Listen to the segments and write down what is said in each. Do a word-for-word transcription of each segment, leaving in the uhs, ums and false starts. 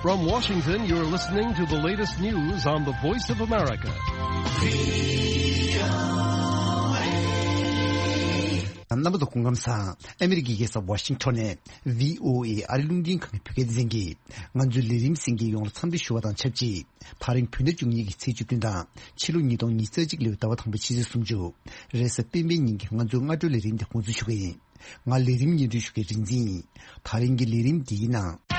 From Washington, you're listening to the latest news on the Voice of America. རྣམ་པ་ཚོ་སྐུ་ཁམས་བཟང་། ཨ་མི་རི་ཀའི་རྒྱལ་ས་ཝ་ཤིང་ཊོན་ནས་བྷི་ཨོ་ཨེ་ཨ་རི་རླུང་འཕྲིན་ཁང་གི་བོད་སྐད་སྡེ་ཚན་གྱིས་ང་ཚོའི་ལས་རིམ་གསན་མཁན་ཡོངས་ལ་འཚམས་འདྲི་ཞུ་བ་དང་ཆབས་ཅིག་ད་རིང་བོད་ཟླ་བཅུ་གཉིས་ཀྱི་ཚེས་བཅུ་བདུན་དང་ཕྱི་ལོ་ཉིས་སྟོང་ཉི་ཤུ་རྩ་གཅིག་ལོའི་ཟླ་བ་དང་པོའི་ཕྱི་ཚེས་སུམ་ཅུ། རེས་གཟའ་སྤེན་པའི་ཉིན་གྱི་ང་ཚོའི་སྔ་དྲོའི་ལས་རིམ་དེ་འགོ་འཛུགས་ཞུ་གི་ཡིན། ང་ལས་རིམ་སྙན་སྒྲོན་ཞུ་མཁན་རིག་འཛིན་ཡིན། ད་རིང་གི་ལས་རིམ་འདིའི་ནང་།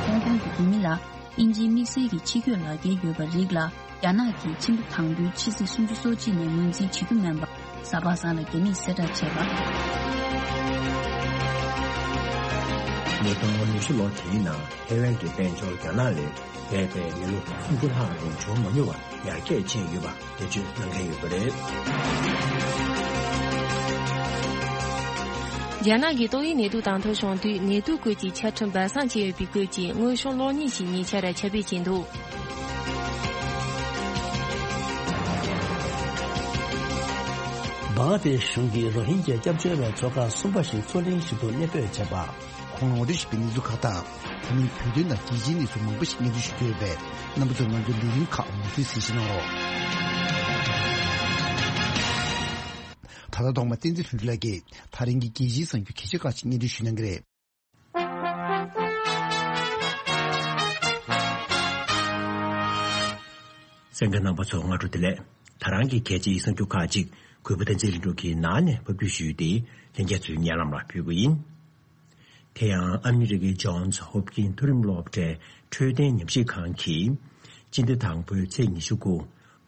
ཧོང་ཀོང་གི་བོད་མི་ལ་དབྱིན་ཇིའི་དམིགས་བསལ་གྱི་ཕྱི་སྐྱོད་ལག་འཁྱེར་ཡོད་པ་རིགས་ལ། རྒྱ་ནག་གིས་ཕྱི་ཟླ་དང་པོའི་ཕྱི་ཚེས་སུམ་ཅུ་སོ་གཅིག་ནས་ངོས་འཛིན་བྱེད་རྒྱུ་མིན་པ། གཟའ་པ་སངས་ལ་རྒྱ་མིས་གསལ་བསྒྲགས་བྱས་པ། ཉིས་སྟོང་ཉི་ཤུ་ལོ་དེའི་ནང་ཐའེ་ཝན་གྱི་དཔལ་འབྱོར་རྒྱ་ནག་ལས་འདས་པའི་མི་ལོ་སུམ་ཅུ་ལྷག་རིང་འབྱོར་མ་མྱོང་བ་ཡར་རྒྱས་ཕྱིན་ཡོད་པ་འགྲེལ་བརྗོད་གནང་མཁན་ཡོད་པ་རེད། རྒྱ་ནག་གི་ཏོག་དབྱིབས་ནད་དུག་དང་ཐོག་བྱུང་དུས་ནད་དུག་སྐོར་གྱི་ཆ་ཁྲིམས་སྦས་གསང་བྱས་ཡོད་པའི་སྐོར་གྱི་དངོས་བྱུང་གློག་བརྙན་ཞིག་ཉེ་ཆར་ཁྱབ་སྤེལ་བྱས་འདུག་བང་ཏེ་གཞུང་གིས་རོ་ཧིན་རྒྱ་སྐྱབས་བཅོལ་བའི་ཚོགས་ཁག་གསུམ་པ་ཞིག་མཚོ་གླིང་ཞིག་ཏུ་གནས་སྤོས་བྱས་པ། ཁོང་ལ་ངོ་སྤྲོད་ཞུས་པའི་གནས་ཚུལ་ཁག་དང་། དེ་མིན་བོད་དོན་དང་རྒྱལ་སྤྱིའི་གནས་ཚུལ་མང་པོ་ཞིག་སྙན་སྒྲོན་ཞུ་རྒྱུ་ཡོད་པས། རྣམ་པ་ཚོས་ང་ཚོའི་ལས་རིམ་ཁག་མུ་མཐུད་གསན་བཞེས་གནང་རོགས། ད་ལྟ་ཐོག་མ་བསྟན་འཛིན་ལྷུན་གྲུབ་ལགས་ཀྱིས་ད་རིང་གི་རྒྱལ་སྤྱིའི་གསར་འགྱུར་གལ་ཆེ་ཁག་ཅིག་སྙན་སྒྲོན་ཞུ་གནང་གི་རེད། གསན་མཁན་རྣམ་པ་ཚོ་སྔ་དྲོ་བདེ་ལེགས། ད་རང་གི་གལ་ཆེའི་གསར་འགྱུར་ཁག་ཅིག་གུས་པ་བསྟན་འཛིན་ལྷུན་གྲུབ་ཀྱིས་ནང་ནས་ཕབ་བསྒྱུར་ཞུས་ཏེ་ལྷན་རྒྱས་ཚོའི་སྙན་ལམ་ལ་ཕུལ་གྱི་ཡིན། དེ་ཡང་ཨ་མི་རི་ཀའི་ཇོན་སི་ཧོབ་ཀིན་མཐོ་རིམ་སློབ་གྲྭའི་འཕྲོད་བསྟེན་ཉམས་ཞིབ་ཁང་གིས་སྤྱི་ཟླ་དང་པོའི་ཚེས་ཉི་ཤུ་དགུ་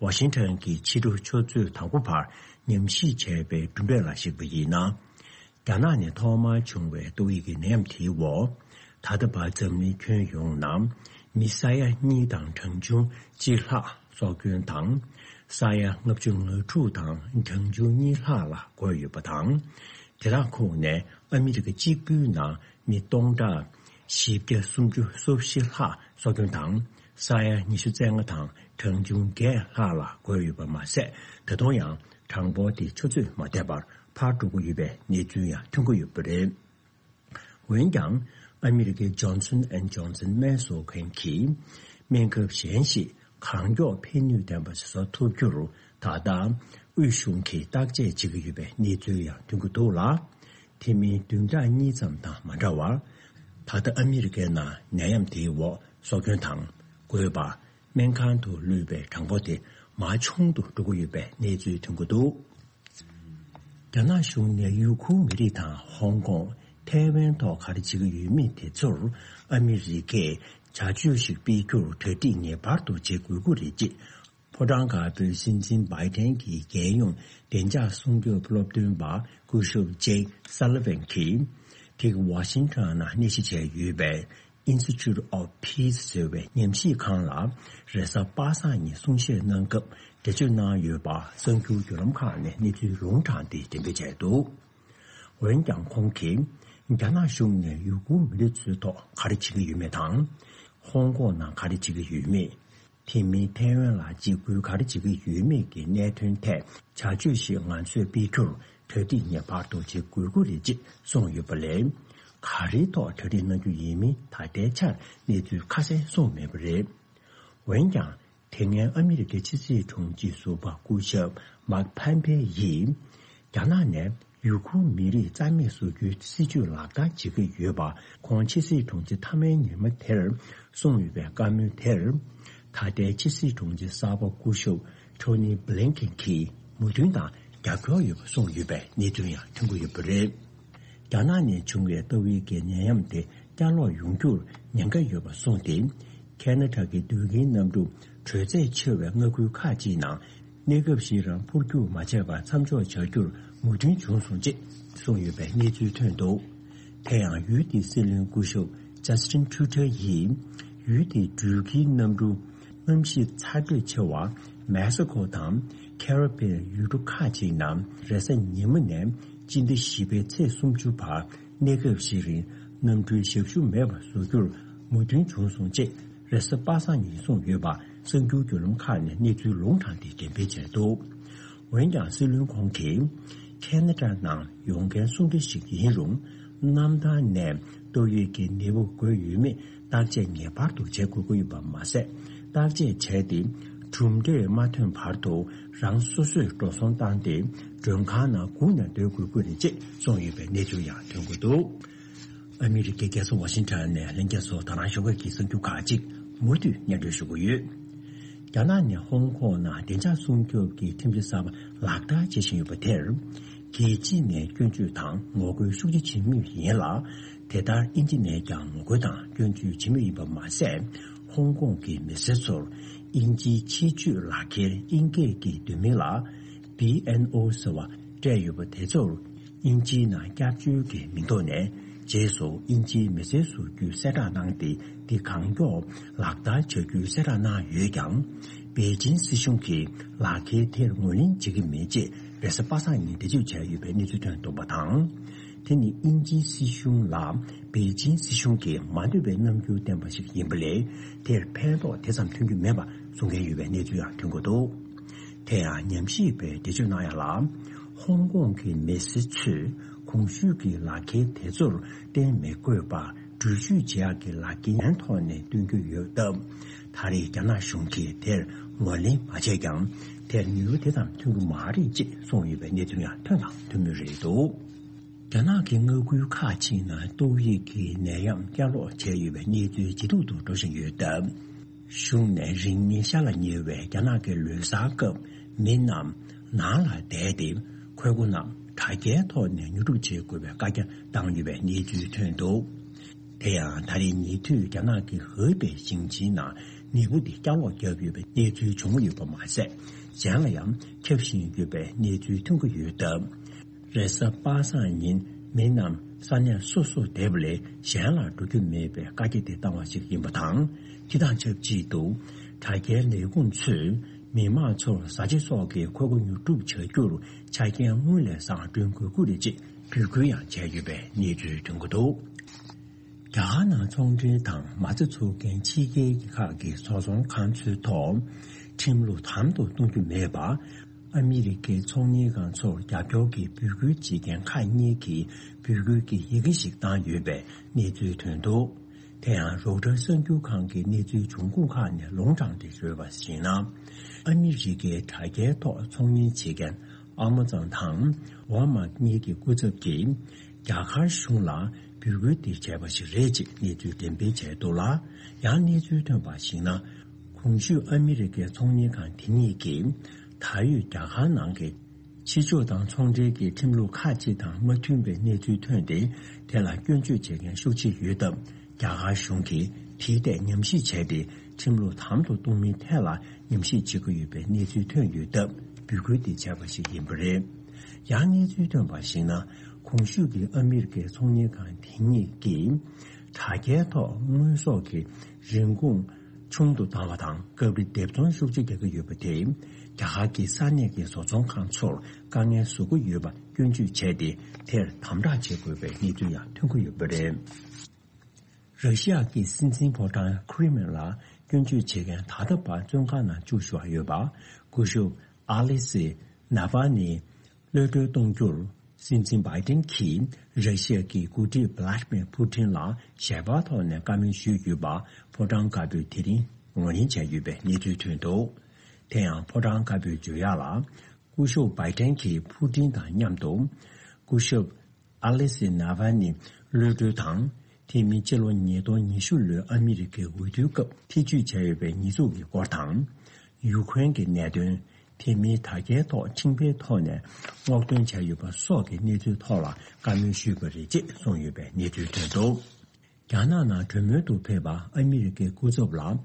ཝ་ཤིང་ཊོན་གྱི་ཕྱི་དྲོ་ཆུ་ཚོད་དང་པོ་བར་ཉམས་ཞིབ་བྱས་པའི་གྲུབ་འབྲས་ལ་གཞིགས་པ་ཡིན་ན། རྒྱ་ནག་ནས་ཐོག་མར་བྱུང་བའི་ཏོག་དབྱིབས་ཀྱི་ནད་ཡམས་དེའི་འོག་ད་ལྟ་བར་འཛམ་གླིང་ཁྱོན་ཡོངས་ནང་མི་ས་ཡ་གཉིས་དང་གྲངས་ཆུང་གཅིག་ལྷག་སྲོག་སྐྱོན་དང་། ས་ཡ་ལྔ་བཅུ་ང་དྲུག་དང་གྲངས་ཆུང་གཉིས་ལྷག་ལ་འགོས་ཡོད་པ་དང་། དེ་དག་ཁོངས་ནས་ཨ་མི་རི་ཀ་གཅིག་པུའི་ནང་མི་སྟོང་ཕྲག་བཞི་བརྒྱ་སུམ་ཅུ་སོ་བཞི་ལྷག་སྲོག་སྐྱོན་དང་། ས་ཡ་ཉི་ཤུ་རྩ་ལྔ་དང་གྲངས་ཆུང་བརྒྱད་ལྷག་ལ་འགོས་ཡོད་པ་མ་ཟད། ད་དུང་ཡང་གྲངས་འབོར་དེ་ཆུ་ཚོད་མ་འདས་པར་འཕར་འགྲོ་གི་ཡོད་པའི་གནས་ཚུལ་ཡང་ཐོན་གྱི་ཡོད་པ་རེད། འོན་ཀྱང་། ཨ་མི་རི་ཀའི་ཇོན་སོན་ཨེན་ཇོན་སོན་སྨན་བཟོ་མཁན་གྱིས་སྨན་ཁབ་གཞན་ཞིག་གང་མགྱོགས་ཕན་ནུས་ལྡན་པ་ཞིག་བཟོ་ཐུབ་རྒྱུར་ད་ལྟ་དབུས་གཞུང་གིས་བརྟག་དཔྱད་བྱེད་ཀྱི་ཡོད་པའི་གནས་ཚུལ་ཡང་ཐོན་གྱི་འདུག་ལ། དེ་མིན་བདུན་ཕྲག་གཉིས་ཙམ་དང་མ་འདྲ་བར། ད་ལྟ་ཨ་མི་རི་ཀའི་ནང་ནད་ཡམས་དེའི་འོག་སྲོག་སྐྱོན་དང་འགོས་པ། སྨན་ཁང་དུ་ལུས་པའི་གྲངས་འབོར་དེ་མར་ཆུང་དུ་འགྲོ་གི་ཡོད་པའི་གནས་ཚུལ་ཐོན་གྱི་འདུག་རྒྱ་ནག་གཞུང་ནས་ཡུ་གུར་མི་རིགས་དང་ཧོང་ཀོང་། ཐའེ་ཝན་ཐོག་ག་རེ་བྱེད་ཀྱི་ཡོད་མེད་དེ་ཚོར་ཨ་མི་རི་ཀས་བྱ་སྤྱོད་ཞིག་སྤེལ་རྒྱུར་གྲ་སྒྲིག་ངེས་པར་དུ་བྱེད་དགོས་ཀྱི་རེད་ཅེས། ཕོ་བྲང་དཀར་པོའི་སྲིད་འཛིན་བྷའི་ཏན་གྱི་རྒྱལ་ཡོངས་བདེ་འཇགས་སྲུང་སྐྱོབ་སློབ་སྟོན་པ་སྐུ་ཞབས་ཇེག་སཱ་ལི་ཝན་གྱིས། དེ་གི་ཝ་ཤིང་ཊོན་ནང་གནས་གཞི་བྱས་ཡོད་པའི་Institute of Peace ཟེར་བའི་ཉམས་ཞིབ་ཁང་ལ་རེས་གཟའ་པ་སངས་ཉིན་གསུང་བཤད་གནང་སྐབས་འགྲེལ་བརྗོད་གནང་ཡོད་པ་གསར་འགྱུར་བརྒྱུད་ལམ་ཁག་ནས་གནས་ཚུལ་ལུང་དྲངས་ཏེ་འགྲེམས་སྤེལ་བྱས་འདུག་འོན་ཀྱང་ཁོང་གིས་རྒྱ་ནག་གཞུང་ནས་ཡུ་གུར་མི་རིགས་ཚོའི་ཐོག་ག་རེ་བྱེད་ཀྱི་ཡོད་མེད་དང་། ཧོང་ཀོང་ནང་ག་རེ་བྱེད་ཀྱི་ཡོད་མེད། དེ་མིན་ཐའེ་ཝན་ལ་འཇིགས་སྐུལ་ག་རེ་བྱེད་ཀྱི་ཡོད་མེད་ཀྱི་གནད་དོན་ཐད་བྱ་སྤྱོད་ཞིག་ང་ཚོས་སྤེལ་རྒྱུར་གྲ་སྒྲིག་ངེས་པར་དུ་བྱེད་དགོས་ཀྱི་རེད་ཅེས་གསུངས་ཡོད་པ་ལས། ག་རེའི་ཐོག་གྲ་སྒྲིག་གནང་རྒྱུ་ཡིན་མིན་ད་ལྟའི་ཆར་གནས་ཚུལ་ཁ་གསལ་གསུངས་མེད་པ་རེད། འོན་ཀྱང་། དེ་སྔའི་ཨ་མི་རི་ཀའི་ཕྱི་སྲིད་དྲུང་ཆེ་ཟུར་པ་སྐུ་ཞབས་མཱིག་ཕམ་པེ་ཡིས། རྒྱ་ནག་ནས་ཡུ་གུར་མི་རིགས་རྩ་མེད་བཟོ་རྒྱུའི་སྲིད་ཇུས་ལག་བསྟར་བྱེད་ཀྱི་ཡོད་པ་ཁོང་ཕྱི་སྲིད་དྲུང་ཆེ་མཐའ་མའི་ཉིན་མ་དེར་གསུངས་ཡོད་པའི་བཀའ་མོལ་དེར། ད་ལྟའི་ཕྱི་སྲིད་དྲུང་ཆེ་གསར་པ་སྐུ་ཞབས་ཊོ་ནི་བྷི་ལིན་ཀེན་གྱིས་མོས་མཐུན་དང་རྒྱབ་སྐྱོར་ཡོད་པ་གསུངས་ཡོད་པའི་གནས་ཚུལ་ཡང་ཐོན་གྱི་ཡོད་པ་རེད། རྒྱ་ནག་ནས་བྱུང་བའི་ཏོག་དབྱིབས་ཀྱི་ནད་ཡམས་དེ་བསྐྱར་ལོག་ཡོང་རྒྱུར་ཉེན་ཁ་ཡོད་པ་གསུངས་ཏེ། ཁེ་ན་ཌ་གི་དུས་ཀྱི་གནམ་གྲུ་དྲོད་ཚད་ཆེ་བའི་མངའ་ཁུལ་ཁག་ཅིག་ནང་གནས་སྐབས་ཤིག་རིང་འཕུར་རྒྱུག་མ་བྱས་པར་མཚམས་འཇོག་བྱ་རྒྱུར་མོས་མཐུན་བྱུང་སོང་ཅེས་གསུངས་ཡོད་པའི་གནས་ཚུལ་ཐོན་འདུག་དེ་ཡང་ཡུལ་དེའི་སྲིད་བློན་སྐུ་ཞབས་ཇ་སི་ཊིན་ཊུ་ཌོ་ཡིས། ཡུལ་དེའི་འགྲུལ་སྐྱེལ་གནམ་གྲུ་གནམ་གཤིས་ཚ་དྲོད་ཆེ་བ་མེག་སི་ཁོ་དང་ཁེ་རི་བྷི་ཡན་ཡུལ་གྲུ་ཁག་ཅིག་ནང་རེས་གཟའ་ཉི་མ་ནས་སྤྱི་ཟླ་བཞི་པའི་ཚེས་སུམ་ཅུ་བར་གནས་སྐབས་ཤིག་རིང་གནམ་གྲུའི་ཞབས་ཞུ་མེད་པར་བཟོ་རྒྱུར་མོས་མཐུན་བྱུང་སོང་ཅེས་རེས་གཟའ་པ་སངས་ཉིན་གསུངས་ཡོད་པ་གསར་འགྱུར་བརྒྱུད་ལམ་ཁག་ནས་གནས་ཚུལ་ལུང་དྲངས་ཏེ་འགྲེམས་སྤེལ་བྱས་འདུག་འོན་ཀྱང་སྲིད་བློན་ཁོང་གིས། ཁེ་ན་ཌ་ནང་ཡོང་མཁན་སུ་འདྲ་ཞིག་ཡིན་རུང་། གནམ་ཐང་ནས་ཏོག་དབྱིབས་ཀྱི་ནད་འབུ་འགོས་ཡོད་མེད་བརྟག་དཔྱད་ངེས་པར་དུ་བྱེད་དགོས་ཀྱི་ཡོད་པ་མ་ཟད། བརྟག་དཔྱད་བྱས་ཏེ་གྲུབ་འབྲས་མ་ཐོན་བར་དུ་རང་སོ་སོས་འགྲོ་སོང་བཏང་སྟེ་མགྲོན་ཁང་ནང་སྒུག་ནས་སྡོད་དགོས་ཀྱི་རེད་ཅེས་གསུངས་ཡོད་པའི་གནས་ཚུལ་ཡང་ཐོན་གྱི་འདུག། ཨ་མི་རི་ཀའི་རྒྱལ་ས་ཝ་ཤིང་ཊོན་ནས་ལྷན་རྒྱས་ཚོ་ད་རང་ཞོགས་ཀས་ཀྱི་གསར་འགྱུར་ཁག་ཅིག་མུ་མཐུད་སྙན་སྒྲོན་ཞུ་གི་ཡོད། རྒྱ་ནག་ནས་ཧོང་ཀོང་ནང་བདེ་འཇགས་སྲུང་སྐྱོབ་ཀྱི་ཁྲིམས་གཞི་གསར་པ་ལག་བསྟར་བྱེད་བཞིན་ཡོད་པ་དེར། རྒྱལ་སྤྱི་ནས་སྐྱོན་བརྗོད་དང་ངོ་རྒོལ་ཤུགས་ཆེ་བྱེད་མུས་ཡིན་ལ། དེ་ལྟར་དབྱིན་ཇི་ནས་ཀྱང་ངོ་རྒོལ་དང་སྐྱོན་བརྗོད་བྱེད་མུས་ཡིན་པ་མ་ཟད། ཧོང་ཀོང་གི་མི་སེར་ཚོར་དབྱིན་ཇིའི་ཆེད་སྤྱོད་ལག་ཁྱེར་དབྱིན་སྐད་ཀྱི་བསྡུས་མིང་ལ་བྷི་ཨེན་ཨོ་ཟེར་བ་སྤྲད་ཡོད་པ་དེ་ཚོར། དབྱིན་ཇིའི་ནང་སྐྱབས་བཅོལ་གྱི་མིང་ཐོག་ནས་རྗེས་སུ་དབྱིན་ཇིའི་མི་སེར་བཟོ་རྒྱུའི་གསལ་བསྒྲགས་གནང་སྟེ། འདི་གང་མགྱོགས་ལག་བསྟར་བྱ་རྒྱུའི་གསལ་བསྒྲགས་གནང་ཡོད་ཀྱང་། པེ་ཅིན་སྲིད་གཞུང་གིས་ལག་ཁྱེར་དེར་ངོས་ལེན་བྱེད་ཀྱི་མེད་ཅེས་རེས་གཟའ་པ་སངས་ཉིན་འགྲེལ་བརྗོད་བྱས་ཡོད་པའི་གནས་ཚུལ་ཐོན་འདུག་པ་དང་། དེ་ནི་དབྱིན་ཇིའི་སྲིད་གཞུང་ལ་པེ་ཅིན་སྲིད་གཞུང་གིས་མ་འདོད་པའི་རྣམ་འགྱུར་བསྟན་པ་ཞིག་ཡིན་པ་ལས། དེར་ཕན་ཐོགས་དེ་ཙམ་ཐོན་རྒྱུ་མེད་པ་གསུང་མཁན་ཡོད་པའི་གནས་ཚུལ་ཡང་ཐོན་གྱི་འདུག། དེ་ཡང་ཉམས་ཞིབ་པས་འགྲེལ་བརྗོད་གནང་ཡ་ལ། ཧོང་ཀོང་གི་མི་སེར་ཚོས་གོང་ཞུས་ཀྱི་ལག་ཁྱེར་དེ་ཚོར་གཏན་མི་དགོས་པར་འགྲུལ་བཞུད་བྱེད་ཡག་གི་ལག་འཁྱེར་ཐོག་ནས་སྟོན་རྒྱུ་ཡོད་སྟབས། ད་རེས་རྒྱ་ནག་གཞུང་གིས་དེར་ངོས་ལེན་མ་བྱས་ཀྱང་། དེར་ནུས་པ་དེ་ཙམ་ཐོན་གྱི་མ་རེད་ཅེས་གསུངས་ཡོད་པའི་གནས་ཚུལ་ཡང་ཐོན་དང་ཐོན་མུས་རེད་འདུག། རྒྱ་ནག་གི་མངའ་ཁུལ་ཁག་ཅིག་ནང་ཏོག་དབྱིབས་ཀྱི་ནད་ཡམས་བསྐྱར་ལོག་བྱས་ཡོད་པའི་གནས་ཚུལ་ཇེ་སྡུག་ཏུ་འགྲོ་བཞིན་ཡོད་སྟབས། གཞུང་ནས་རིང་མིན་ཤར་ལ་ཉེ་བའི་རྒྱ་ནག་གི་ལོ་གསར་སྐབས་མི་རྣམས་ནང་ལ་བསྡད་དེ། འཁོར་སྒོ་རྣམས་དྲ་རྒྱའི་ཐོག་ནས་ཉོ་སྒྲུབ་བྱེད་དགོས་པའི་བཀའ་རྒྱ་བཏང་ཡོད་པའི་གནས་ཚུལ་ཐོན་འདུག། དེ་ཡང་ད་རེས་ཉེ་དུས་རྒྱ་ནག་གི་ཧོས་པའི་ཞིང་ཆེན་ནང་ནད་འབུ་དེ་བསྐྱར་ལོག་བརྒྱབ་ཡོད་པའི་གནས་ཚུལ་བྱུང་ཡོད་པ་མ་ཟད། གཞན་ལ་ཡང་ཁྱབ་བཞིན་ཡོད་པའི་གནས་ཚུལ་ཐོན་གྱི་ཡོད་སྟབས། རེས་གཟའ་པ་སངས་ཉིན་མི་རྣམས་ས་གནས་སོ་སོར་བསྡད་པ་ལས་གཞན་ལ་འགྲོ་རྒྱུ་མེད་པའི་བཀའ་རྒྱ་དེ་བཏང་བ་ཞིག་ཡིན་པ་དང་། དེ་དང་ཆབས་ཅིག་ཏུ་དྲ་རྒྱའི་ལས་ཁུངས་ཚོས་མི་མང་ཚོར་བཟའ་བཅའ་སོགས་ཀྱི་འཁོར་སྒོ་ཉོ་སྒྲུབ་བྱ་རྒྱུར་ཆ་རྐྱེན་སྔོན་ལས་བཟང་བསྐྲུན་དགོས་ཀྱི་རེད་ཅེས་འབོད་སྐུལ་ཡང་བྱས་ཡོད་པའི་གནས་ཚུལ་ཐོན་གྱི་འདུག། རྒྱ་གར་ནང་ཚོང་འབྲེལ་དང་མ་རྩ་འཛུགས་མཁན་ཕྱི་རྒྱལ་གྱི་ཁག་གི་བཟོ་ཚོང་ཁང་ཚོའི་ཐོག་ཁྲིམས་ལུགས་དམ་དུ་གཏོང་རྒྱུ་མེད་པ། ཨ་མི་རི་ཀའི་ཚོང་གཉེར་ཁང་ཚོར་རྒྱབ་སྐྱོར་གྱི་འབོད་སྐུལ་བྱེད་མཁན་ཁག་གཉིས་ཀྱིས་འབོད་སྐུལ་གྱི་ཡི་གེ་ཞིག་བཏང་ཡོད་པའི་གནས་ཚུལ་ཐོན་འདུག། དེ་ཡང་རོའི་ཊར་གསར་འགྱུར་ཁང་གི་གནས་ཚུལ་འབྱུང་ཁུངས་ཁག་ནས་ལུང་དྲངས་ཏེ་བརྗོད་པར་གཞིགས་ན། ཨ་མི་རི་ཀའི་དྲ་རྒྱའི་ཐོག་ཚོང་གཉེར་བྱེད་མཁན་ཨ་མ་ཛོན་དང་ཝལ་མཱར་ཊི་གཉིས་ཀྱི་སྐུ་ཚབ་ཀྱིས་རྒྱ་གར་གཞུང་ལ་འབོད་སྐུལ་འདི་བྱས་པ་ཞིག་རེད་ཅེས་གནས་ཚུལ་འགྲེམས་སྤེལ་བྱས་འདུག་ལ། ཡང་གནས་ཚུལ་ཐོན་པར་གཞིགས་ན། གོང་ཞུས་ཨ་མི་རི་ཀའི་ཚོང་གཉེར་ཁང་དེ་གཉིས་ཀྱིས་ད་ཡོད་རྒྱ་གར་ནང་གི་ཕྱི་ཕྱོགས་དང་ཚོང་འབྲེལ་གྱི་ཁྲིམས་ལུགས་ཁག་ཅིག་དང་མ་མཐུན་པའི་གནས་ཚུལ་ཐོན་ཏེ། དེ་ལ་སྐྱོན་བརྗོད་བྱེད་མཁན་ཤུགས་ཆེ་ཡོད་སྟབས། རྒྱ་གར་གཞུང་གིས་དེའི་ཐད་ཉམས་ཞིབ་བྱས་ཏེ། ཁྲིམས་ལུགས་དམ་དུ་གཏོང་མིན་ཐད་ལ་ཉམས་ཞིབ་བྱེད་ཀྱི་ཡོད་པའི་གནས་ཚུལ་ཐོན་ཡོད་སྟབས། འབོད་སྐུལ་དེ་བྱས་པ་ཞིག་ཡིན་པ་རེད། ཡང་གནས་ཚུལ་ཐོན་པར་གཞིགས་ན། གོང་ཞུས་ཀྱི་ཨ་མི་རི་ཀའི་ཚོང་གཉེར་ཁང་དེ་གཉིས་ཀྱིས་དྲ་རྒྱའི་ཐོག་དངོས་ཟོག་གི་རིན་གོང་ཆུང་དུ་བཏང་བ་དང་། སྐབས་རེ་སྡེབ་ཚོང་ཤུགས་ཆེ་རྒྱག་གི་ཡོད་པ་དེས། རྒྱ་གར་གྱི་ས་གནས་ཀྱི་བཟོ་ཚོང་ཁང་ཚོར་དཀའ་ངལ་བཟོ་གི་ཡོད་པ་སྐྱོན་བརྗོད་བྱས་ཏེ། དེར་དམ་དྲག་བྱེད་དགོས་པའི་གནས་ཚུལ་ཡང་ཐོན་གྱི་ཡོད་པ་རེད། ར་ཤི་ཡ་གི་སྲིད་འཛིན་ཕོ་བྲང་ཁི་རི་མིན་ལ་སྐྱོན་བརྗོད་བྱེད་མཁན་ད་ལྟ་བར་བཙོན་ཁང་ནང་བཅུག་བཞག་ཡོད་པ། སྐུ་ཞབས་ཨ་ལེ་སི་ནཱ་ཝལ་ནི་གློད་གྲོལ་གཏོང་རྒྱུར། སྲིད་འཛིན་བྷའི་ཏིན་གྱིས་ར་ཤི་ཡ་གི་འགོ་ཁྲིད་བྷི་ལ་ཏི་མིར་ཕུ་ཏིན་ལ་ཞལ་པར་ཐོག་ནས་བཀའ་མོལ་ཞུས་ཡོད་པ། ཕོ་བྲང་དཀར་པོས་དེ་རིང་ངོས་ལེན་བྱས་ཡོད་པའི་གནས་ཚུལ་ཐོན་འདུག། དེ་ཡང་ཕོ་བྲང་དཀར་པོས་བརྗོད་ཡག་ལ། སྐུ་ཞབས་བྷའི་ཏིན་གྱིས་ཕུ་ཏིན་དང་མཉམ་དུ། སྐུ་ཞབས་ཨ་ལེ་སི་ནཱ་ཝལ་ནི་གློད་གྲོལ་དང་། དེ་མིན་སྤྱི་ལོ་ཉིས་སྟོང་ཉི་ཤུ་ལོའི་ཨ་མི་རི་ཀའི་འོས་བསྡུའི་སྐབས་ཐེ་བྱུས་བྱས་ཡོད་པའི་ཉེས་འཛུགས་ཀྱི་སྐོར་དང་། ཡུ་ཁུ་རེན་གྱི་གནད་དོན། དེ་མིན་དྲ་རྒྱའི་ཐོག་ཁྲིམས་འགལ་ཐོག་ནས་སྔོག་འདོན་བྱས་ཡོད་པ་སོགས་ཀྱི་གནས་ཚུལ་ཐོག་ལ་བཀའ་མོལ་ཞུས་པ་རེད་ཅེས་གསུངས་ཡོད་པའི་གནས་ཚུལ་ཐོན་འདུག། རྒྱ་ནག་ནང་གྲོས་མོལ་དུ་ཕེབས་པ་ཨ་མི་རི་ཀའི་སྐུ་ཚབ་ལ།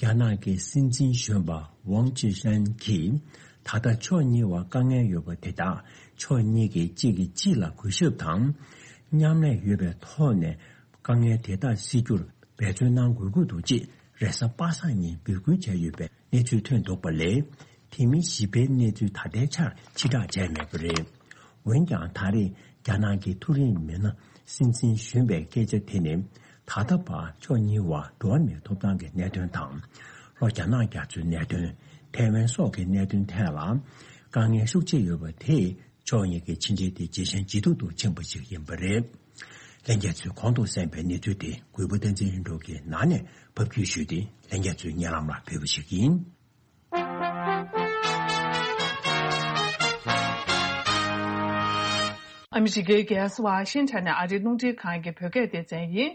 རྒྱ་ནག་གི་སྲིད་འཛིན་གཞོན་པ་ཝང་ཅི་ཧྲན་གྱིས། ད་ལྟ་ཕྱོགས་གཉིས་བར་དཀའ་ངལ་ཡོད་པ་དེ་དག་ཕྱོགས་གཉིས་ཀྱིས་གཅིག་གིས་གཅིག་ལ་གུས་ཞབས་དང་། མཉམ་ལས་ཡོད་པའི་ཐོག་ནས། དཀའ་ངལ་དེ་དག་སེལ་རྒྱུར་འབད་བརྩོན་གནང་དགོས་ཀྱི་འདུག་ཅེས་རེས་གཟའ་པ་སངས་ཉིན་འབོད་སྐུལ་བྱས་ཡོད་པའི་གནས་ཚུལ་ཐོན་འདུག་པ་ལས། དེ་མིན་ཞིབ་ཕྲའི་གནས་ཚུལ་ད་ལྟའི་ཆར་ཕྱིར་བསྒྲགས་བྱས་མེད་པ་རེད། འོན་ཀྱང་། ད་རེས་རྒྱ་ནག་གི་མཐོ་རིམ་མི་སྣ་སྲིད་འཛིན་གཞོན་པའི་སྐད་ཆ་དེ་ནི། ད་ལྟ་བར་ཕྱོགས་གཉིས་བར་འགྲོ་བ་མིའི་ཐོབ་ཐང་གི་གནད་དོན་དང་། ལྷོ་རྒྱ་ནག་རྒྱ་མཚོའི་གནད་དོན། ཐའེ་ཝན་སོགས་ཀྱི་གནད་དོན་ཐད་ལ་དཀའ་ངལ་ཤུགས་ཆེ་ཡོད་པ་དེས། ཕྱོགས་གཉིས་ཀའི་ཕྱི་འབྲེལ་དེ་ཇེ་ཞན་ཇེ་སྡུག་ཏུ་ཕྱིན་པ་ཞིག་ཡིན་པ་རེད། ལྷན་རྒྱས་ཚོས་གོང་དུ་གསན་པའི་གནས་ཚུལ་དེ་གུས་པ་བསྟན་འཛིན་ལྷུན་གྲུབ་ཀྱིས་ནང་ནས་ཕབ་སྒྱུར་ཞུས་ཏེ་ལྷན་རྒྱས་ཚོའི་སྙན་ལམ་ལ་ཕུལ་བ་ཞིག་ཡིན། ཨ་མི་རི་ཀའི་རྒྱལ་ས་ཝ་ཤིང་ཊོན་ནས་ཨ་རིའི་རླུང་འཕྲིན་ཁང་གི་བོད་སྐད་སྡེ་ཚན་ཡིན།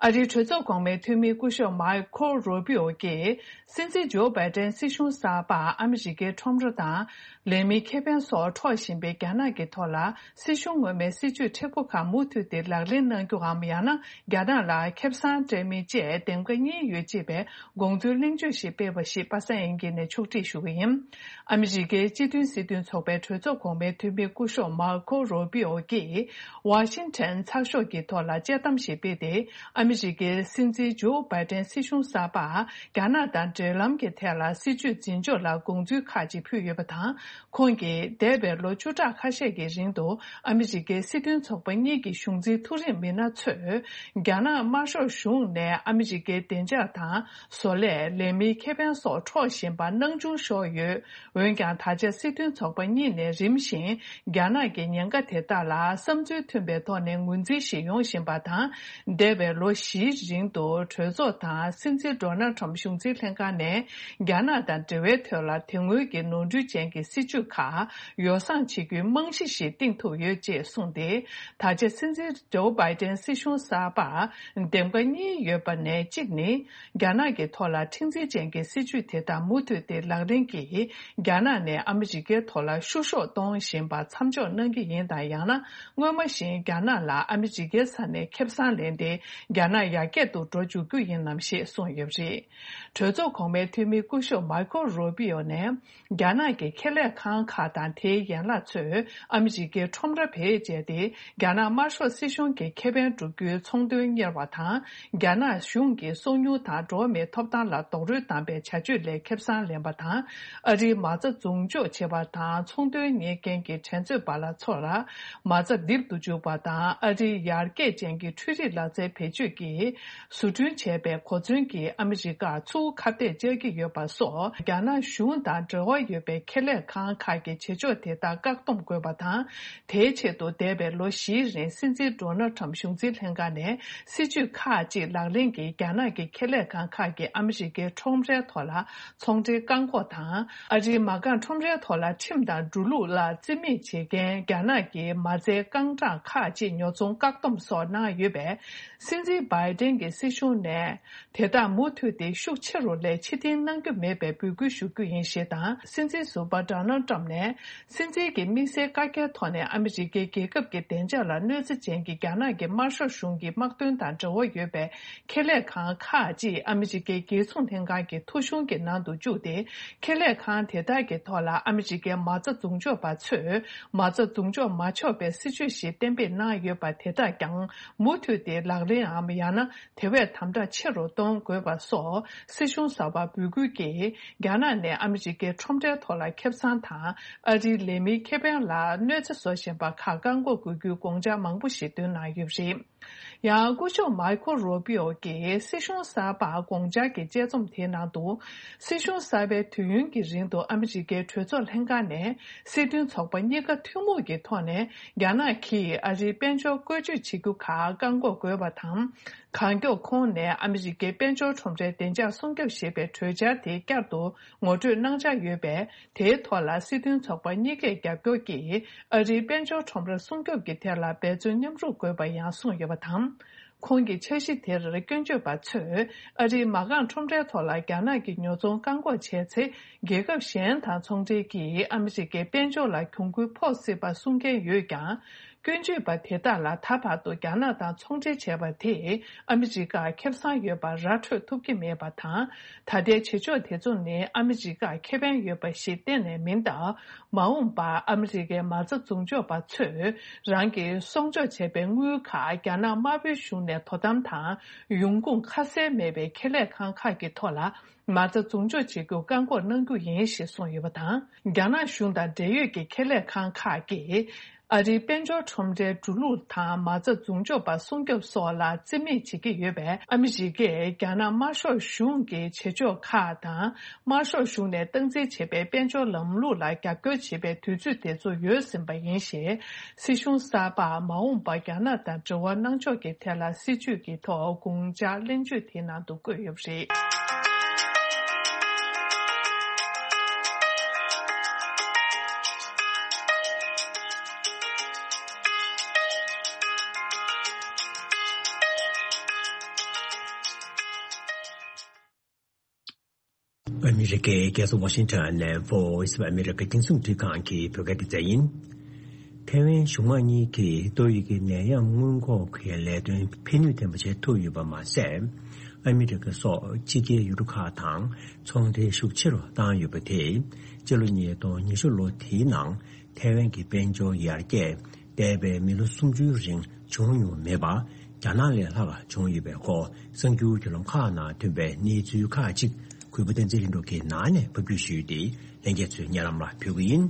ཨ་རིའི་གྲོས་ཚོགས་གོང་མའི་འཐུས་མི་སྐུ་ཞབས་མཱི་ཁོ་རུ་པི་ཨོ་གྱིས། སྲིད་འཛིན་ཇོ་བྷའི་ཏན་སྲིད་གཞུང་གསར་པར་ཨ་མི་རི་ཀའི་ཁྲོམ་ར་དང་ལས་མིའི་ཁེ་ཕན་སོགས་འཕྲོག་བཞིན་པའི་རྒྱ་ནག་གི་ཐོག་ལ་སྲིད་གཞུང་སྔོན་མའི་སྲིད་ཇུས་མཁྲེགས་པོ་ཁག་མུ་མཐུད་དེ་ལག་ལེན་གནང་རྒྱུའམ། ཡང་ན་རྒྱ་ནག་ལ་ཁེ་བཟང་སྤྲད་མིན་བཅས་འདེམས་ཀ་གཉིས་ཡོད་ཅེས་པའི་དགོངས་ཚུལ་གླེང་བརྗོད་ཞིག་སྤེལ་བ་ཞིག་པ་སངས་དབྱངས་སྐྱིད་ནས་ཕྱོགས་སྒྲིག་ཞུ་གི་ཡིན། ཨ་མི་རི་ཀའི་སྤྱི་མཐུན་སྲིད་དོན་ཚོགས་པའི་གྲོས་ཚོགས་གོང་མའི་འཐུས་མི་སྐུ་ཞབས་མཱ་ཁོ་རུ་པི་ཨོ་གྱིས་ཝ་ཤིང་ཊོན་ཚགས་ཤོག་གི་ཐོག་ལ་དཔྱད་གཏམ་ཞིག་སྤེལ་ཏེ། ཨ་མི་རི་ཀའི་སྲིད་འཛིན་ཇོ་བྷའི་ཏན་སྲིད་གཞུང་གསར་པར་རྒྱ་ནག་དང་འབྲེལ་ལམ་གྱི་ཐད་ལ་སྲིད་ཇུས་འཛིན་ཕྱོགས་ལ་དགོངས་ཚུལ་ཁག་ཅིག་ཕུལ་ཡོད་པ་དང་། ཁོང་གིས་འདས་པའི་ལོ་བཅུ་ཕྲག་ཁ་ཤས་ཀྱི་རིང་དུ་ཨ་མི་རི་ཀའི་སྲིད་དོན་ཚོགས་པ་གཉིས་ཀྱི་གཞུང་འཛིན་མཐོ་རིམ་མི་སྣ་ཚོས་རྒྱ་ནག་དམར་ཤོག་གཞུང་ནས་ཨ་མི་རི་ཀའི་བདེ་འཇགས་དང་བཟོ་ལས། ལས་མིའི་ཁེ་ཕན་སོགས་འཕྲོག་བཞིན་པ་སྣང་ཆུང་ཤོར་ཡོད། འོན་ཀྱང་། ད་ཆ་སྲིད་དོན་ཚོགས་པ་གཉིས་ནས་རིམ་བཞིན་རྒྱ་ནག་གི་ཉེན་ཁ་དེ་དག་ལ་བསམ་ཚུལ་མཐུན་པའི་ཐོག་ནས་ངོས་འཛིན་ཞིག་ཡོང་བཞིན་པ་དང་། འདས་པའི་ལོ་བཞིའི་རིང་དུ་གྲོས་ཚོགས་དང་སྲིད་འཛིན་ཌོ་ནལ་ཁྲམ་གཞུང་འཛིན་ལྷན་ཁང་ནས་རྒྱ་ནག་དང་འབྲེལ་བའི་ཐོག་ལ་དེ་སྔོན་གྱི་ནོར་འཁྲུལ་ཅན་གྱི་སྲིད་ཇུས་ཁག་ཡོ་བསྲང་བྱེད་རྒྱུའི་རྨང་གཞི་ཞིག་བཏིང་ཐུབ་ཡོད་ཅེས་གསུངས་ཏེ། ད་ཆ་སྲིད་འཛིན་ཇོ་བྷའི་ཏན་སྲིད་གཞུང་གསར་པར་འདེམས་ཀ་གཉིས་ཡོད་པ་ནས་གཅིག་ནི། རྒྱ་ནག་གི་ཐོག་ལ་མཁྲེགས་འཛིན་ཅན་གྱི་སྲིད་ཇུས་དེ་དག་མུ་མཐུད་དེ་ལག་ལེན་གྱིས་རྒྱ་ནག་ནས་ཨ་མི་རི་ཀའི་ཐོག་ལ་བཤུ་གཞོག་གཏོང་བཞིན་པ་མཚམས་འཇོག་གནང་གི་ཡིན་དང་། ཡང་ན་སྔོན་མ་བཞིན་རྒྱ་ནག་ལ་ཨ་མི་རི་ཀའི་ས་ནས་ཁེ་བཟང་ལེན་ཏེ་རྒྱ་ནག་ཡར་རྒྱས་སུ་འགྲོ་འཇུག་རྒྱུ་ཡིན་ནམ་ཞེས་གསུངས་ཡོད་པ་རེད། གྲོས་ཚོགས་གོང་མའི་འཐུས་མི་སྐུ་ཞབས་མཱི་ཁོ་རུ་པི་ཨོ་ནས། རྒྱ་ནག་གི་ཁེ་ལས་ཁང་ཁག་དང་དེའི་ཡན་ལག་ཚོས་ཨ་མི་རི་ཀའི་ཁྲོམ་ར་བེད་སྤྱད་དེ། རྒྱ་ནག་དམར་ཤོག་སྲིད་གཞུང་གི་ཁེ་ཕན་བསྒྲུབ་རྒྱུའི་ཚོང་དོན་གཉེར་བ་དང་། རྒྱ་ནག་གཞུང་གིས་སོ་ཉུལ་དང་འགྲོ་བ་མིའི་ཐོབ་ཐང་ལ་རྡོག་རོལ་བཏང་པའི་བྱ་སྤྱོད་ལས་ཁེ་བཟང་ལེན་པ་དང་། ཨ་རིའི་མ་རྩ་འཛུགས་འཇོག་བྱེད་པ་དང་ཚོང་དོན་གཉེར་མཁན་གྱི་འགྲན་རྩོད་པ་ལ་ཚོ་ལ་མ་རྩ་རྡིབ་ཏུ་འཇུག་པ་དང་། ཨ་རིའི་ཡར་རྒྱས་ཅན་གྱི་འཕྲུལ་རིག་ལག་རྩལ་བེད་སྤྱོད་ཀྱིས། བཟོ་སྐྲུན་བྱས་པའི་གོ་མཚོན་གྱིས་ཨ་མི་རི་ཀར་ཚུར་ཁ་གཏད་བཅག་གི་ཡོད་པ་སོགས། རྒྱ་ནག་གཞུང་དང་འབྲེལ་བ་ཡོད་པའི་ཁེ་ལས་ཁང་ཁག་གི་བྱེད་ཕྱོགས་དེ་དག་བཀག་སྡོམ་དགོས་པ་དང་། དེའི་ཆེད་དུ་འདས་པའི་ལོ་བཞིའི་རིང་སྲིད་འཛིན་ཌོ་ནལ་ཁྲམ་གཞུང་འཛིན་ལྷན་ཁང་ནས་སྲིད་ཇུས་ཁག་ཅིག་ལག་ལེན་གྱིས་རྒྱ་ནག་གི་ཁེ་ལས་ཁང་ཁག་གིས་ཨ་མི་རི་ཀའི་ཁྲོམ་རའི་ཐོག་ལ་ཚོང་འབྲེལ་བཀག་འགོག་དང་། ཨ་རིའི་མ་རྐང་ཁྲོམ་རའི་ཐོག་ལ་ཁྲིམས་དང་འགྲོ་ལུགས་ལ་བརྩི་མེད་བྱེད་མཁན་རྒྱ་ནག་གི་མ་རྩའི་རྐང་གྲངས་ཁག་ཅིག་ཉོ་ཚོང་བཀག་སྡོམ་སོགས་གནང་ཡོད་པས། སྲིད་འཛིན་བྷའི་ཏན་གྱི་སྲིད་གཞུང་ནས་དེ་དག་མུ་མཐུད་དེ་ཤུགས་ཆེ་རུ་ལས་ཕྱིར་འཐེན་གནང་རྒྱུ་མེད་པའི་འབོད་སྐུལ་ཞུ་རྒྱུ་ཡིན་ཞེས་དང་། སྲིད་འཛིན་ཟུར་པ་ཌོ་ནལ་ཏྲམ་ནས་སྲིད་འཛིན་གྱི་དམིགས་བསལ་བཀའ་རྒྱའི་ཐོག་ནས་ཨ་མི་རི་ཀའི་རྒྱལ་ཁབ་ཀྱི་བདེ་འཇགས་ལ་གནོད་འཚེ་ཅན་གྱི་རྒྱ་ནག་གི་དམར་ཤོག་གཞུང་གི་དམག་དོན་དང་འབྲེལ་བ་ཡོད་པའི་ཁེ་ལས་ཁང་ཁག་ཅིག་ཨ་མི་རི་ཀའི་རྒྱལ་སྲུང་ལྷན་ཁང་གི་ཐོ་གཞུང་གི་ནང་དུ་བཅུག་སྟེ། ཁེ་ལས་ཁང་དེ་དག་གི་ཐོག་ལ་ཨ་མི་རི་ཀའི་མ་རྩ་འཛུགས་འཇོག་པ་ཚོས་མ་རྩ་འཛུགས་འཇོག་མ་ཆོག་པའི་སྲིད་ཇུས་ཤིག་གཏན་འབེབས་གནང་ཡོད་པ་དེ་དག་ཀྱང་མུ་མཐུད་དེ་ལག་ལེན་འམ་ཡང་ན་དེ་བས་དམ་དྲག་ཆེ་རུ་གཏོང་དགོས་པ་སོགས་སྲིད་གཞུང་གསར་པར་འབོད་སྐུལ་གྱིས། རྒྱ་ནག་ནས་ཨ་མི་རི་ཀའི་ཁྲོམ་རའི་ཐོག་ལ་ཁེ་བཟང་དང་། ཨ་རིའི་ལས་མིའི་ཁེ་ཕན་ལ་གནོད་འཚེ་བཟོ་བཞིན་པ་ཁག་བཀག་འགོག་དགོས་རྒྱུའི་དགོངས་འཆར་མང་པོ་ཞིག་བཏོན་གནང་ཡོད་པ་རེད། ཡང་སྐུ་ཞབས་མཱི་ཁོ་རུ་པི་ཨོ་གིས་སྲིད་གཞུང་གསར་པར་དགོངས་འཆར་གྱི་དཔྱད་རྩོམ་དེའི་ནང་དུ། སྲིད་གཞུང་གསར་པའི་དུས་ཡུན་གྱི་རིང་དུ་ཨ་མི་རི་ཀའི་གྲོས་ཚོགས་ལྷན་ཁང་ནས་སྲིད་དོན་ཚོགས་པ་གཉིས་ཀ་ཐུན་མོང་གི་ཐོག་ནས་རྒྱ་ནག་གིས་ཨ་རིའི་དཔལ་འབྱོར་བཀོལ་སྤྱོད་བྱེད་རྒྱུ་ཁག་བཀག་འགོག་དགོས་པ་དང་། གང་མགྱོགས་ཁོང་ནས་ཨ་མི་རི་ཀའི་དཔལ་འབྱོར་ཁྲོམ་རའི་བདེ་འཇགས་སྲུང་སྐྱོབ་ཞེས་པའི་གྲོས་འཆར་དེ་བསྐྱར་དུ་ངོ་སྤྲོད་གནང་འཆར་ཡོད་པས། དེའི་ཐོག་ལ་སྲིད་དོན་ཚོགས་པ་གཉིས་ཀས་རྒྱབ་སྐྱོར་གྱིས་ཨ་རིའི་དཔལ་འབྱོར་ཁྲོམ་ར་སྲུང་སྐྱོབ་ཀྱི་ཐད་ལ་འབད་བརྩོན་མཉམ་རུབ་དགོས་པ་ཡང་གསུངས་ཡོད་པ་དང་། ཁོང་གི་འཆར་གཞི་དེར་སྐྱོན་བརྗོད་པ་ཚོས་ཨ་རིའི་མ་རྐང་ཁྲོམ་རའི་ཐོག་ལ་རྒྱ་ནག་གི་ཉོ་ཚོང་བཀག་འགོག་བྱས་ཚེ། རྒྱལ་ཁབ་གཞན་དང་ཚོང་འབྲེལ་གྱིས་ཨ་མི་རི་ཀའི་དཔལ་འབྱོར་ལ་གྱོང་གུན་ཕོག་སྲིད་པ་གསུང་མཁན་ཡོད་ཀྱང་། སྐྱོན་བརྗོད་པ་དེ་དག་ལ་ད་བར་དུ་རྒྱ་ནག་དང་ཚོང་འབྲེལ་བྱས་པ་དེས་ཨ་མི་རི་ཀར་ཁེ་བཟང་ཡོད་པ་ར་འཕྲོད་ཐུབ་ཀྱི་མེད་པ་དང་། ད་ལྟའི་བྱེད་ཕྱོགས་དེ་ཚོ་ནི་ཨ་མི་རི་ཀར་ཁེ་ཕན་ཡོད་པ་ཞིག་གཏན་ནས་མིན་སྟབས། མ་འོངས་པར་ཨ་མི་རི་ཀའི་མ་རྩ་འཛུགས་འཇོག་པ་ཚོས་རང་གིས་གསོག་འཇོག་བྱས་པའི་དངུལ་ཁག་རྒྱ་ནག་དམར་པོའི་གཞུང་ནས་དོ་དམ་དང་ཡོང་ཁུངས་ཁ་གསལ་མེད་པའི་ཁེ་ལས་ཁང་ཁག་གི་ཐོག་ལ། མ་རྩ་འཛུགས་འཇོག་བྱེད་རྒྱུ་བཀག་འགོག་གནང་རྒྱུ་ཡིན་ཞེས་གསུངས་ཡོད་པ་དང་། རྒྱ་ནག་གཞུང་དང་འབྲེལ་ཡོད་ཀྱི་ཁེ་ལས་ཁང་ཁག་གིས། ཨ་རིའི་དཔལ་འབྱོར་ཁྲོམ་རའི་འགྲོ་ལུགས་དང་མ་རྩ་འཛུགས་འཇོག་པ་སྲུང་སྐྱོབ་སོགས་ལ་རྩིས་མེད་བྱེད་ཀྱི་ཡོད་པས། ཨ་མི་རི་ཀས་རྒྱ་ནག་དམར་ཤོག་གཞུང་གི་བྱེད་ཕྱོགས་ཁག་དང་། དམར་ཤོག་གཞུང་ནས་སྟངས་འཛིན་བྱེད་པའི་དཔལ་འབྱོར་ལམ་ལུགས་ལ་རྒྱབ་སྐྱོར་བྱེད་པའི་དུས་ཚོད་དེ་ཚོ་ཡོལ་ཟིན་པ་ཡིན་ཞེས། སྲིད་གཞུང་གསར་པར་མ་འོངས་པར་རྒྱ་ནག་དང་འབྲེལ་བ་གནང་ཕྱོགས་ཀྱི་ཐད་ལ་སྲིད་ཇུས་ཀྱི་ཐོག་དགོངས་འཆར་གླེང་བརྗོད་དེའི་ནང་དུ་བཀོད་ཡོད་པ་རེད། ཨ་མི་རི་ཀའི་རྒྱལ་ས་ཝ་ཤིང་ཊོན་ནས་Voice of America་རྒྱང་སྲིང་རླུང་འཕྲིན་ཁང་གི་བོད་སྐད་སྡེ་ཚན་ཡིན། ཐའེ་ཝན་གཞུང་མང་གཉིས་ཀྱིས་ཏོག་དབྱིབས་ཀྱི་ནད་ཡམས་སྔོན་འགོག་གི་ལས་དོན་ཕན་ནུས་ལྡན་པ་བྱེད་ཐུབ་ཡོད་པ་མ་ཟད། ཨ་མི་རི་ཀ་སོགས་ཕྱི་རྒྱལ་ཡུལ་གྲུ་ཁག་དང་ཚོང་འབྲེལ་ཤུགས་ཆེ་རུ་བཏང་ཡོད་པ་དེས། སྤྱི་ལོ་ཉིས་སྟོང་ཉི་ཤུ་ལོ་དེའི་ནང་ཐའེ་ཝན་གྱི་དཔལ་འབྱོར་ཡར་རྒྱས་འདས་པའི་མི་ལོ་སུམ་ཅུའི་རིང་བྱུང་མྱོང་མེད་པ། རྒྱ་ནག་ལས་ལྷག་བྱུང་ཡོད་པའི་སྐོར་གསར་འགྱུར་བརྒྱུད་ལམ་ཁག་ནང་ཐོན་པའི་གནས་ཚུལ་ཁག་ཅིག་གུས་པ་བསྟན་འཛིན་ལྷུན་གྲུབ་ཀྱིས་ནང་ནས་ཕབ་བསྒྱུར་ཞུས་ཏེ། ལྷན་རྒྱས་ཚོའི་སྙན་ལམ་ལ་ཕུལ་གྱི་ཡིན།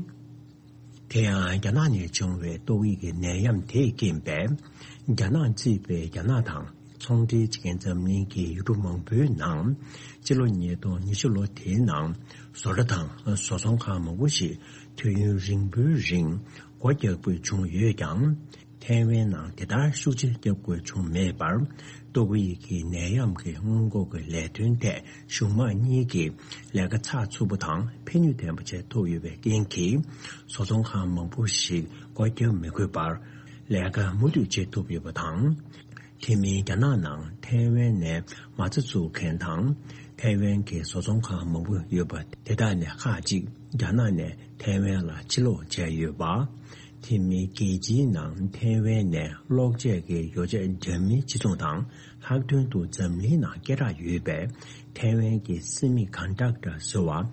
དེ་ཡང་རྒྱ་ནག་ནས་བྱུང་བའི་ཏོག་དབྱིབས་ཀྱི་ནད་ཡམས་དེས་རྐྱེན་པས། རྒྱ་ནག་གཙོས་པའི་རྒྱ་ནག་དང་ཚོང་འབྲེལ་བྱེད་མཁན་འཛམ་གླིང་གི་ཡུལ་གྲུ་མང་པོའི་ནང་། སྤྱི་ལོ་ཉིས་སྟོང་ཉི་ཤུ་ལོ་དེའི་ནང་བཟོ་གྲྭ་དང་བཟོ་ཚོང་ཁང་མང་པོ་ཞིག་དུས་ཡུན་རིང་པོའི་རིང་སྒོ་རྒྱག་དགོས་བྱུང་ཡོད་ཀྱང་། ཐའེ་ཝན་ནང་དེ་ལྟར་ཤུགས་ཆེ་བརྒྱབ་དགོས་བྱུང་མེད་པར། ཏོག་དབྱིབས་ཀྱི་ནད་ཡམས་ཀྱི་སྔོན་འགོག་གི་ལས་དོན་ཐད་གཞུང་མང་གཉིས་ཀྱིས་ལས་ཀ་ཚགས་ཚུད་པོ་དང་ཕན་ནུས་ལྡན་པ་བྱེད་ཐུབ་ཡོད་པའི་རྐྱེན་གྱིས། བཟོ་ཚོང་ཁང་མང་པོ་ཞིག་སྒོ་རྒྱག་མི་དགོས་པར་ལས་ཀ་མུ་མཐུད་བྱེད་ཐུབ་ཡོད་པ་དང་། དེ་མིན་རྒྱ་ནག་ནང་ཐའེ་ཝན་ནས་མ་རྩ་བཙུགས་མཁན་དང་། ཐའེ་ཝན་གྱི་བཟོ་ཚོང་ཁང་མང་པོ་ཡོད་པ་དེ་དག་ནས་ཁག་ཅིག་རྒྱ་ནག་ནས་ཐའེ་ཝན་ལ་ཕྱིར་ལོག་བྱས་ཡོད་པ། དེ་མིན་རྒྱལ་སྤྱིའི་ནང་ཐའེ་ཝན་ནས་གློག་ཆས་ཀྱི་ཡོ་བྱད་འདྲ་མིན་སྤྱི་ཚོགས་དང་། ལྷག་དོན་དུ་འཛམ་གླིང་ནང་སྐད་གྲགས་ཡོད་པའི་ཐའེ་ཝན་གྱི་སེ་མི་ཀོན་ཌག་ཊར་ཟེར་བ།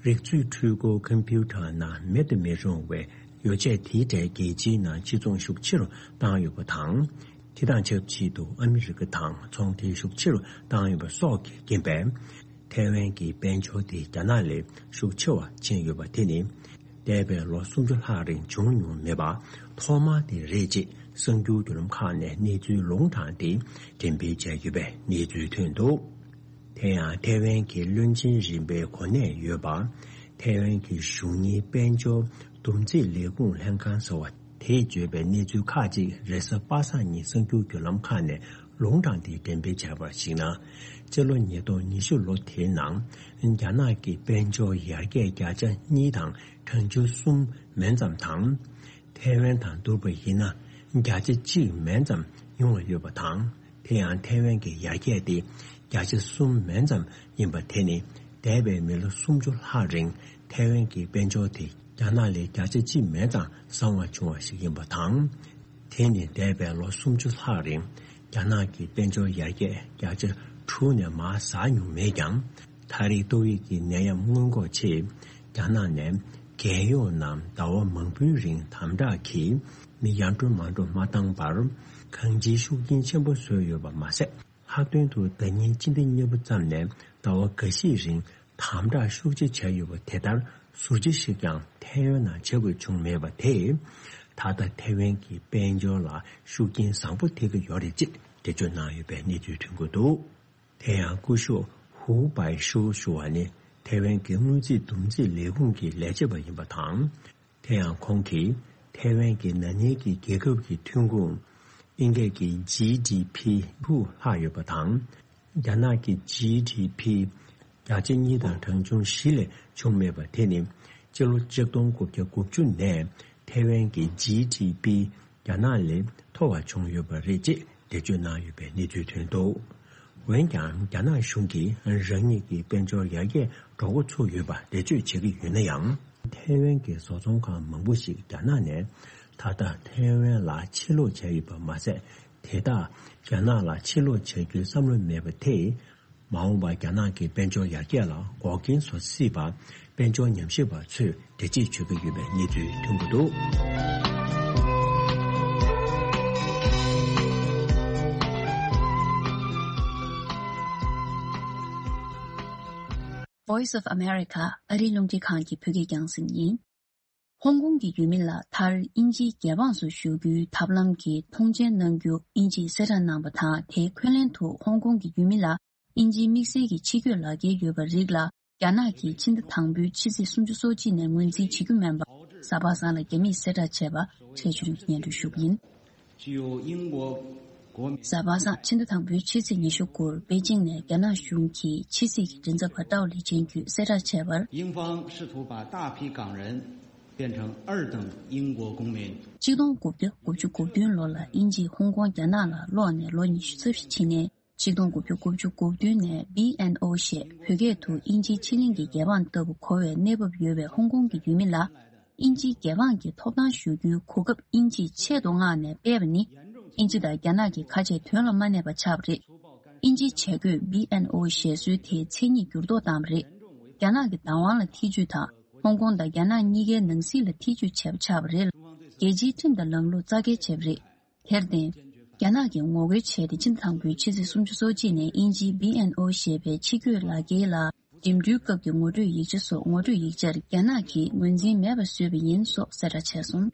རིག་མཛོད་འཕྲུལ་འཁོར་ཀམ་པུ་ཊར་ནང་མེད་དུ་མི་རུང་བའི་ཡོ་བྱད་དེའི་གྲས་རྒྱལ་སྤྱིའི་ནང་ཕྱིར་ཚོང་ཤུགས་ཆེ་རུ་བཏང་ཡོད་པ་དང་། དེ་དང་ཆབས་ཅིག་ཏུ་ཨ་མི་རི་ཀ་དང་ཚོང་འབྲེལ་ཤུགས་ཆེ་རུ་བཏང་ཡོད་པ་སོགས་ཀྱི་རྐྱེན་པས། ཐའེ་ཝན་གྱི་དཔལ་འབྱོར་དེ་རྒྱ་ནག་ལས་ཤུགས་ཆེ་བ་ཕྱིན་ཡོད་པ་དེ་ནི། འདས་པའི་ལོ་སུམ་ཅུ་ལྷག་རིང་བྱུང་མྱོང་མེད་པ། ཐོག་མ་དེ་རེད་ཅེས་གསར་འགྱུར་བརྒྱུད་ལམ་ཁག་ནས་གནས་ཚུལ་ལུང་དྲངས་ཏེ་འགྲེམས་སྤེལ་བྱས་ཡོད་པའི་གནས་ཚུལ་ཐོན་འདུག་དེ་ཡང་ཐའེ་ཝན་གྱི་བློན་ཆེན་རིམ་པའི་གོ་གནས་ཡོད་པ། ཐའེ་ཝན་གྱི་གཞུང་གཉེར་དཔལ་འབྱོར་བསྡོམས་རྩིས་ལས་ཁུངས་ལྷན་ཁང་ཟེར་བ་དེས་བརྗོད་པའི་གནས་ཚུལ་ཁག་ཅིག་རེས་གཟའ་པ་སངས་ཉིན་གསར་འགྱུར་བརྒྱུད་ལམ་ཁག་ནས་ལུང་དྲངས་ཏེ་འགྲེམས་སྤེལ་བྱས་པར་གཞིགས་ན། སྤྱི་ལོ་ཉིས་སྟོང་ཉི་ཤུ་ལོ་དེའི་ནང་རྒྱ་ནག་གི་དཔལ་འབྱོར་ཡར་རྒྱས་བརྒྱ་ཆ་གཉིས་དང་གྲངས་ཆུང་གསུམ་མན་ཙམ་དང་། ཐའེ་ཝན་དང་བསྡུར་བ་ཡིན་ན་བརྒྱ་ཆ་གཅིག་མན་ཙམ་ཉུང་བ་ཡོད་པ་དང་། དེ་ཡང་ཐའེ་ཝན་གྱི་ཡར་རྒྱས་དེ་བརྒྱ་ཆ་གསུམ་མན་ཙམ་ཡིན་པ་དེ་ནི་འདས་པའི་མི་ལོ་སུམ་ཅུ་ལྷག་རིང་ཐའེ་ཝན་གྱི་དཔལ་འབྱོར་དེ་རྒྱ་ནག་ལས་བརྒྱ་ཆ་གཅིག་མན་ཙམ་བཟང་བ་བྱུང་བ་ཞིག་ཡིན་པ་དང་། དེ་ནི་འདས་པའི་ལོ་སུམ་ཅུ་ལྷག་རིང་རྒྱ་ནག་གི་དཔལ་འབྱོར་ཡར་རྒྱས་བརྒྱ་ཆ་དྲུག་ནས་མར་ཟགས་མྱོང་མེད་ཀྱང་། ད་རེས་ཏོག་དབྱིབས་ཀྱི་ནད་ཡམས་སྔོན་འགོག་ཆེད་རྒྱ་ནག་ནས་རྒྱལ་ཡོངས་ནང་ཟླ་བ་མང་པོའི་རིང་དམ་དྲག་གིས་མི་ཡར་འགྲོ་མར་འགྲོ་མ་བཏང་བར་གང་ཅིའི་ཤུགས་རྐྱེན་ཆེན་པོ་བཟོས་ཡོད་པ་མ་ཟད། ལྷག་དོན་དུ་ཟླ་ཉིན་སྤྱི་ཟླ་གཉིས་པ་ཙམ་ནས་ཟླ་བ་འགའ་ཤས་རིང་དམ་དྲག་ཤུགས་ཆེ་བྱས་ཡོད་པ་དེ་ལྟར་ཟུར་བརྗེ་ཞིག་ཀྱང་ཐའེ་ཝན་ནང་བྱེད་དགོས་བྱུང་མེད་པ་དེས། ད་ལྟ་ཐའེ་ཝན་གྱི་དཔལ་འབྱོར་ལ་ཤུགས་རྐྱེན་བཟང་པོ་ཐེབས་ཀྱི་ཡོད་རེད་ཅེས་འགྲེལ་བརྗོད་གནང་ཡོད་པའི་གནས་ཚུལ་ཐོན་གྱི་འདུག་དེ་ཡང་སྐུ་ཞབས་ཧུའུ་པའེ་ཤོ་ཞུ་བ་ནི་ཐའེ་ཝན་གྱི་དངུལ་རྩིས་བསྡོམས་རྩིས་ལས་ཁུངས་ཀྱི་ལས་བྱེད་པ་ཡིན་པ་དང་། དེ་ཡང་ཁོང་གིས་ཐའེ་ཝན་གྱི་ན་ནིང་གི་རྒྱལ་ཁབ་ཀྱི་ཐོན་ཁུངས་ཨིན་སྐད་ཀྱི་ཇི་ཌི་ཕི་དྲུག་ལྷག་ཡོད་པ་དང་། རྒྱ་ནག་གི་ཇི་ཌི་ཕི་བརྒྱ་ཆ་གཉིས་དང་གྲངས་ཆུང་བཞི་ལས་བྱུང་མེད་པ་དེ་ནི་སྤྱི་ལོ་ཆིག་སྟོང་དགུ་བརྒྱ་དགུ་བཅུ་ནས་ཐའེ་ཝན་གྱི་ཇི་ཌི་ཕི་རྒྱ་ནག་ལས་མཐོ་བ་བྱུང་ཡོད་པ་རེད་ཅེས་འགྲེལ་བརྗོད་གནང་ཡོད་པའི་གནས་ཚུལ་ཐོན་འདུག་འོན་ཀྱང་རྒྱ་ནག་གཞུང་གིས་རང་ཉིད་ཀྱི་དཔལ་འབྱོར་ཡར་རྒྱས་འགྲོ་འགོ་ཚུགས་ཡོད་པ་འགྲེལ་བརྗོད་བྱེད་ཀྱི་ཡོད་ན་ཡང་། ཐའེ་ཝན་གྱི་བཟོ་ཚོང་ཁང་མང་པོ་ཞིག་རྒྱ་ནག་ནས་ད་ལྟ་ཐའེ་ཝན་ལ་ཕྱིར་ལོག་བྱས་ཡོད་པ་མ་ཟད། དེ་དག་རྒྱ་ནག་ལ་ཕྱིར་ལོག་བྱ་རྒྱུའི་བསམ་བློ་མེད་པ་དེས། མ་འོངས་པར་རྒྱ་ནག་གི་དཔལ་འབྱོར་ཡར་རྒྱས་ལ་འགོག་རྐྱེན་བཟོ་སྲིད་པར་དཔལ་འབྱོར་ཉམས་ཞིབ་པ་ཚོས་འགྲེལ་བརྗོད་བྱེད་ཀྱི་ཡོད་པའི་གནས་ཚུལ་ཐོན་གྱི་འདུག Voice of America ཨ་རིའི་རླུང་འཕྲིན་ཁང་གི་བོད་སྐད་རྒྱང་སྲིང་ཡིན། ཧོང་ཀོང་གི་ཡུལ་མི་ལ་མཐར་དབྱིན་ཇིའི་རྒྱལ་འབངས་སུ་ཞུགས་རྒྱུའི་ཐབས་ལམ་གྱི་མཐོང་མཆན་གནང་རྒྱུ་དབྱིན་ཇིས་གསལ་བསྒྲགས་གནང་བ་དང་། དེའི་འཁོན་ལན་དུ་ཧོང་ཀོང་གི་ཡུལ་མི་ལ་དབྱིན་ཇིའི་དམིགས་བསལ་གྱི་ཕྱི་སྐྱོད་ལག་འཁྱེར་ཡོད་པ་རིགས་ལ། རྒྱ་ནག་གིས་ཕྱི་ཟླ་དང་པོའི་ཕྱི་ཚེས་སུམ་ཅུ་སོ་གཅིག་ནས་ངོས་འཛིན་བྱེད་རྒྱུ་མིན་པ། གཟའ་པ་སངས་ལ་རྒྱ་མིས་གསལ་བསྒྲགས་བྱས་པ། ཕྲན་ཆོས་སྒྲོན་གྱིས་སྙན་སྒྲོན་ཞུ་གི་ཡིན། 具有英国国民 གཟའ་པ་སངས་ཕྱི་ཟླ་དང་པོའི་ཕྱི་ཚེས་ཉི་ཤུ་དགུར་པེ་ཅིང་ནས་རྒྱ་ནག་གཞུང་གི་ཕྱི་སྲིད་ཀྱི་མགྲིན་ཚབ་པ་ཀྲའོ་ལི་ཅན་གྱིས་གསལ་བསྒྲགས་བྱས་པར། 英方试图把大批港人变成二等英国公民。 ཆིག་སྟོང་དགུ་བརྒྱ་དགུ་བཅུ་གོ་བདུན་ལོ་ལ་དབྱིན་ཇིས་ཧོང་ཀོང་རྒྱ་ནག་ལ་སློག་ནས་ལོ་ཉི་ཤུ་རྩ་བཞི་ཕྱིན་ནས། ཆིག་སྟོང་དགུ་བརྒྱ་དགུ་བཅུ་གོ་བདུན་ནས་བྷི་ཨེན་ཨོ་ཞེས་བོད་སྐད་དུ་དབྱིན་ཇིའི་ཕྱི་གླིང་གི་རྒྱལ་འབངས་ལྟ་བུ་གོ་བའི་གནས་བབ་ཡོད་པའི་ཧོང་ཀོང་གི་ཡུལ་མི་ལ། དབྱིན་ཇིའི་རྒྱལ་འབངས་ཀྱི་ཐོབ་ཐང་ཞུ་རྒྱུའི་གོ་སྐབས་དབྱིན་ཇིས་ཆེད་དུ་མངགས་ནས་སྤེལ་བ་ནི། དབྱིན་ཇི་དང་རྒྱ་ནག་གི་ཁ་ཆད་དོན་ལ་མ་གནས་པ་ཆགས་པ་རེད། དབྱིན་ཇིའི་བྱ་རྒོད་བྷི་ཨེན་ཨོ་ཞེས་སུའི་དེའི་མཚན་ཉིད་འགྱུར་ལྡོག་བཏང་བ་རེད། རྒྱ་ནག་གི་བདག་དབང་ལ་ཐེ་ཇུས་དང་། ཧོང་ཀོང་དང་རྒྱ་ནག་གཉིས་ཀའི་ནང་སྲིད་ལ་ཐེ་ཇུས་བྱས་པ་ཆགས་པ་རེད། རྒྱལ་སྤྱིའི་ཁྲིམས་དང་ལམ་ལུགས་རྩ་འགེངས་བྱས་པ་རེད། དེར་བརྟེན། རྒྱ་ནག་གིས་ངོ་རྒོལ་བྱས་ཏེ། ཕྱི་ཟླ་དང་པོའི་ཕྱི་ཚེས་སུམ་ཅུ་སོ་གཅིག་ནས་དབྱིན་ཇིའི་བྷི་ཨེན་ཨོ་ཞེས་པའི་ཕྱི་སྐྱོད་ལག་འཁྱེར་ལ་འགྲིམ་འགྲུལ་སྐབས་ཀྱི་ངོ་སྤྲོད་ཡིག་ཆ་སོགས་ངོ་སྤྲོད་ཡིག་ཆར་རྒྱ་ནག་གིས་ངོས་འཛིན་མེད་པར་བཟོས་པ་ཡིན་སོགས་གསལ་བསྒྲགས་བྱས་སོང་།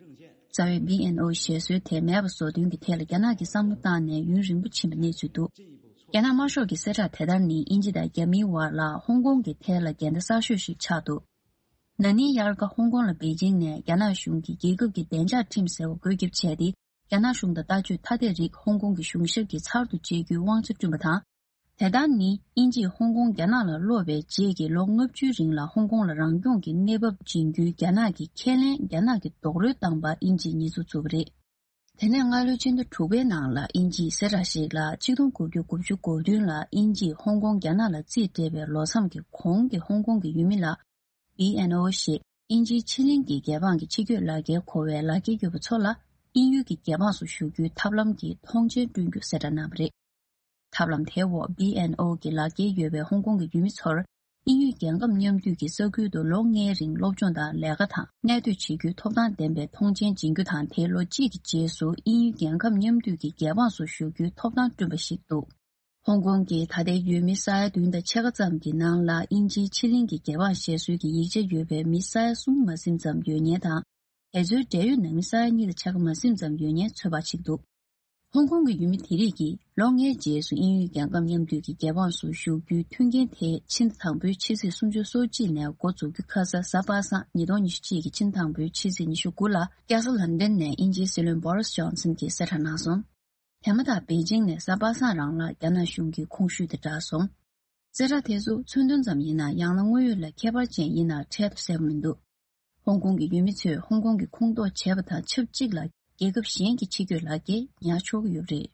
རྩ་བའི་བྷི་ཨེན་ཨོ་ཞེས་སུའི་དེ་མེད་པ་བཟོ་དོན་གྱི་ཐད་ལ་རྒྱ་ནག་གིས་བསམ་བློ་བཏང་ནས་ཡུན་རིང་པོ་ཕྱིན་པའི་གནས་ཚུལ་འདུག་རྒྱ་ནག་དམར་ཤོག་གི་གསལ་བསྒྲགས་དེ་ལྟར་ནི་དབྱིན་ཇི་དང་རྒྱ་མིའི་བར་ལ་ཧོང་ཀོང་གི་ཐད་ལ་འགལ་ཟླ་གསར་ཤོས་ཤིག་ཆགས་འདུག་ན་ནིང་དབྱར་ཁ་ཧོང་ཀོང་ལ་པེ་ཅིང་ནས་རྒྱ་ནག་གཞུང་གིས་རྒྱལ་ཁབ་ཀྱི་བདེ་འཇགས་ཁྲིམས་ཟེར་བ་བཀོད་ཁྱབ་བྱས་ཏེ། རྒྱ་ནག་གཞུང་དང་ལྟ་སྤྱོད་ཐ་དད་རིགས་ཧོང་ཀོང་གི་གཞུང་ཞབས་ཀྱིས་ཚར་དུ་བཅད་རྒྱུའི་དབང་ཆ་བསྐྲུན་པ་དང་། དེ་ལྟར་ནི་དབྱིན་ཇིས་ཧོང་ཀོང་རྒྱ་ནག་ལ་སློག་པའི་རྗེས་ཀྱི་ལོ་ལྔ་བཅུའི་རིང་ལ་ཧོང་ཀོང་ལ་རང་སྐྱོང་གི་གནས་བབ་སྦྱིན་རྒྱུའི་རྒྱ་ནག་གི་ཁས་ལེན་རྒྱ་ནག་གིས་རྡོག་རོལ་བཏང་པ་དབྱིན་ཇིས་ཉེས་འཛུགས་བཙུགས་པ་རེད། དེ་ནས་སྔ་ལོའི་ཕྱི་ཟླ་དྲུག་པའི་ནང་ལ་དབྱིན་ཇིས་གསལ་བསྒྲགས་ཤིག་ལ། ཆིག་སྟོང་དགུ་བརྒྱ་དགུ་བཅུ་གོ་བདུན་ལ་དབྱིན་ཇིས་ཧོང་ཀོང་རྒྱ་ནག་ལ་རྩིས་སྤྲད་པའི་ལོ་མཚམས་ཀྱི་གོང་གི་ཧོང་ཀོང་གི་ཡུལ་མི་ལ། བྷི་ཨེན་ཨོ་ཞེས་དབྱིན་ཇིའི་ཕྱི་གླིང་གི་རྒྱལ་འབངས་ཀྱི་ཕྱི་སྐྱོད་ལག་འཁྱེར་གོ་བའི་ལག་འཁྱེར་ཡོད་པ་ཚོ་ལ། དབྱིན་ཡུལ་གྱི་རྒྱལ་འབངས་སུ་ཞུགས་རྒྱུའི་ཐབས་ལམ་གྱི་མཐོང་མཆན་བསྐྲུན་རྒྱུ་གསལ་བསྒྲགས་གནང་བ་རེད། ཐབས་ལམ་དེའི་འོག་བྷི་ཨེན་ཨོ་གི་ལག་འཁྱེར་ཡོད་པའི་ཧོང་ཀོང་གི་ཡུལ་མི་ཚོར། དབྱིན་ཡུལ་རྒྱལ་ཁབ་མཉམ་འདུས་ཀྱི་ས་ཁུལ་དུ་ལོ་ལྔའི་རིང་སློབ་སྦྱོང་དང་ལས་ཀ་དང་གནས་སྡོད་བྱེད་རྒྱུའི་ཐོབ་ཐང་ལྡན་པའི་མཐོང་མཆན་སྦྱིན་རྒྱུ་དང་། དེའི་ལོ་གཅིག་གི་རྗེས་སུ་དབྱིན་ཡུལ་རྒྱལ་ཁབ་མཉམ་འདུས་ཀྱི་རྒྱལ་འབངས་སུ་ཞུགས་རྒྱུའི་ཐོབ་ཐང་བསྐྲུན་པ་ཞིག་འདུག་ཧོང་ཀོང་གི་ད་ལྟའི་ཡུལ་མི་ས་ཡ་བདུན་དང་ཕྱེད་ཀ་ཙམ་གྱི་ནང་ལ་དབྱིན་ཇིའི་ཕྱི་གླིང་གི་རྒྱལ་འབངས་ཞེས་སྲོལ་གྱི་ཡིག་ཆ་ཡོད་པའི་མི་ས་ཡ་གསུམ་མ་ཟིན་ཙམ་ཡོད་མཁན་དང་། དེ་ཚོའི་འབྲེལ་ཡོད་ནང་མི་ས་ཡ་གཉིས་དང་ཕྱེད་ཀ་མ་ཟིན་ཙམ་ཡོད་མཁན་ཚོད་དཔག་བྱེད་ཀྱི་འདུག་ཧོང་ཀོང་གི་ཡུལ་མི་དེ་རིགས་ཀྱིས་ལོ་ལྔའི་རྗེས་སུ་དབྱིན་ཡུལ་རྒྱལ་ཁབ་མཉམ་འདུས་ཀྱི་རྒྱལ་འབངས་སུ་ཞུགས་རྒྱུའི་མཐུན་རྐྱེན་དེ་ཕྱི་ཟླ་དང་པོའི་ཕྱི་ཚེས་སུམ་ཅུ་སོ་གཅིག་ནས་འགོ་འཛུགས་རྒྱུ་ཁ་ས་གཟའ་པ་སངས་ཉིས་སྟོང་ཉི་ཤུ་གཅིག་གི་ཕྱི་ཟླ་དང་པོའི་ཕྱི་ཚེས་ཉི་ཤུ་དགུ་ལ་རྒྱལ་ས་ལན་ཌན་ནས་དབྱིན་ཇིའི་སྲིད་བློན་བྷོ་རིས་ཇོན་སན་གྱིས་གསལ་བསྒྲགས་གནང་སོང་། དེ་མ་ཐག་པེ་ཅིང་ནས་གཟའ་པ་སངས་རང་ལ་རྒྱ་ནག་གཞུང་གི་ཁོངས་ཞུགས་དེ་བསྒྲགས་སོང་། གསལ་བསྒྲགས་དེ་ཚོ་མཚོན་དོན་ཙམ་ཡིན་ན་ཡང་ན་དངོས་ཡོད་ལ་ཁྱད་པར་ཅན་ཡིན་ན་འཕྲལ་དུ་གསལ་པོ་མི་འདུག་ཧོང་ཀོང་གི་ཡུལ་མི་ཚོས་ཧོང་ཀོང་གི་ཁོངས་གཏོགས་བྱས་པ་དང་ཆབས་ཅིག་ལ་རྒྱལ་ཁབ་གཞན་གྱི་ཕྱི་སྐྱོད་ལག་འཁྱེར་ཉར་ཆོག་གི་ཡོད་པ་རེད།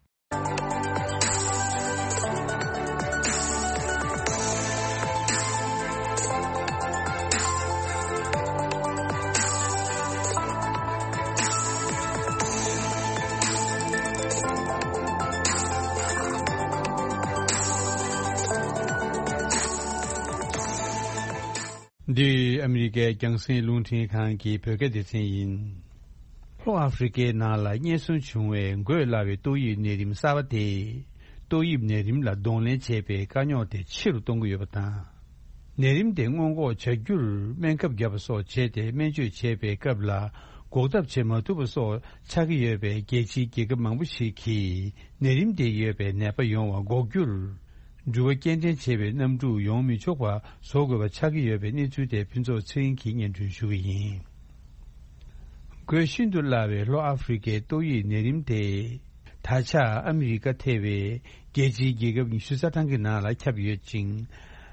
འདི་ཨ་མི་རི་ཀའི་རྒྱང་སྲིང་རླུང་འཕྲིན་ཁང་གི་བོད་སྐད་སྡེ་ཚན་ཡིན། ལྷོ་ཨ་ཧྥེ་རི་ཀའི་ནང་ལ་རྙེད་སོན་བྱུང་བའི་འགོས་སླ་བའི་ཏོག་དབྱིབས་ནད་རིམས་གསར་པ་དེས་ཏོག་དབྱིབས་ནད་རིམས་ལ་གདོང་ལེན་བྱེད་པའི་དཀའ་རྙོག་དེ་ཆེ་རུ་གཏོང་གི་ཡོད་པ་དང་། ནད་རིམས་དེ་སྔོན་འགོག་བྱ་རྒྱུར་སྨན་ཁབ་བརྒྱབ་པ་སོགས་བྱས་ཏེ་སྨན་བཅོས་བྱེད་པའི་སྐབས་ལ་འགོག་ཐབས་བྱེད་མ་ཐུབ་པ་སོགས་ཆགས་ཀྱི་ཡོད་པས། རྒྱལ་སྤྱིའི་རྒྱལ་ཁབ་མང་པོ་ཞིག་གིས་ནད་རིམས་དེ་ཡོད་པའི་ནད་པ་ཡོང་བ་འགོག་རྒྱུར། འགྲུལ་པ་སྐྱེལ་འདྲེན་བྱེད་པའི་གནམ་གྲུ་ཡོང་མི་ཆོག་པ་བཟོ་དགོས་པ་ཆགས་ཀྱི་ཡོད་པའི་གནས་ཚུལ་དེ་ཕུན་ཚོགས་ཚེ་རིང་གིས་སྙན་སྒྲོན་ཞུ་གི་ཡིན། འགོས་ཤིན་ཏུ་སླ་བའི་ལྷོ་ཨ་ཧྥེ་རི་ཀའི་ཏོག་དབྱིབས་ནད་རིམས་དེ། ད་ཆ་ཨ་མི་རི་ཀ་ཐེ་བའི་རྒྱལ་སྤྱིའི་རྒྱལ་ཁབ་ཉི་ཤུ་རྩ་གྲངས་ཀྱི་ནང་ལ་ཁྱབ་ཡོད་ཅིང་།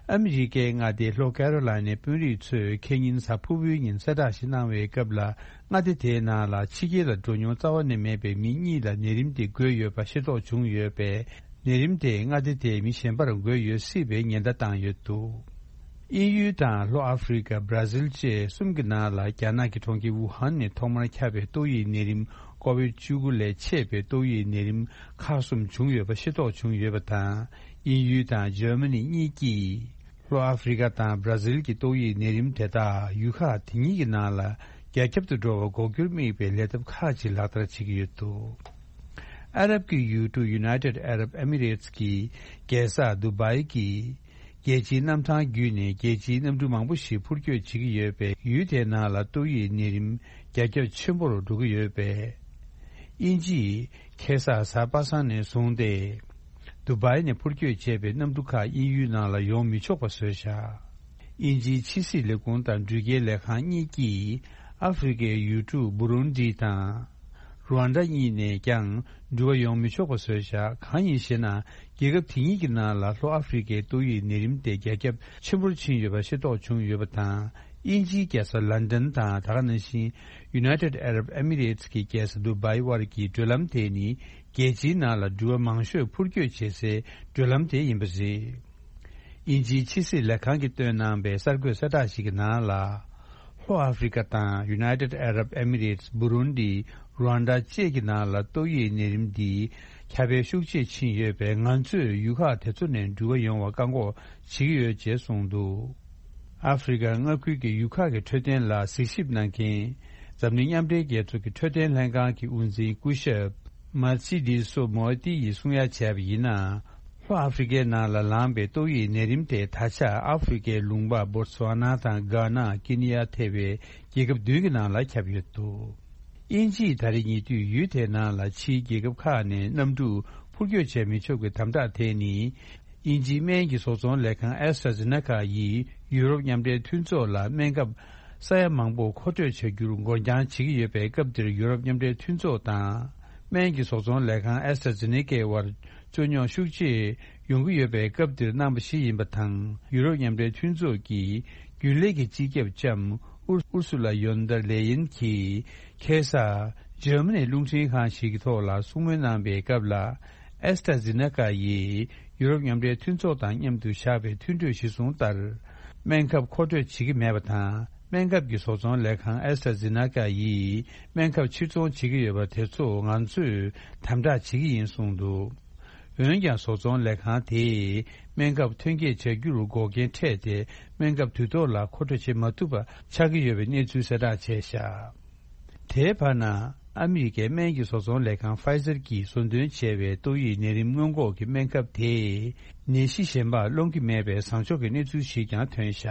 ཨ་མི་རི་ཀའི་མངའ་སྡེ་ལྷོ་ཀེ་རོ་ལ་ནའི་དཔོན་རིགས་ཚོས་ཁེ་ཉིན་གཟའ་ཕུར་བུའི་ཉིན་གསལ་བསྒྲགས་ཤིག་གནང་བའི་སྐབས་ལ། མངའ་སྡེ་དེའི་ནང་ལ་ཕྱི་རྒྱལ་ལ་འགྲོ་མྱོང་རྩ་བ་ནས་མེད་པའི་མི་གཉིས་ལ་ནད་རིམས་དེ་འགོས་ཡོད་པ་ཤེས་རྟོགས་བྱུང་ཡོད་པས། ནད་རིམས་དེས་མངའ་སྡེ་དེའི་མི་གཞན་པར་འགོས་ཡོད་སྲིད་པའི་ཉེན་བརྡ་བཏང་ཡོད་འདུག་དབྱིན་ཡུལ་དང་ལྷོ་ཨ་ཧྥེ་རི་ཀ། བྷ་ར་ཟིལ་བཅས་གསུམ་གྱི་ནང་ལ་རྒྱ་ནག་གི་གྲོང་ཁྱེར་ཝུ་ཧན་ནས་ཐོག་མར་ཁྱབ་པའི་ཏོག་དབྱིབས་ནད་རིམས་ཀོ་བིཌ་བཅུ་དགུ་ལས་མཆེད་པའི་ཏོག་དབྱིབས་ནད་རིམས་ཁག་གསུམ་བྱུང་ཡོད་པ་ཤེས་རྟོགས་བྱུང་ཡོད་པ་དང་། དབྱིན་ཡུལ་དང་འཇར་མ་ནི་གཉིས་ཀྱིས་ལྷོ་ཨ་ཧྥེ་རི་ཀ་དང་བྷ་ར་ཟིལ་གྱི་ཏོག་དབྱིབས་ནད་རིམས་དེ་དག་ཡུལ་ཁག་དེ་གཉིས་ཀྱི་ནང་ལ་རྒྱ་ཁྱབ་ཏུ་འགྲོ་བ་འགོག་རྒྱུར་དམིགས་པའི་ལས་སྟབས་ཁག་ཅིག་ལག་བསྟར་བྱེད་ཀྱི་ཡོད་འདུག་ཨ་རབ་ཀྱི་ཡུལ་གྲུ་United Arab Emirates གྱི་རྒྱལ་ས་དུ་བྷའི་གྱི་ རྒྱལ་སྤྱིའི་གནམ་ཐང་བརྒྱུད་ནས་རྒྱལ་སྤྱིའི་གནམ་གྲུ་མང་པོ་ཞིག་འཕུར་སྐྱོད་བྱེད་ཀྱི་ཡོད་པས། ཡུལ་དེའི་ནང་ལ་ཏོག་དབྱིབས་ནད་རིམས་རྒྱ་ཁྱབ་ཆེན་པོར་འགྲོ་གི་ཡོད་པས། དབྱིན་ཇིས་ཁ་སང་གཟའ་པ་སངས་ནས་བཟུང་སྟེ། དུ་བའི་ནས་འཕུར་སྐྱོད་བྱས་པའི་གནམ་གྲུ་ཁག་དབྱིན་ཡུལ་ནང་ལ་ཡོང་མི་ཆོག་པ་བཟོས་བཞག་དབྱིན་ཇིའི་ཕྱི་སྲིད་ལས་ཁུངས་དང་འགྲུལ་སྐྱེལ་ལས་ཁང་གཉིས་ཀྱིས་ཨ་ཧྥེ་རི་ཁའི་ཡུལ་གྲུ་བུ་རུན་ཌི་དང་། རུ་ཝན་ཌ་གཉིས་ནས་ཀྱང་འགྲུལ་བ་ཡོང་མི་ཆོག་པ་བཟོས་བཞག་གང་ཡིན་ཞེ་ན། རྒྱལ་ཁབ་དེ་གཉིས་ཀྱི་ནང་ལ་ལྷོ་ཨ་ཧྥེ་རི་ཁའི་ཏོག་དབྱིབས་ནད་རིམས་དེ་རྒྱ་ཁྱབ་ཆེན་པོར་ཕྱིན་ཡོད་པ་ཤེས་རྟོགས་བྱུང་ཡོད་པ་དང་། དབྱིན་ཇིའི་རྒྱལ་ས་ལན་ཌན་དང་། ད་ག་ནང་བཞིན་United Arab Emirates གྱི་རྒྱལ་ས་དུ་བའི་དབར་གྱི་བགྲོད་ལམ་དེ་ནི་རྒྱལ་སྤྱིའི་ནང་ལ་འགྲུལ་བ་མང་ཤོས་འཕུར་སྐྱོད་བྱེད་སའི་བགྲོད་ལམ་དེ་ཡིན་པ་རེད། དབྱིན་ཇིའི་ཕྱི་སྲིད་ལས་ཁང་གིས་བཏོན་གནང་བའི་གསར་འགོད་གསལ་བསྒྲགས་ཤིག་གི་ནང་ལ། ལྷོ་ཨ་ཧྥེ་རི་ཁ་དང་United Arab Emirates བུ་རུན་ཌི། རུ་ཝན་ཌ་བཅས་ཀྱི་ནང་ལ་ཏོག་དབྱིབས་ནད་རིམས་འདིའི་ཁྱབ་སྤེལ་ཤུགས་ཆེ་ཕྱིན་ཡོད་པས། ང་ཚོས་ཡུལ་ཁག་དེ་ཚོ་ནས་འགྲུལ་བ་ཡོང་བར་བཀག་འགོག་བྱེད་ཀྱི་ཡོད་ཅེས་གསུངས་འདུག་ཨ་ཧྥེ་རི་ཁ་མངའ་ཁུལ་གྱི་ཡུལ་ཁག་གི་འཕྲོད་བསྟེན་ལ་གཟིགས་ཞིབ་གནང་མཁན། འཛམ་གླིང་མཉམ་འབྲེལ་རྒྱལ་ཚོགས་ཀྱི་འཕྲོད་བསྟེན་ལྷན་ཁང་གི་དབུ་འཛིན་སྐུ་ཞབས་མར་སི་ཌི་སོ་མོ་ཏི་ཡིས་གསུང་ཡ་བྱས་པ་ཡིན་ན། ལྷོ་ཨ་ཧྥེ་རི་ཁའི་ནང་ལ་ལངས་པའི་ཏོག་དབྱིབས་ནད་རིམས་དེ་ད་ཆ་ཨ་ཧྥེ་རི་ཁའི་ལུང་པ་བོ་ཏི་སུ་ཝ་ན་དང་གྷ་ན། ཀེ་ནི་ཡ་ཐེ་བའི་རྒྱལ་ཁབ་བདུན་གྱི་ནང་ལ་ཁྱབ་ཡོད་འདུག་དབྱིན་ཇིས་ད་རེས་ཉེ་དུས་ཡུལ་དེའི་ནང་ལ་ཕྱིའི་རྒྱལ་ཁབ་ཁག་ནས་གནམ་གྲུ་འཕུར་སྐྱོད་བྱས་མི་ཆོག་གི་དམ་དྲག་དེ་ནི། དབྱིན་ཇིའི་སྨན་གྱི་བཟོ་ཚོང་ལས་ཁང་ཨེ་སི་ཊ་ཛེ་ནེ་ཀ་ཡིས་ཡུ་རོབ་མཉམ་འབྲེལ་མཐུན་ཚོགས་ལ་སྨན་ཁབ་ས་ཡ་མང་པོ་མཁོ་སྤྲོད་བྱ་རྒྱུར་འགོར་འགྱངས་བྱེད་ཀྱི་ཡོད་པའི་སྐབས་འདིར། ཡུ་རོབ་མཉམ་འབྲེལ་མཐུན་ཚོགས་དང་སྨན་གྱི་བཟོ་ཚོང་ལས་ཁང་ཨེ་སི་ཊ་ཛེ་ནེ་ཀའི་དབར་རྩོད་རྙོག་ཤུགས་ཆེ་ཡོང་གི་ཡོད་པའི་སྐབས་འདིར་གནང་བ་ཞིག་ཡིན་པ་དང་། ཡུ་རོབ་མཉམ་འབྲེལ་མཐུན་ཚོགས་ཀྱི་རྒྱུན་ལས་ཀྱི་སྤྱི་ཁྱབ་ལྕམ་ཨུར་ཨུར་སུ་ལ་ཡོན་ཌར་ལེ་ཡིན་གྱིས་ཁ་སང་འཇར་མ་ནིའི་རླུང་འཕྲིན་ཁང་ཞིག་གི་ཐོག་ལ་གསུང་མོལ་གནང་པའི་སྐབས་ལ། ཨེ་སི་ཊ་ཛེ་ནེ་ཀ་ཡིས་ཡུ་རོབ་མཉམ་འབྲེལ་མཐུན་ཚོགས་དང་མཉམ་དུ་བཞག་པའི་མཐུན་གྲོས་གཞིར་བཟུང་ལྟར། སྨན་ཁབ་མཁོ་སྤྲོད་བྱེད་ཀྱི་མེད་པ་དང་། སྨན་ཁབ་ཀྱི་བཟོ་ཚོང་ལས་ཁང་ཨེ་སི་ཊ་ཛེ་ནེ་ཀ་ཡིས་སྨན་ཁབ་ཕྱིར་ཚོང་བྱེད་ཀྱི་ཡོད་པ་དེ་ཚོ་ང་ཚོས་དམ་དྲག་བྱེད་ཀྱི་ཡིན་གསུངས་འདུག་འོན་ཀྱང་། བཟོ་ཚོང་ལས་ཁང་དེས་སྨན་ཁབ་ཐོན་སྐྱེད་བྱ་རྒྱུར་འགོག་རྐྱེན་འཕྲད་དེ། སྨན་ཁབ་དུས་ཐོག་ལ་མཁོ་སྤྲོད་བྱེད་མ་ཐུབ་པ་ཆགས་ཀྱི་ཡོད་པའི་གནས་ཚུལ་གསལ་བསྒྲགས་བྱས་བཞག་དེའི་བར་ན། ཨ་མི་རི་ཀའི་སྨན་གྱི་བཟོ་ཚོང་ལས་ཁང་ཕ་ཡི་ཛར་གྱིས་བཟོ་འདོན་བྱས་པའི་ཏོག་དབྱིབས་ནད་རིམས་སྔོན་འགོག་གི་སྨན་ཁབ་དེས། ནད་གཞི་གཞན་པ་སློང་གི་མེད་པའི་བཟང་ཕྱོགས་ཀྱི་གནས་ཚུལ་ཞིག་ཀྱང་ཐོན་བཞག་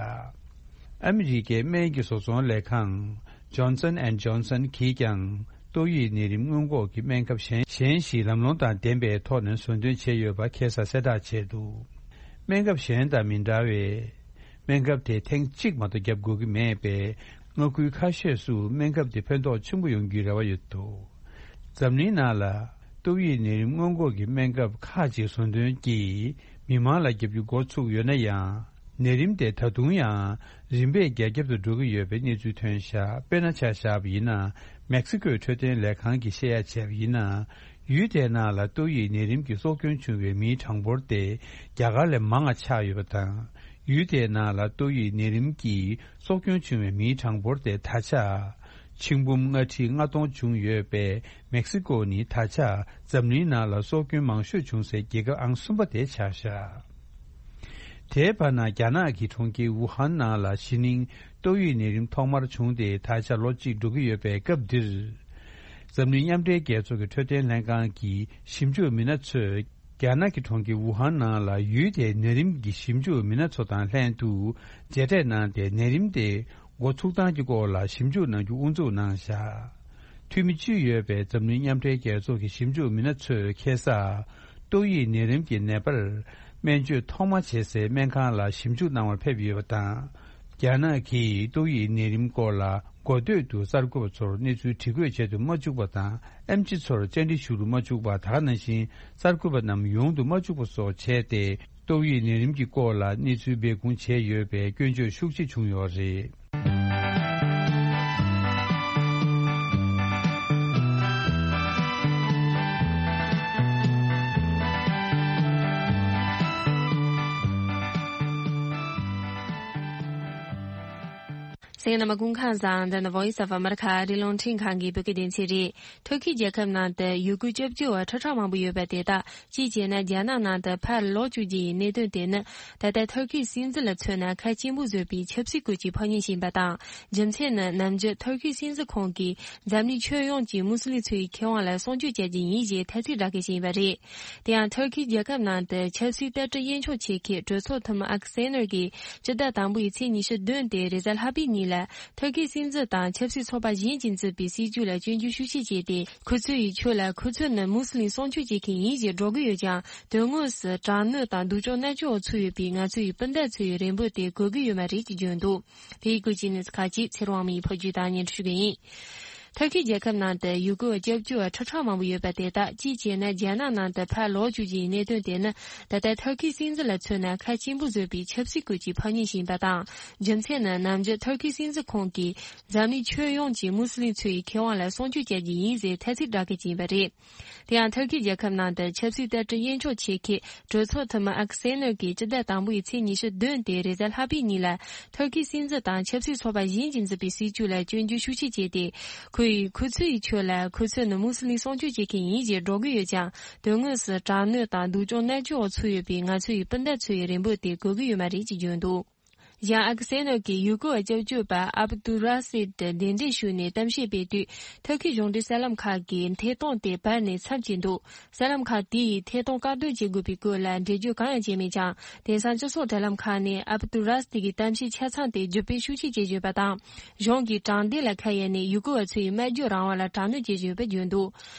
ཨ་མི་རི་ཀའི་སྨན་གྱི་བཟོ་ཚོང་ལས་ཁང་Johnson and Johnson གིས་ཀྱང་། ཏོག་དབྱིབས་ནད་རིམས་སྔོན་འགོག་གི་སྨན་ཁབ་གཞན་གཞན་ཞིག་ལམ་ལྷོང་དང་ལྡན་པའི་ཐོག་ནས་བཟོ་འདོན་བྱས་ཡོད་པ་ཁ་སང་གསལ་བསྒྲགས་བྱས་འདུག་སྨན་ཁབ་གཞན་དང་མི་འདྲ་བའི། སྨན་ཁབ་དེ་ཐེངས་གཅིག་མ་གཏོགས་བརྒྱབ་དགོས་ཀྱི་མེད་པས། མངའ་ཁུལ་ཁ་ཤས་སུ་སྨན་ཁབ་དེ་ཕན་ཐོགས་ཆེན་པོ་ཡོང་རྒྱུའི་རེ་བ་ཡོད་འདུག་འཛམ་གླིང་ནང་ལ་ཏོག་དབྱིབས་ནད་རིམས་སྔོན་འགོག་གི་སྨན་ཁབ་ཁག་ཅིག་བཟོ་འདོན་གྱིས་མི་མང་ལ་བརྒྱབ་རྒྱུ་འགོ་ཚུགས་ཡོད་ན་ཡང་། ནད་རིམས་དེ་ད་དུང་ཡང་རིམ་པས་རྒྱ་ཁྱབ་ཏུ་འགྲོ་གི་ཡོད་པའི་གནས་ཚུལ་ཐོན་བཞག་དཔེར་ན་ཆ་བཞག་པ་ཡིན་ན། མེག་སི་ཀོའི་འཕྲོད་བསྟེན་ལས་ཁང་གིས་བཤད་ཡ་བྱས་པ་ཡིན་ན། ཡུལ་དེའི་ནང་ལ་ཏོག་དབྱིབས་ནད་རིམས་ཀྱི་སྲོག་སྐྱོན་བྱུང་བའི་མིའི་གྲངས་འབོར་དེ་རྒྱ་གར་ལས་མང་བ་ཆགས་ཡོད་པ་དང་། ཡུལ་དེའི་ནང་ལ་ཏོག་དབྱིབས་ནད་རིམས་ཀྱིས་སྲོག་སྐྱོན་བྱུང་བའི་མིའི་གྲངས་འབོར་དེ་ད་ཆ་ཆིག་འབུམ་ལྔ་ཁྲི་ལྔ་སྟོང་བྱུང་ཡོད་པས། མེག་སི་ཀོ་ནི་ད་ཆ་འཛམ་གླིང་ནང་ལ་སྲོག་སྐྱོན་མང་ཤོས་བྱུང་སའི་རྒྱལ་ཁབ་ཨང་གསུམ་པ་དེ་ཆགས་བཞག་དེའི་བར་ན། རྒྱ་ནག་གི་གྲོང་ཁྱེར་ཝུ་ཧན་ནང་ལ་གཞེས་ནིང་ཏོག་དབྱིབས་ནད་རིམས་ཐོག་མར་བྱུང་སྟེ་ད་ཆ་ལོ་གཅིག་འགྲོ་གི་ཡོད་པའི་སྐབས་འདིར། འཛམ་གླིང་མཉམ་འབྲེལ་རྒྱལ་ཚོགས་ཀྱི་འཕྲོད་བསྟེན་ལྷན་ཁང་གི་ཞིབ་འཇུག་མི་སྣ་ཚོས། རྒྱ་ནག་གི་གྲོང་ཁྱེར་ཝུ་ཧན་ནང་ལ་ཡུལ་དེའི་ནད་རིམས་ཀྱི་ཞིབ་འཇུག་མི་སྣ་ཚོ་དང་ལྷན་དུ་མཇལ་འཕྲད་གནང་སྟེ། ནད་རིམས་དེ་འགོ་ཚུགས་སྟངས་ཀྱི་སྐོར་ལ་ཞིབ་འཇུག་གནང་རྒྱུ་དབུ་འཛུགས་གནང་བཞག་འཐུས་མི་བཅུ་ཡོད་པའི་འཛམ་གླིང་མཉམ་འབྲེལ་རྒྱལ་ཚོགས་ཀྱི་ཞིབ་འཇུག་མི་སྣ་ཚོས་ཁ་སང་ཏོག་དབྱིབས་ནད་རིམས་ཀྱི་ནད་པར་སྨན་བཅོས་ཐོག་མ་བྱེད་སའི་སྨན་ཁང་ལ་ཞིབ་འཇུག་གནང་བར་ཕེབས་ཡོད་པ་དང་། རྒྱ་ནག་གིས་ཏོག་དབྱིབས་ནད་རིམས་སྐོར་ལ་འགོ་སྟོད་དུ་གསར་འགོད་པ་ཚོར་གནས་ཚུལ་དྲི་བཀོད་བྱེད་དུ་མ་བཅུག་པ་དང་། ཨེམ་ཆི་ཚོར་བཅར་འདྲི་ཞུ་རུ་མ་བཅུག་པ། ད་ག་ནང་བཞིན་གསར་འགོད་པ་རྣམས་ཡོང་དུ་མ་བཅུག་པ་སོགས་བྱས་ཏེ། ཏོག་དབྱིབས་ནད་རིམས་ཀྱི་སྐོར་ལ་གནས་ཚུལ་སྦས་སྐུང་བྱས་ཡོད་པའི་སྐྱོན་བརྗོད་ཤུགས་ཆེ་བྱུང་ཡོད་རེད། གསན་མཁན་རྣམ་པ་སྐུ་ཁམས་བཟང་། འདི་ནི་Voice of America ཨ་རིའི་རླུང་འཕྲིན་ཁང་གི་བོད་སྐད་སྡེ་ཚན་རེད། ཐུར་ཁེ་རྒྱལ་ཁབ་ནང་དུ་ཡུ་གུར་སྐྱབས་བཅོལ་བ་ཁྲི་ཕྲག་མང་པོ་ཡོད་པ་དེ་དག་གཅིག་བྱས་ན་རྒྱ་ནག་ནང་དུ་ཕར་ལོག་བཅུག་རྒྱུ་ཡི་གནད་དོན་དེ་ནི། ད་ལྟ་ཐུར་ཁེའི་སྲིད་འཛིན་ལ་མཚོན་ན་ཁ་སྐྱེན་པོ་བཟོས་པའི་ཆབ་སྲིད་སྐོར་གྱི་ཕོགས་ཉེས་ཤིག་ཡིན་པ་དང་། རྒྱུ་མཚན་ནི་ནམ་རྒྱུན་ཐུར་ཁེའི་སྲིད་འཛིན་ཁོང་གིས་འཛམ་གླིང་ཁྱོན་ཡོངས་ཀྱི་མུ་སི་ལིམ་ཚོ་ཡི་ཁེ་དབང་ལ་སྲུང་སྐྱོབ་བྱ་རྒྱུ་ཡིན་ཞེས་ཐ་ཚིག་བསྒྲགས་མཁན་ཞིག་ཡིན་པ་རེད། དེ་ཡང་ཐུར་ཁེའི་རྒྱལ་ཁབ་ནང་དུ་ཆབ་སྲིད་ལྟ་གྲུབ་དབྱེ་འབྱེད་བྱེད་མཁན་གྲོས་ཚོགས་འཐུས་མི་ཨག་སེ་ནར་གྱིས་སྤྱི་ཟླ་དང་པོའི་ཚེས་ཉི་ཤུ་བདུན་སྟེ་རེས་གཟའ་ལྷག་པའི་ཉིན་ལ་ཐུར་ཁེའི་སྲིད་འཛིན་དང་ཆབ་སྲིད་ཚོགས་པ་གཞན་གྱིས་འཛིན་པའི་སྲིད་བྱུས་ལ་སྐྱོན་བརྗོད་ཤུགས་ཆེ་བྱས་ཏེ། ཁོ་ཚོ་ཡི་ཆོས་ལ་ཁོ་ཚོ་ནི་མུ་སི་ལིམ་སྲུང་སྐྱོབ་བྱེད་མཁན་ཡིན་ཞེས་སྒྲོག་གི་ཡོད་ཀྱང་། དོན་དངོས་སུ་དྲག་གནོན་དང་སྡུག་སྦྱོང་མནར་གཅོད་འོག་ཚུད་ཡོད་པའི་ང་ཚོ་ཡི་སྤུན་ཟླ་ཚོ་ཡི་རེ་འབོད་དེ་གོ་གི་ཡོད་མ་རེད་ཅེས་བརྗོད་འདུག་དེ་ཡི་སྐོར་གྱི་གནས་ཚུལ་ཁག་ཅིག་ཚེ་རིང་དབང་མོས་ཕབ་སྒྱུར་དང་སྙན་སྒྲོན་ཞུ་གི་ཡིན། ཐུར་ཁེའི་རྒྱལ་ཁབ་ནང་དུ་ཡུ་གུར་བ་སྐྱབས་བཅོལ་བ་ཁྲི་ཕྲག་མང་པོ་ཡོད་པ་དེ་དག་གཅིག་བྱས་ན་རྒྱ་ནག་ནང་དུ་ཕར་ལོག་བཅུག་རྒྱུའི་གནད་དོན་དེ་ནི། ད་ལྟ་ཐུར་ཁེའི་སྲིད་འཛིན་ལ་མཚོན་ན་ཁ་སྐྱེན་པོ་བཟོས་པའི་ཆབ་སྲིད་སྐོར་གྱི་ཕོགས་ཉེས་ཤིག་ཡིན་པ་དང་། རྒྱུ་མཚན་ནི་ནམ་རྒྱུན་ཐུར་ཁེའི་སྲིད་འཛིན་ཁོང་གིས་འཛམ་གླིང་ཁྱོན་ཡོངས་ཀྱི་མུ་སི་ལིམ་ཚོ་ཡི་ཁེ་དབང་ལ་སྲུང་སྐྱོབ་བྱ་རྒྱུ་ཡིན་ཟེར་ཐ་ཚིག་བསྒྲགས་མཁན་ཞིག་ཡིན་པ་རེད། དེ་ཡང་ཐུར་ཁེའི་རྒྱལ་ཁབ་ནང་དུ་ཆབ་སྲིད་ལྟ་གྲུབ་དབྱེ་འབྱེད་བྱེད་མཁན་གྲོས་ཚོགས་འཐུས་མི་ཨག་སེ་ནར་གྱིས་སྤྱི་ཟླ་དང་པོའི་ཚེས་ཉི་ཤུ་བདུན་སྟེ་རེས་གཟའ་ལྷག་པའི་ཉིན་ལ། ཐུར་ཁེའི་སྲིད་འཛིན་དང་ཆབ་སྲིད་ཚོགས་པ་གཞན་གྱིས་འཛིན་པའི་སྲིད་བྱུས་ལ་སྐྱོན་བརྗོད་ཤུགས་ཆེ་བྱས་ཏེ། ཁོ་ཡིས་ཁོ་ཚོ་ཡི་ཆོས་ལ་ཁོ་ཚོ་ནི་མུ་སི་ལིམ་སྲུང་སྐྱོབ་བྱེད་མཁན་ཡིན་ཞེས་སྒྲོག་གི་ཡོད་ཀྱང་། དོན་དངོས་སུ་དྲག་གནོན་དང་སྡུག་སྦྱོང་མནར་གཅོད་འོག་ཚུད་ཡོད་པའི་ང་ཚོ་ཡི་སྤུན་ཟླ་ཚོ་ཡི་རེ་འབོད་དེ་གོ་གི་ཡོད་མ་རེད་ཅེས་བརྗོད་འདུག་གཞན་ཨག་སེ་ནར་གྱིས་ཡུ་གུར་བ་སྐྱབས་བཅོལ་བ་ཨབ་ཏུ་ར་སིད་དེ་གདན་འདྲེན་ཞུས་ནས་གཏམ་བཤད་སྤེལ་དུས། ཐུར་ཁེའི་གཞུང་འབྲེལ་གསར་ལམ་ཁག་གིས་ཐད་གཏོང་དེ་བར་ནས་མཚམས་བཅད་འདུག་གསར་ལམ་ཁག་དེ་ཡིས་ཐད་གཏོང་བཀག་སྡོམ་བྱེད་དགོས་པའི་སྐོར་ལ་འགྲེལ་བརྗོད་གང་ཡང་བྱས་མེད་ཀྱང་། དེང་སང་སྤྱི་ཚོགས་དྲ་ལམ་ཁག་ནས་ཨབ་ཏུ་ར་སིད་ཀྱི་གཏམ་བཤད་ཆ་ཚང་དེ་བརྒྱུད་སྤེལ་ཤུགས་ཆེ་བྱེད་བཞིན་པ་དང་། གཞུང་གིས་དྲང་བདེན་ལ་ཁ་གཡར་ནས་ཡུ་གུར་བ་ཚོའི་སྨྲ་བརྗོད་རང་དབང་ལ་དྲག་གནོན་བྱེད་བཞིན་ཡོད་པ་བརྗོད་འདུག་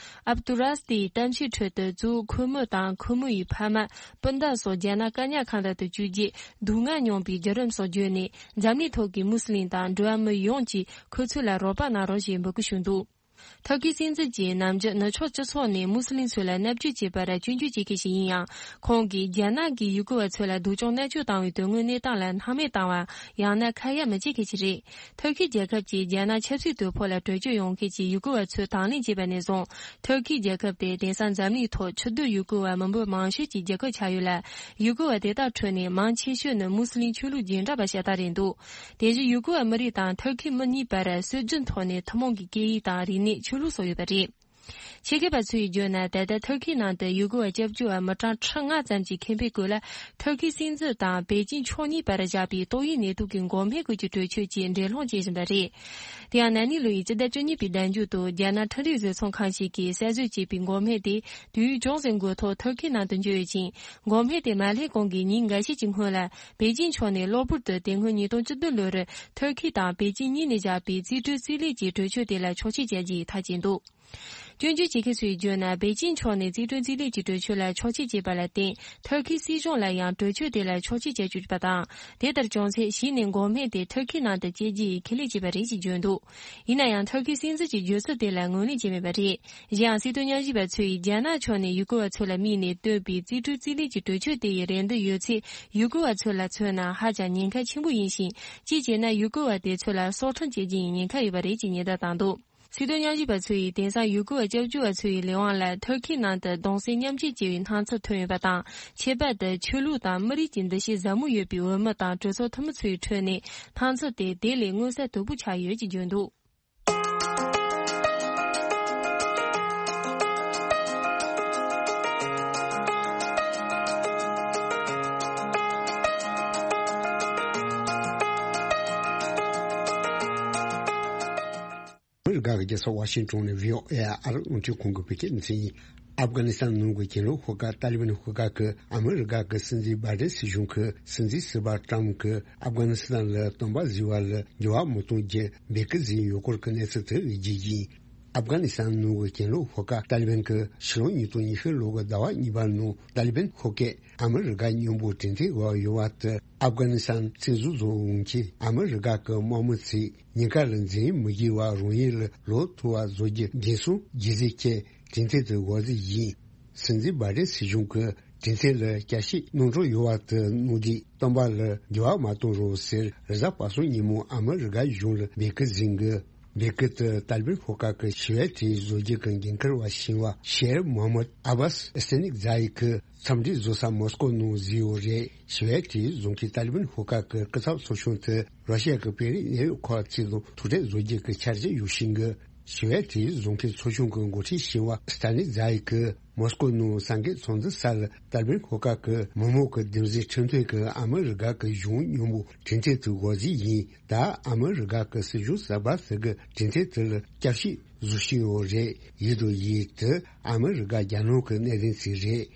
ཨབ་ཏུ་ར་སིད་ཡི་གཏམ་བཤད་ཁྲོད་དུ། གཙོ་བོ་ཁོ་མོ་དང་ཁོ་མོ་ཡི་ཕ་མ། སྤུན་ཟླ་སོགས་རྒྱ་ནག་བཀག་ཉར་ཁང་དུ་བཅུག་རྗེས་སྡུག་བསྔལ་མྱོང་བའི་བརྒྱུད་རིམ་སོགས་བརྗོད་ནས། འཛམ་གླིང་ཐོག་གི་མུ་སི་ལིམ་དང་འགྲོ་བ་མི་ཡོངས་ཀྱིས་ཁོ་ཚོ་ལ་རོགས་པ་གནང་རོགས་ཞེས་འབོད་སྐུལ་ཞུས་འདུག་ཐུར་ཁེའི་སྲིད་འཛིན་གྱིས་ནམ་རྒྱུན་ནུབ་ཕྱོགས་སྤྱི་ཚོགས་ནས་མུ་སི་ལིམ་ཚོ་ལ་མནར་གཅོད་བྱས་པར་སྐྱོན་བརྗོད་བྱེད་མཁན་ཞིག་ཡིན་ཡང་། ཁོང་གིས་རྒྱ་ནག་གིས་ཡུ་གུར་བ་ཚོ་ལ་སྡུག་སྦྱོང་མནར་གཅོད་བཏང་བའི་དོན་དངོས་གནས་སྟངས་ལ་སྣང་མེད་བཏང་བ། ཡང་ན་ཁ་ཡ་མི་བྱེད་མཁན་ཞིག་རེད། ཐུར་ཁེ་རྒྱལ་ཁབ་ཀྱིས་རྒྱ་ནག་ཆབ་སྲིད་དོ་ཕོག་ལ་གྲོས་ཆོད་ཡོང་མཁན་གྱི་ཡུ་གུར་བ་ཚོ་དང་ལེན་བྱས་པ་ནས་བཟུང་། ཐུར་ཁེ་རྒྱལ་ཁབ་དེ་དེང་སང་འཛམ་གླིང་ཐོག་ཕྱི་སྡོད་ཡུ་གུར་བ་མི་འབོར་མང་ཤོས་ཀྱི་རྒྱལ་ཁབ་ཆགས་ཡོད་ལ། ཡུ་གུར་བ་དེ་དག་ཁྲོད་ནས་མང་ཆེ་ཤོས་ནི་མུ་སི་ལིམ་ཆོས་ལུགས་རྗེས་འབྲང་པ་ཤ་སྟག་རེད་འདུག་དེ་བཞིན་ཡུ་གུར་བ་མི་རིགས་དང་ཐུར་ཁེ་མི་གཉིས་བར་སྲོལ་རྒྱུན་ཐོག་ནས་ཐུན་མོང་གི་སྐད་ཡིག་དང་རིག་གནས། ཆོས་ལུགས་སོགས་ཡོད་པ་རེད། ཆེད་མཁས་པ་ཚོས་བརྗོད་ན། ད་ལྟ་ཐུར་ཁེ་ནང་དུ་ཡུ་གུར་བ་སྐྱབས་བཅོལ་བ་མི་གྲངས་ཁྲི་ལྔ་ཙམ་གྱི་ཁེ་ཕན་སྐོར་ལ། ཐུར་ཁེའི་སྲིད་འཛིན་དང་པེ་ཅིན་ཕྱོགས་གཉིས་བར་བཞག་པའི་ཏོག་དབྱིབས་ནད་དུག་གི་འགོག་སྨན་སྐོར་གྱི་གྲོས་ཆོད་ཀྱི་འགྲན་སློང་བྱེད་བཞིན་པ་རེད། དེ་ཡང་ན་ནིང་ལོ་ཡི་སྤྱི་ཟླ་བཅུ་གཉིས་པའི་ཟླ་མཇུག་ཏུ་རྒྱ་ནག་འཕྲིན་རིག་བཟོ་ཚོང་ཁང་ཞིག་གིས་གསར་བཟོས་བྱས་པའི་འགོག་སྨན་དེ་དུས་ཡུན་ཅུང་ཟད་འགོར་ཐོག་ཐུར་ཁེ་ནང་དུ་འབྱོར་ཡོད་ཅིང་། འགོག་སྨན་དེ་མ་སླེབས་གོང་གི་ཉིན་འགའ་ཤས་ཀྱི་སྔོན་ལ། པེ་ཅིན་ཕྱོགས་ནས་གློ་བུར་དུ་དེ་སྔོན་ཉིས་སྟོང་བཅུ་བདུན་ལོར་ཐུར་ཁེ་དང་པེ་ཅིན་གཉིས་ནས་བཞག་པའི་རྩིས་སྤྲོད་རྩིས་ལེན་གྱི་གྲོས་ཆོད་དེ་ལ་ཆོག་མཆན་བརྒྱབ་རྒྱུའི་ཐག་བཅད་འདུག་སྐྱོན་བརྗོད་བྱེད་མཁན་ཚོས་བརྗོད་ན། པེ་ཅིན་ཕྱོགས་ནས་རྩིས་སྤྲོད་རྩིས་ལེན་གྱི་གྲོས་ཆོད་ལ་ཆོག་མཆན་བྱས་པ་ལ་བརྟེན། ཐུར་ཁེའི་སྲིད་གཞུང་ལ་ཡང་གྲོས་ཆོད་དེ་ལ་ཆོག་མཆན་བྱས་ཡོད་པ་དང་། དེ་ལྟར་བྱུང་ཚེ། གཞི་ནས་འགོག་སྨན་དེ་ཐུར་ཁེ་ནང་དུ་སྐྱེལ་རྒྱུ་ཡི་ཁས་ལེན་བྱས་པ་རེད་ཅེས་བརྗོད་འདུག་ཡིན་ན་ཡང་། ཐུར་ཁེའི་སྲིད་འཛིན་གྱི་བརྗོད་ཚུལ་དེ་ལ་ངོས་ལེན་བྱས་མེད་པ་རེད། གཞན་ཡང་། སྲིད་དོན་ཉམས་ཞིབ་པ་ཚོས་རྒྱ་ནག་ཕྱོགས་ནས་ཡུ་གུར་བ་ཚོ་ལ་དམིགས་ནས་བཏོན་པའི་རྩིས་སྤྲོད་རྩིས་ལེན་གྱི་གྲོས་ཆོད་དེ་ཡི་རེ་འདུན་ཡོད་ཚད། ཡུ་གུར་བ་ཚོ་ལ་མཚོན་ན་ཧ་ཅང་ཉེན་ཁ་ཆེན་པོ་ཡིན་ཞིང་། གཅིག་བྱས་ན། ཡུ་གུར་བ་དེ་ཚོ་ལ་སྲོག་ཁྲིམས་བཅད་རྒྱུ་ཡི་ཉེན་ཁ་ཡོད་པ་རེད་ཅེས་ཉེན་བརྡ་བཏང་འདུག་སྲིད་དོན་ཉམས་ཞིབ་པ་ཚོ་ཡིས། དེང་སང་ཡུ་གུར་བ་སྐྱབས་བཅོལ་བ་ཚོ་ཡི་ལས་དབང་ལ་ཐུར་ཁེ་ནང་དུ་གདུང་སེམས་མཉམ་སྐྱེད་བྱེད་པའི་སྣང་ཚུལ་ཐོན་ཡོད་པ་དང་། ཁྱད་པར་དུ་ཆོས་ལུགས་དང་མི་རིགས་ཀྱི་འདུ་ཤེས་ཟབ་མོ་ཡོད་པའི་འོས་མི་དང་གྲོས་ཚོགས་འཐུས་མི་ཚོའི་ཁྲོད་ནས་སྣང་ཚུལ་དེ་དེ་ལས་མངོན་གསལ་དོད་པོ་ཆགས་ཡོད་ཅེས་བརྗོད་འདུག་ཨ་མི་རི་ཀ་གི་རྒྱལ་ས་ཝ་ཤིང་ཏོན་ནས་བྷི་ཨོ་ཨེ་ཨ་རིའི་རླུང་འཕྲིན་ཁང་གི་བོད་སྐད་སྡེ་ཚན་ཡིན། ཨབ་གྷ་ནི་སི་ཐན་ནང་གི་གྱེན་ལོག་ཤོག་ཁག་ཏཱ་ལི་བན་ཤོག་ཁག་གིས་ཨ་མི་རི་ཀ་གི་སྲིད་འཛིན་བྷའི་ཌེན་སྲིད་གཞུང་གིས་སྲིད་འཛིན་ཟུར་པ་ཏྲམ་གྱིས་ཨབ་གྷ་ནི་སི་ཐན་ལ་སྟོན་པ་ཟེར་བ་ལ་འགྱུར་བ་མི་གཏོང་རྒྱུ་འབོད་སྐུལ་ཟིན་ཡོད་སྐོར་གྱི་གནས་ཚུལ་དེ་རིགས་བརྗོད་ཀྱིན། ཨབ་གྷ་ནི་སི་ཐན་ནང་གི་གྱེན་ལོག་ཤོག་ཁག་ཏཱ་ལི་བན་གྱིས་ཕྱི་ལོ་ཉིས་སྟོང་ཉི་ཤུ་ལོ་གི་ཟླ་བ་གཉིས་པ་ནང་ཏཱ་ལི་བན་ཤོག་ཁག་ཨ་མི་རི་ཀ་མཉམ་པོ་གྲོས་མཐུན་འོག་ཡོད་པ་དེ། ཨབ་གྷ་ནི་སི་ཐན་བཙན་བཟུང་བཟོ་འོང་ཆེད་ཨ་མི་རི་ཀ་གི་དམག་མི་ཚོས་ཉེན་ཁ་ལ་འཛེམ་མི་དགོས་པར་རང་ཡུལ་ལ་ལོག་ཐུབ་པ་བཟོ་རྒྱུ་འགན་སྲུང་བྱེད་ཟེར་ཆེད་གྲོས་མཐུན་དེ་འགོད་རྩིས་ཡིན། སྲིད་འཛིན་བྷའི་ཌེན་སྲིད་གཞུང་གིས་གྲོས་མཐུན་ལ་བསྐྱར་ཞིབ་གནང་འཕྲོ་ཡོད་པ་དེ་གནང་དུས་སྟོན་པ་ལ་འགྱུར་བ་མ་གཏོང་རོགས་ཟེར་རེས་གཟའ་པ་སངས་ཉིན་མོ་ཨ་མི་རི་ཀ་གཞུང་ལ་འབོད་སྐུལ་ཟིན་གི། འདི་སྐད་དུ་ཏཱ་ལི་བན་ཤོག་ཁག་གི་ཞི་བའི་གྲོས་བཟོ་རྒྱུ་གི་འགན་འཁུར་བ་ཞིང་བ་ཤེར་མོ་ཧམ་མད་ཨ་བཱས་སི་ཏན་ནིག་ཛ་ཡི་གི་འཚམས་འདྲི་བཟོ་ས་མོ་སྐོ་ནང་བཟོས་ཡོད་རེད། ཞི་བའི་གྲོས་བཟོ་མཁན་ཏཱ་ལི་བན་ཤོག་ཁག་གི་སྐུ་ཚབ་ཚོགས་ཆུང་དེ་རོ་ཤི་ཡ་གི་པེ་རི་གནས་ཡུལ་ཁག་ཅིག་ལ་ཐུག་འཕྲད་བཟོ་རྒྱུ་གི་འཆར་གཞི་ཡོད་བཞིན་གི། ཞི་བའི་གྲོས་བཟོ་མཁན་ཚོགས་ཆུང་གི་འགོ་ཁྲིད་ཞིང་བ་སི་ཏན་ནིག་ཛ་ཡི་གིས་མོ་སྐོ་ནང་སངས་རྒྱས་ཚོགས་འདུ་ས་ལ་ཏཱ་ལི་བན་ཤོག་ཁག་གི་མི་མང་གི་བདེན་འཛིན་ཁྲིམས་མཐུན་གྱི་ཨ་མི་རི་ཀ་གི་གཞུང་མཉམ་པོ་གྲོས་མཐུན་དུ་འགོད་རྩིས་ཡིན། ད་ཨ་མི་རི་ཀ་གི་སྲིད་གཞུང་གསར་པ་ཟེར་གི་གྲོས་མཐུན་དེ་ལ་བསྐྱར་ཞིབ་བཟོ་བཞིན་ཡོད་རེད། ཡིན་དང་ཡིན་དེ་ཨ་མི་རི་ཀ་རྒྱ་ནག་གི་གནད་དོན་ཅིག་རེད།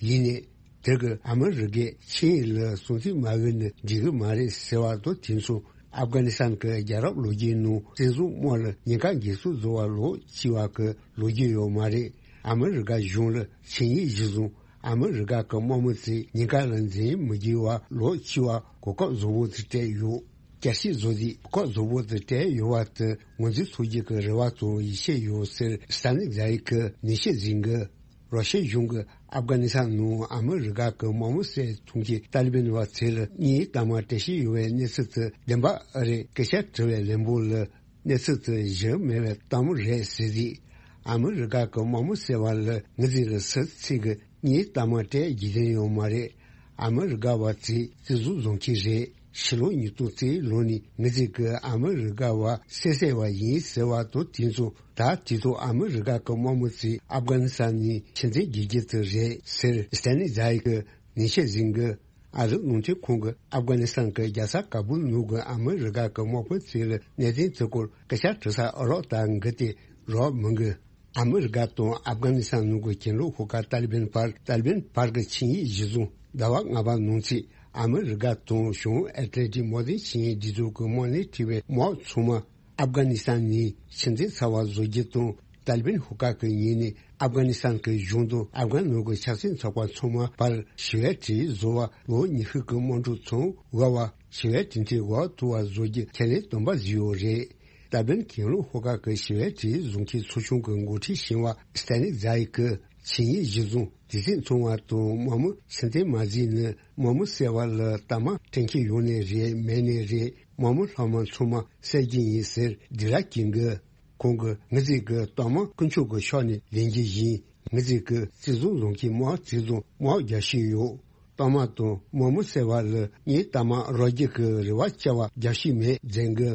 ཡིན་ནའི་དེ་གི་ཨ་མི་རི་ཀས་ཆིངས་ཡིག་ལ་སྲུང་བརྩི་མ་འོས་ན་འགྲིག་གི་མ་རེད་ཟེར་བ་དང་དེ་མཚུངས་ཨབ་གྷ་ནི་སི་ཐན་གྱི་རྒྱལ་རབས་ལོ་རྒྱུས་ནང་བཙན་བཟུང་དམག་ལ་ཉེན་ཁ་འགེལ་ཚུལ་བཟོ་བ་ལོག་ཅི་བ་གི་ལོ་རྒྱུས་ཡོད་མ་རེད། ཨ་མི་རི་ཀ་གཞུང་ལ་ཆིངས་ཡིག་གཞིར་བཟུང་ཨ་མི་རི་ཀ་གི་དམག་མི་ཚོས་ཉེན་ཁ་ལ་འཛེམ་མི་དགོས་པ་ལོག་ཅི་བ་གོ་སྐབས་བཟང་པོ་དེ་སྤྲད་ཡོད། བསྐྱར་ཞིབ་བཟོ་རྩིས་གོ་སྐབས་བཟང་པོ་དེ་སྤྲད་ཡོད་པ་དེ་ངོས་འཛིན་ཐུབ་རྒྱུ་གི་རེ་བ་དང་ཡིད་ཆེས་ཡོད་ཟེར་སི་ཏན་ནིག་ཛ་ཡི་གིས་ནན་བཤད་གཟིགས་གི། རོ་ཤི་ཡ་གཞུང་གིས་ཨབ་གྷ་ནི་སི་ཐན་ནང་ཨ་མི་རི་ཀ་གི་དམག་མི་བསད་གཏོང་མཁན་ཏཱ་ལི་བན་བ་ཚོ་ལ་དངུལ་གཏའ་མ་སྤྲད་བཞིན་ཡོད་པའི་གནས་ཚུལ་དེ་བདེན་པ་ཨེ་རེད། སྐད་ཆ་དྲི་བའི་ལན་པོ་ལ་གནས་ཚུལ་དེ་གཞི་མེད་པའི་གཏམ་རེད་ཟེར་རྗེས། ཨ་མི་རི་ཀ་གི་དམག་མི་བསད་པ་ལ་ངེད་ཚོ་ལ་སུ་གཅིག་གིས་དངུལ་གཏའ་མ་སྤྲད་རྒྱུ་དེ་ཡོད་མ་རེད། ཨ་མི་རི་ཀ་བ་ཚོས་བཙན་བཟུང་བཟོ་མཁན་རེད། ཕྱི་ལོ་ཉིས་སྟོང་རྩ་བཞི་ལོ་ནས་ངེད་ཚོ་གིས་ཨ་མི་རི་ཀ་བ་བསད་བསད་པ་ཡིན་ཟེར་བ་དང་དེ་མཚུངས་ད་དུས་ཐོག་ཨ་མི་རི་ཀ་གི་དམག་མི་ཚོས་ཨབ་གྷ་ནི་སི་ཐན་ནས་ཕྱིར་འཐེན་དགོས་རྒྱུ་དེ་རེད་ཟེར་སི་ཏན་ནིག་ཛ་ཡི་གིས་ནན་བཤད་གཟིགས་གི། ཨ་རིའི་རླུང་འཕྲིན་ཁང་གིས་ཨབ་གྷ་ནི་སི་ཐན་གྱི་རྒྱལ་ས་ཀ་བུལ་ནང་གི་ཨ་མི་རི་ཀ་གི་དམག་དཔོན་ཚོ་ལ་གནད་དོན་དེ་སྐོར་སྐད་ཆ་དྲི་སར་ཨ་རོགས་ལྟར་འགི་སྟེ་རོགས་མི་འགི། ཨ་མི་རི་ཀ་དང་ཨབ་གྷ་ནི་སི་ཐན་ནང་གི་གྱེན་ལོག་ཤོག་ཁག་ཏཱ་ལི་བན་བར་ཏཱ་ལི་བན་བར་གྱི་ཆིངས་ཡིག་གཞིར་བཟུང་ཟླ་བ་ལྔ་པ་ནང་ཚུད་ཨ་མི་རི་ཀ་དང་བྱང་ཨེ་ཏི་ལན་ཏིག་དམག་དོན་ཆིངས་ཡིག་སྒྲིག་འཛུགས་ཀྱི་དམག་སྣེ་ཁྲིད་པའི་དམག་ཚང་མ་ཨབ་གྷ་ནི་སི་ཐན་ནས་ཕྱིར་འཐེན་ཚར་བ་བཟོ་རྒྱུ་དང་། ཏཱ་ལི་བན་ཤོག་ཁག་གི་ངོས་ནས་ཨབ་གྷ་ནི་སི་ཐན་གྱི་གཞུང་དང་ཨབ་གྷན་ནང་གི་ཆབ་སྲིད་ཚོགས་པ་ཚང་མ་བར་ཞི་བའི་གྲོས་བཟོ་བར་ལོ་ཉི་ཤུ་གི་སྨོན་འདུན་ཚང་དབུལ་བ་ཞི་བའི་གྲོས་མཐུན་འོག་ཐུག་པ་བཟོ་རྒྱུ་ཁས་ལེན་དམ་པ་བཟོས་ཡོད་རེད། ཏཱ་ལི་བན་གྱེན་ལོག་ཤོག་ཁག་གི་ཞི་བའི་གྲོས་བཟོ་མཁན་ཚོགས་ཆུང་གི་འགོ་ཁྲིད་ཞིང་བ་སི་ཏན་ནིག་ཛ་ཡི་གིས་ཆིངས་ཡིག་གཞིར་བཟུང་དུས་ཚོད་ཚང་བ་དང་དམག་མི་ཕྱིར་འཐེན་མ་བཟོས་ན་དམག་མི་བསད་པ་ལ་གཏའ་མ་སྤྲད་མཁན་ཡོད་ནའི་རེད་མེད་ནའི་རེད། དམག་མི་ལྷག་མ་ཚང་མ་བསད་རྒྱུ་ཡིན་ཟེར་སྡིགས་ར་སྐྱོན་གི། ཁོང་གིས་ངེད་ཚོས་ཀྱི་གཏའ་མ་དཀོན་མཆོག་གི་ཕྱོགས་ནས་ལེན་རྒྱུ་ཡིན། ངེད་ཚོས་ཀྱི་བཙན་བཟུང་བཟུང་གི་དམག་བཙན་བཟུང་དམག་རྒྱག་བཞིན་ཡོད། གཏའ་མ་དང་དམག་མི་བསད་པ་ལ་ངས་གཏའ་མ་རག་རྒྱུ་གི་རེ་བ་བཅའ་བ་རྒྱག་བཞིན་མེད་ཟེར་གི།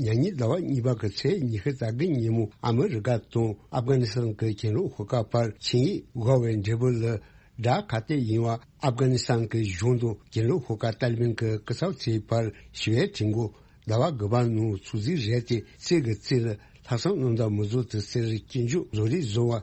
ཉ་ཉིན་ཟླ་བ་གཉིས་པ་གི་ཚེས་ཉི་ཤུ་རྩ་དགུ་ཉིན་མོ་ཨ་མི་རི་ཀ་དང་ཨབ་གྷ་ནི་སི་ཐན་གྱི་གྱེན་ལོག་ཤོག་ཁག་བར་ཆིངས་ཡིག་བཞག་པའི་འབྲས་བུ་ལ། དགྲ་ག་དེ་ཡིན་བ་ཨབ་གྷ་ནི་སི་ཐན་གྱི་གཞུང་དང་གྱེན་ལོག་ཤོག་ཁག་ཏཱ་ལི་བན་གྱི་སྐུ་ཚབ་ཚོའི་བར་ཞི་བའི་གྲོས་འགོ་ཟླ་བ་དགུ་པ་ནང་ཚོད་འཛིན་རེད་དེ་རྩེ་གི་རྩེ་ལ་ལྷག་བསམ་རྣམ་དག་མི་བཟོ་དེ་ཟེར་སྐྱོན་བརྗོད་བཟོ་རིགས་བཟོ་བ་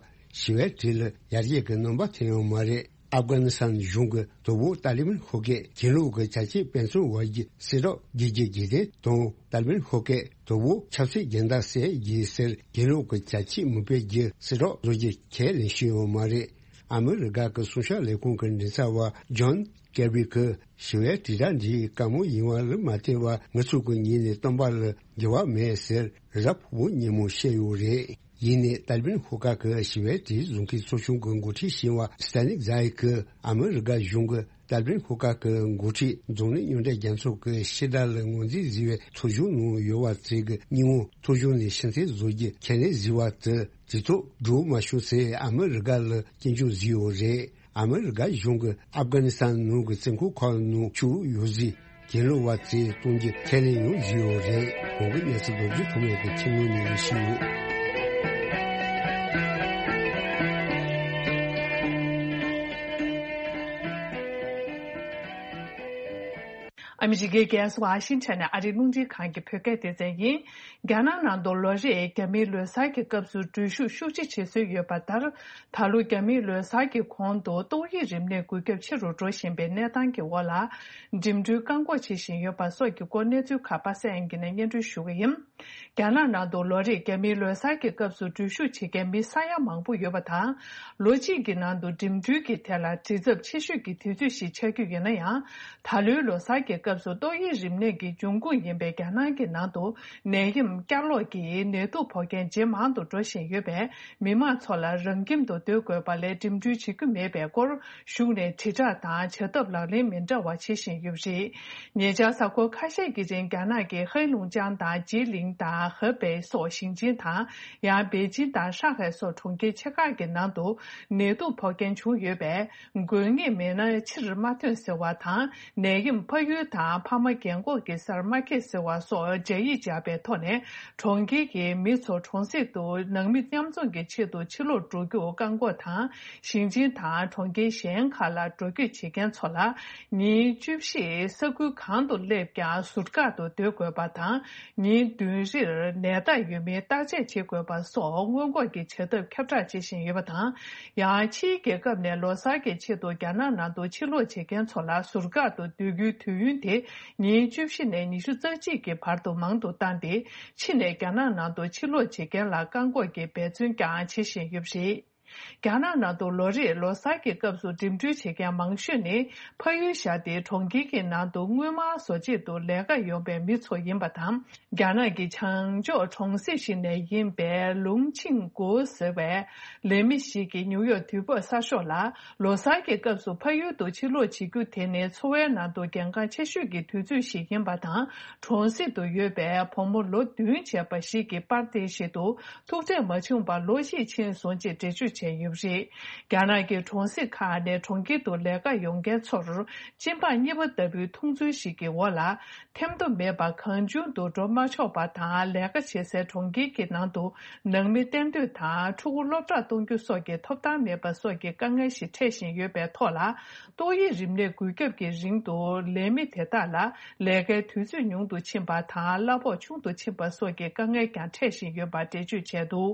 ཞི་བའི་གྲོས་ལ་ཡར་རྒྱས་ཀྱི་རྣམ་པ་ཐོན་ཡོད་མ་རེད། ཨབ་གྷ་ནི་སི་ཐན་གཞུང་གི་དོ་པོ་ཏཱ་ལི་བན་ཤོག་ཁག་གྱེན་ལོག་གི་བྱ་སྤྱོད་སྤེལ་ཚུལ་བར་གྱི་གསལ་བསྒྲགས་རྒྱག་རྒྱུ་གྱི་དེ་དང་ཏཱ་ལི་བན་ཤོག་ཁག་དོ་པོ་ཆབ་སྲིད་སྦྱིན་བདག་བསད་རྒྱུ་ཟེར་གྱེན་ལོག་གི་བྱ་སྤྱོད་མི་སྤེལ་རྒྱུ་གསལ་བསྒྲགས་བཟོ་རྒྱུ་ཁས་ལེན་བཞིན་ཡོད་མ་རེད། ཨ་མི་རི་ཀ་གི་སྲུང་སྐྱོབ་ལས་ཁུངས་ཀྱི་མགྲིན་ཚབ་པ་ཇོན་ཀེར་བི་གིས་ཞི་བའི་དྲིལ་བསྒྲགས་འདི་དཀའ་མོ་ཡིན་པ་ལ་མ་བལྟས་པར་ང་ཚོ་གི་ངོས་ནས་བཏོན་པ་ལ་འགྱུར་བ་མེད་ཟེར་རེས་གཟའ་ཕུར་བུ་ཉིན་མོ་བཤད་ཡོད་རེད། ཡིན་ནའི་ཏཱ་ལི་བན་ཤོག་ཁག་གི་ཞི་བའི་དྲིལ་བཟོ་མཁན་ཚོགས་ཆུང་གི་འགོ་ཁྲིད་ཞིང་བ་སི་ཏན་ནིག་ཛ་ཡི་གིས་ཨ་མི་རི་ཀ་གཞུང་གིས་ཏཱ་ལི་བན་ཤོག་ཁག་གི་འགོ་ཁྲིད་འཛམ་གླིང་མཉམ་འབྲེལ་རྒྱལ་ཚོགས་ཀྱི་ཕྱི་དྲག་ལ་ངོས་འཛིན་བཟོས་པའི་ཚོགས་ཆུང་ནང་ཡོད་པ་ཚོས་ཀྱི་སྙིང་བོ་ཚོགས་ཆུང་ནས་ཕྱིར་འཐེན་བཟོ་རྒྱུ་ཁས་ལེན་བཟོས་པ་དེ། དེ་ཐོག་འགྲོ་མ་བྱུང་ཟེར་ཨ་མི་རི་ཀ་ལ་སྐྱོན་བརྗོད་བཟོས་ཡོད་རེད། ཨ་མི་རི་ཀ་གཞུང་གིས་ཨབ་གྷ་ནི་སི་ཐན་ནང་གི་བཙོན་ཁང་ཁག་ནང་བཅུག་ཡོད་ཟེར་གྱེན་ལོག་པ་ཚོས་གཏོང་རྒྱུ་ཁས་ལེན་ཡང་བཟོས་ཡོད་རེད། གོང་གི་གནས་ཚུལ་རྡོ་རྗེ་ཐོགས་མེད་ཀྱིས་ཁྱིམ་ནང་ནས་ཞུས་ཡོད། ཨ་མི་རི་ཀའི་རྒྱལ་ས་ཝ་ཤིང་ཊོན་ནས་ཨ་རིའི་རླུང་འཕྲིན་ཁང་གི་བོད་སྐད་སྡེ་ཚན་ཡིན། རྒྱ་ནག་ནང་དུ་ལོ་རེར་རྒྱ་མིའི་ལོ་གསར་གྱི་སྐབས་སུ་འགྲུལ་བཞུད་ཤུགས་ཆེ་བྱེད་སྲོལ་ཡོད་པ་ལྟར། ད་ལོ་རྒྱ་མིའི་ལོ་གསར་གྱི་གོང་དུ་ཏོག་དབྱིབས་རིམས་ནད་འགོས་ཁྱབ་ཆེ་རུ་འགྲོ་བཞིན་པའི་གནས་སྟངས་ཀྱི་འོག་ལ། འགྲིམ་འགྲུལ་བཀག་འགོག་བྱེད་བཞིན་ཡོད་པ་སོགས་ཀྱི་སྐོར་གནས་ཚུལ་ཁག་པ་སངས་དབྱངས་སྐྱིད་ནས་སྙན་སྒྲོན་ཞུ་གི་ཡིན། རྒྱ་ནག་ནང་དུ་ལོ་རེར་རྒྱ་མིའི་ལོ་གསར་གྱི་སྐབས་སུ་འགྲུལ་བཞུད་བྱེད་མཁན་མི་ས་ཡ་མང་པོ་ཡོད་པ་དང་། ལོ་གཅིག་གི་ནང་དུ་འགྲིམ་འགྲུལ་གྱི་ཐད་ལ་བྲེལ་འཚུབ་ཆེ་ཤོས་ཀྱི་དུས་ཚོད་ཞིག་ཆགས་ཀྱི་ཡོད་ན་ཡང་། ད་ལོའི་ལོ་གསར་གྱི་སྐབས། སུ་ཏོག་དབྱིབས་རིམས་ནད་ཀྱི་འབྱུང་ཁུངས་ཡིན་པའི་རྒྱ་ནག་གི་ནང་དུ་ནད་ཡམས་བསྐྱར་ལོག་གིས་ནད་དུག་ཕོག་མཁན་ཇེ་མང་དུ་འགྲོ་བཞིན་ཡོད་པས། མི་མང་ཚོ་ལ་རང་ཁྱིམ་དུ་སྡོད་དགོས་པ་ལས་འགྲིམ་འགྲུལ་བྱེད་རྒྱུ་མེད་པའི་སྐོར་གཞུང་ནས་དྲིལ་བསྒྲགས་དང་བྱ་ཐབས་ལག་ལེན་མི་འདྲ་བ་བྱེད་བཞིན་ཡོད་པ་རེད། ཉེ་ཆར་གཟའ་འཁོར་ཁ་ཤས་ཀྱི་རིང་རྒྱ་ནག་གི་ཧའེ་ལུང་ཅང་དང་ཇི་ལིང་དང་ཧེ་པེ་སོགས་ཞིང་ཆེན་དང་། ཡང་པེ་ཅིང་དང་ཧྲང་ཧའེ་སོགས་གྲོང་ཁྱེར་ཆེ་ཁག་གི་ནང་དུ་ནད་དུག་ཕོག་མཁན་བྱུང་ཡོད་པས། དགོས་ངེས་མེད་ན་ཕྱིར་མ་ཐོན་ཟེར་བ་དང་། ནད་ཡམས་ཕ་ཡུལ་དང་ཕ་མ་རྒན་འཁོགས་ཀྱི་སར་མ་འཁེལ་ཟེར་བ་སོགས་སྦྱར་ཡིག་སྦྱར་པའི་ཐོག་ནས། གྲོང་ཁྱེར་གྱི་མི་ཚོ་གྲོང་གསེབ་ཏུ་ནང་མི་མཉམ་འཛོམས་ཀྱི་ཆེད་དུ་ཕྱིར་ལོག་འགྲོ་རྒྱུར་བཀག་འགོག་དང་། ཞིང་ཆེན་དང་གྲོང་ཁྱེར་གཞན་ཁག་ལ་འགྲོ་སྐྱོད་བྱེད་མཁན་ཚོ་ལ། ཉིན་བཅུ་བཞི་ས་ཁུལ་གང་དུ་སླེབས་ཀྱང་ཟུར་བཀག་ཏུ་སྡོད་དགོས་པ་དང་། ཉིན་བདུན་རེར་ནད་རྟགས་ཡོད་མེད་བརྟག་དཔྱད་བྱེད་དགོས་པ་སོགས་སྔོན་འགོག་གི་བྱ་ཐབས་ཁྱབ་བསྒྲགས་བྱེད་བཞིན་ཡོད་པ་དང་། ཡང་ཕྱིའི་རྒྱལ་ཁབ་ནས་ལོ་གསར་གྱི་ཆེད་དུ་རྒྱ་ནག་ནང་དུ་ཕྱིར་ལོག་བྱེད་མཁན་ཚོ་ལ་ཟུར་བཀག་ཏུ་སྡོད་རྒྱུའི་དུས་ཡུན་དེ་ཉིན་བཅུ་བཞི་ནས་ཉི་ཤུ་རྩ་གཅིག་གི་བར་དུ་མང་དུ་བཏང་སྟེ། ཕྱི་ནས་རྒྱ་ནག་ནང་དུ་ཕྱིར་ལོག་བྱེད་མཁན་ལ་བཀག་འགོག་གི་འབད་བརྩོན་ཀྱང་བྱེད་བཞིན་ཡོད་པ་རེད། རྒྱ་ནག་ནང་དུ་ལོ་རེའི་ལོ་གསར་གྱི་སྐབས་སུ་འགྲིམ་འགྲུལ་བྱེད་མཁན་མང་ཤོས་ནི་ཕ་ཡུལ་བཞག་སྟེ་གྲོང་ཁྱེར་གྱི་ནང་དུ་དངུལ་སྨར་བཟོ་ཆེད་དུ་ལས་ཀ་ཡོང་པའི་མི་ཚོ་ཡིན་པ་དང་། རྒྱ་ནག་གི་བྱང་ཕྱོགས་གྲོང་གསེབ་ཞིག་ནས་ཡིན་པའི་ལུང་ཆིང་གོ་ཟེར་བའི་ལས་མི་ཞིག་གིས་ནིའུ་ཡོག་དུས་བབ་གསར་ཤོག་ལ། ལོ་གསར་གྱི་སྐབས་སུ་ཕ་ཡུལ་དུ་ཕྱིར་ལོག་བྱེད་རྒྱུ་དེ་ནི་འཚོ་བའི་ནང་དུ་གལ་འགངས་ཆེ་ཤོས་ཀྱི་དུས་ཚོད་ཞིག་ཡིན་པ་དང་། གྲོང་གསེབ་ཏུ་ཡོད་པའི་བུ་མོ་ལོ་བདུན་བྱས་པ་ཞིག་གིས་པར་དེ་བཞིན་དུ། ཐུག་འཕྲད་མ་བྱུང་བར་ལོ་གཅིག་ཕྱིན་སོང་ཅེས་འགྲེལ་བརྗོད་བྱས་ཡོད་པ་རེད། རྒྱ་ནག་གི་གྲོང་གསེབ་ཁག་ནས་གྲོང་ཁྱེར་དུ་ལས་ཀ་ཡོང་མཁན་ཚོར་སྤྱི་འབངས་གཉིས་པ་ལྟ་བུའི་མཐོང་ཚུལ་ཞིག་གི་འོག་ལ། ཐེམ་ཐོ་མེད་པར་གང་བྱུང་དུ་འགྲོ་མ་ཆོག་པ་དང་། ལས་ཀ་བྱེད་སའི་གྲོང་ཁྱེར་གྱི་ནང་དུ་ནང་མི་གཏན་སྡོད་དང་ཕྲུ་གུ་སློབ་གྲྭར་གཏོང་རྒྱུ་སོགས་ཀྱི་ཐོབ་ཐང་མེད་པ་སོགས་ཀྱི་དཀའ་ངལ་ཞིག་འཕྲད་བཞིན་ཡོད་པའི་ཐོག་ལ། ཏོག་དབྱིབས་རིམས་ནད་འགོས་ཁྱབ་ཀྱི་རིང་དུ་ལས་མི་དེ་དག་ལ་ལས་ཀའི་དུས་ཚོད་ཉུང་དུ་ཕྱིན་པ་དང་། གླ་ཕོགས་ཆུང་དུ་ཕྱིན་པ་སོགས་ཀྱི་དཀའ་ངལ་ཀྱང་འཕྲད་བཞིན་ཡོད་པ་འགྲེལ་བརྗོད་བྱས་འདུག་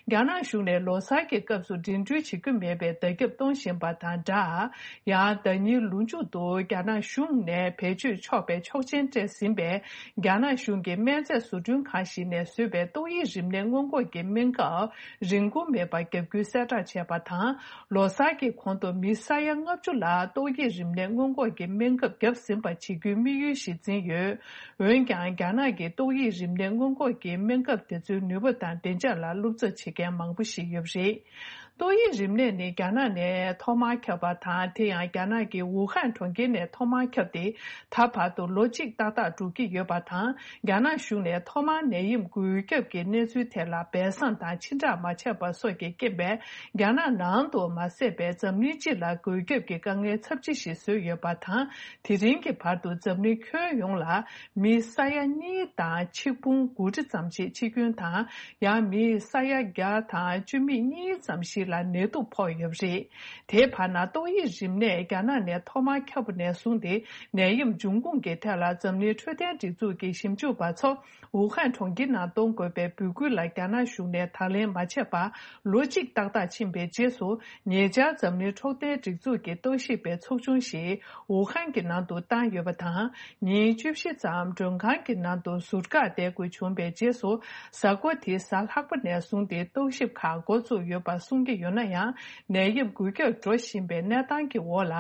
རྒྱ་ནག་གཞུང་ནས་ལོ་གསར་གྱི་སྐབས་སུ་འགྲིམ་འགྲུལ་བྱེད་རྒྱུ་མེད་པའི་བརྡ་ཁྱབ་གཏོང་བཞིན་པ་དང་སྦྲགས། ཡང་ཟླ་ཉིན་ལོ་མཇུག་ཏུ་རྒྱ་ནག་གཞུང་ནས་བེད་སྤྱོད་ཆོག་པའི་ཆོག་མཆན་སྤྲད་ཟིན་པའི་རྒྱ་ནག་གཞུང་གི་སྨན་རྫས་བཟོ་སྐྲུན་ཁང་ཞིག་ནས་བཟོས་པའི་ཏོག་དབྱིབས་རིམས་ནད་སྔོན་འགོག་གི་སྨན་ཁབ་རིན་གོང་མེད་པར་བརྒྱབ་རྒྱུའི་གསལ་བསྒྲགས་བྱས་པ་དང་། ལོ་གསར་གྱི་གོང་དུ་མི་ས་ཡ་ལྔ་བཅུ་ལ་ཏོག་དབྱིབས་རིམས་ནད་སྔོན་འགོག་གི་སྨན་ཁབ་བརྒྱབ་ཟིན་པ་བྱེད་རྒྱུའི་དམིགས་ཡུལ་ཞིག་འཛིན་ཡོད། འོན་ཀྱང་། རྒྱ་ནག་གི་ཏོག་དབྱིབས་རིམས་ནད་སྔོན་འགོག་གི་སྨན་ཁབ་དེ་ཚོའི་ནུས་པ་དང་བདེ་འཇགས་ལ་བློ་འཚབ་བྱེད་མཁན་མང་པོ་ཞིག་ཡོད་པ་རེད། ཏོག་དབྱིབས་རིམས་ནད་ནི་རྒྱ་ནག་ནས་ཐོག་མར་ཁྱབ་པ་དང་། དེ་ཡང་རྒྱ་ནག་གི་ཝུ་ཧན་གྲོང་ཁྱེར་ནས་ཐོག་མར་ཁྱབ་སྟེ། ད་བར་དུ་ལོ་གཅིག་ཏག་ཏག་འགྲོ་གི་ཡོད་པ་དང་། རྒྱ་ནག་གཞུང་ནས་ཐོག་མར་ནད་ཡམས་འགོས་ཁྱབ་ཀྱི་གནས་ཚུལ་ཐད་ལ་སྦས་གསང་དང་ཕྱིར་བསྒྲགས་མ་བྱས་པ་སོགས་ཀྱི་རྐྱེན་པས། རྒྱ་ནག་ནང་དུ་མ་ཟད་པའི་འཛམ་གླིང་སྤྱི་ལ་འགོས་ཁྱབ་ཀྱི་དཀའ་ངལ་ཚབས་ཆེ་ཞིག་བཟོས་ཡོད་པ་དང་། དེ་རིང་གི་བར་དུ་འཛམ་གླིང་ཁྱོན་ཡོངས་ལ་མི་ས་ཡ་གཉིས་དང་ཆིག་འབུམ་དགུ་ཁྲི་ཙམ་ཞིག་འཆི་སྐྱོན་དང་། ཡང་མི་ས་ཡ་བརྒྱ་དང་བཅུ་མེད་གཉིས་ཙམ་ཞིག་ལ་ནད་དུག་ཕོག་ཡོད་པ་རེད། དེའི་བར་ན། ཏོག་དབྱིབས་རིམས་ནད་རྒྱ་ནག་ནས་ཐོག་མར་ཁྱབ་པ་ནས་བཟུང་སྟེ། ནད་ཡམས་འབྱུང་ཁུངས་ཀྱི་ཐད་ལ་འཛམ་གླིང་འཕྲོད་བསྟེན་སྒྲིག་འཛུགས་ཀྱི་ཞིབ་འཇུག་པ་ཚོ། ཝུ་ཧན་གྲོང་ཁྱེར་ནང་གཏོང་དགོས་པའི་འབོད་སྐུལ་ལ་རྒྱ་ནག་གཞུང་ནས་དང་ལེན་མ་བྱས་པར་ལོ་གཅིག་ཏག་ཏག་ཕྱིན་པའི་རྗེས་སུ། ཉེ་ཆར་འཛམ་གླིང་འཕྲོད་བསྟེན་སྒྲིག་འཛུགས་ཀྱི་རྟོག་ཞིབ་པའི་ཚོགས་ཆུང་ཞིག་ཝུ་ཧན་གྱི་ནང་དུ་བཏང་ཡོད་པ་དང་། ཉིན་བཅུ་བཞི་ཙམ་མགྲོན་ཁང་གི་ནང་དུ་ཟུར་བཀག་བསྡད་དགོས་བྱུང་བའི་རྗེས་སུ། གཟའ་འཁོར་དེའི་གཟའ་ལྷག་པ་ནས་བཟུང་སྟེ་རྟོག་ཞིབ་ཁག་འགོ་བཙུགས་ཡོད་པ་གསུང་གི་ཡོད་ན་ཡང་། ནད་ཡམས་འགོས་ཁྱབ་འགྲོ་བཞིན་པའི་གནས་སྟངས་ཀྱི་འོག་ལ།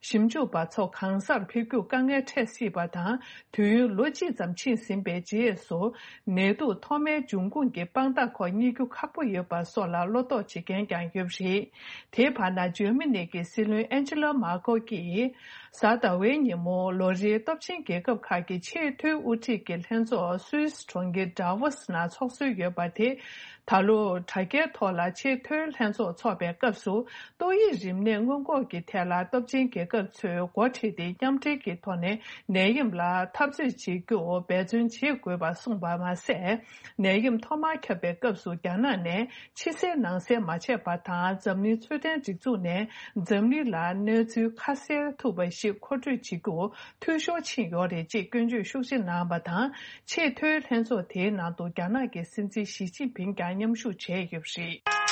ཞིབ་འཇུག་པ་ཚོ་གང་སར་ཕེབས་རྒྱུར་དཀའ་ངལ་འཕྲད་སྲིད་པ་དང་། དུས་ཡུན་ལོ་གཅིག་ཙམ་ཕྱིན་ཟིན་པའི་རྗེས་སུ། ནད་དུག་ཐོག་མའི་འབྱུང་ཁུངས་ཀྱི་དཔང་རྟགས་ཁོ་རྙེད་རྒྱུ་ཁག་པོ་ཡོད་པ་སོགས་ལ་བློ་དོགས་བྱེད་མཁན་ཀྱང་ཡོད་པ་རེད། དེའི་བར་ན། འཇར་མ་ནི་གི་སྲིད་བློན་ཨན་ཇི་ལ་མར་ཀེལ་གྱིས། གཟའ་ཟླ་བའི་ཉིན་མོ་ལོ་རེའི་སྟོབས་ཆེན་རྒྱལ་ཁབ་ཁག་གི་ཆེས་མཐོའི་དབུ་ཁྲིད་ཀྱི་ལྷན་ཚོགས་སུད་སི་གྲོང་ཁྱེར་ཌ་ཝོ་སི་ནང་ཚོགས་སྲོལ་ཡོད་པ་དེ། ད་ལོ་དྲ་རྒྱའི་ཐོག་ལ་ཆེས་མཐོའི་ལྷན་ཚོགས་འཚོགས་པའི་སྐབས་སུ། ཏོག་དབྱིབས་རིམས་ནད་སྔོན་འགོག་གི་ཐད་ལ་སྟོབས་ཆེན་རྒྱལ་ཁབ་ཚོས་འགོ་ཁྲིད་དེ་མཉམ་འབྲེལ་གྱི་ཐོག་ནས་ནད་ཡམས་ལ་འཐབ་རྩོད་བྱེད་རྒྱུར་འབད་བརྩོན་བྱེད་དགོས་པ་གསུངས་པ་མ་ཟད། ནད་ཡམས་ཐོག་མར་ཁྱབ་པའི་སྐབས་སུ་རྒྱ་ནག་ནས་ཕྱི་གསལ་ནང་གསལ་མ་བྱས་པ་དང་། འཛམ་གླིང་འཕྲོད་བསྟེན་སྒྲིག་འཛུགས་ནས་འཛམ་གླིང་ལ་གནས་ཚུལ་ཁ་གསལ་ཐུབ་པ་ཞིག་མཁོ་སྤྲོད་བྱེད་རྒྱུར་འཐུས་ཤོར་ཕྱིན་ཡོད་རེད་ཅེས་སྐྱོན་བརྗོད་ཤུགས་ཆེ་གནང་བ་དང་། ཆེས་མཐོའི་ལྷན་ཚོགས་དེའི་ནང་དུ་རྒྱ་ནག་གི་སྲིད་འཛིན་ཞི་ཅིན་ཕིང་ཀྱང་མཉམ་ཞུགས་བྱས་ཡོད་པ་རེད།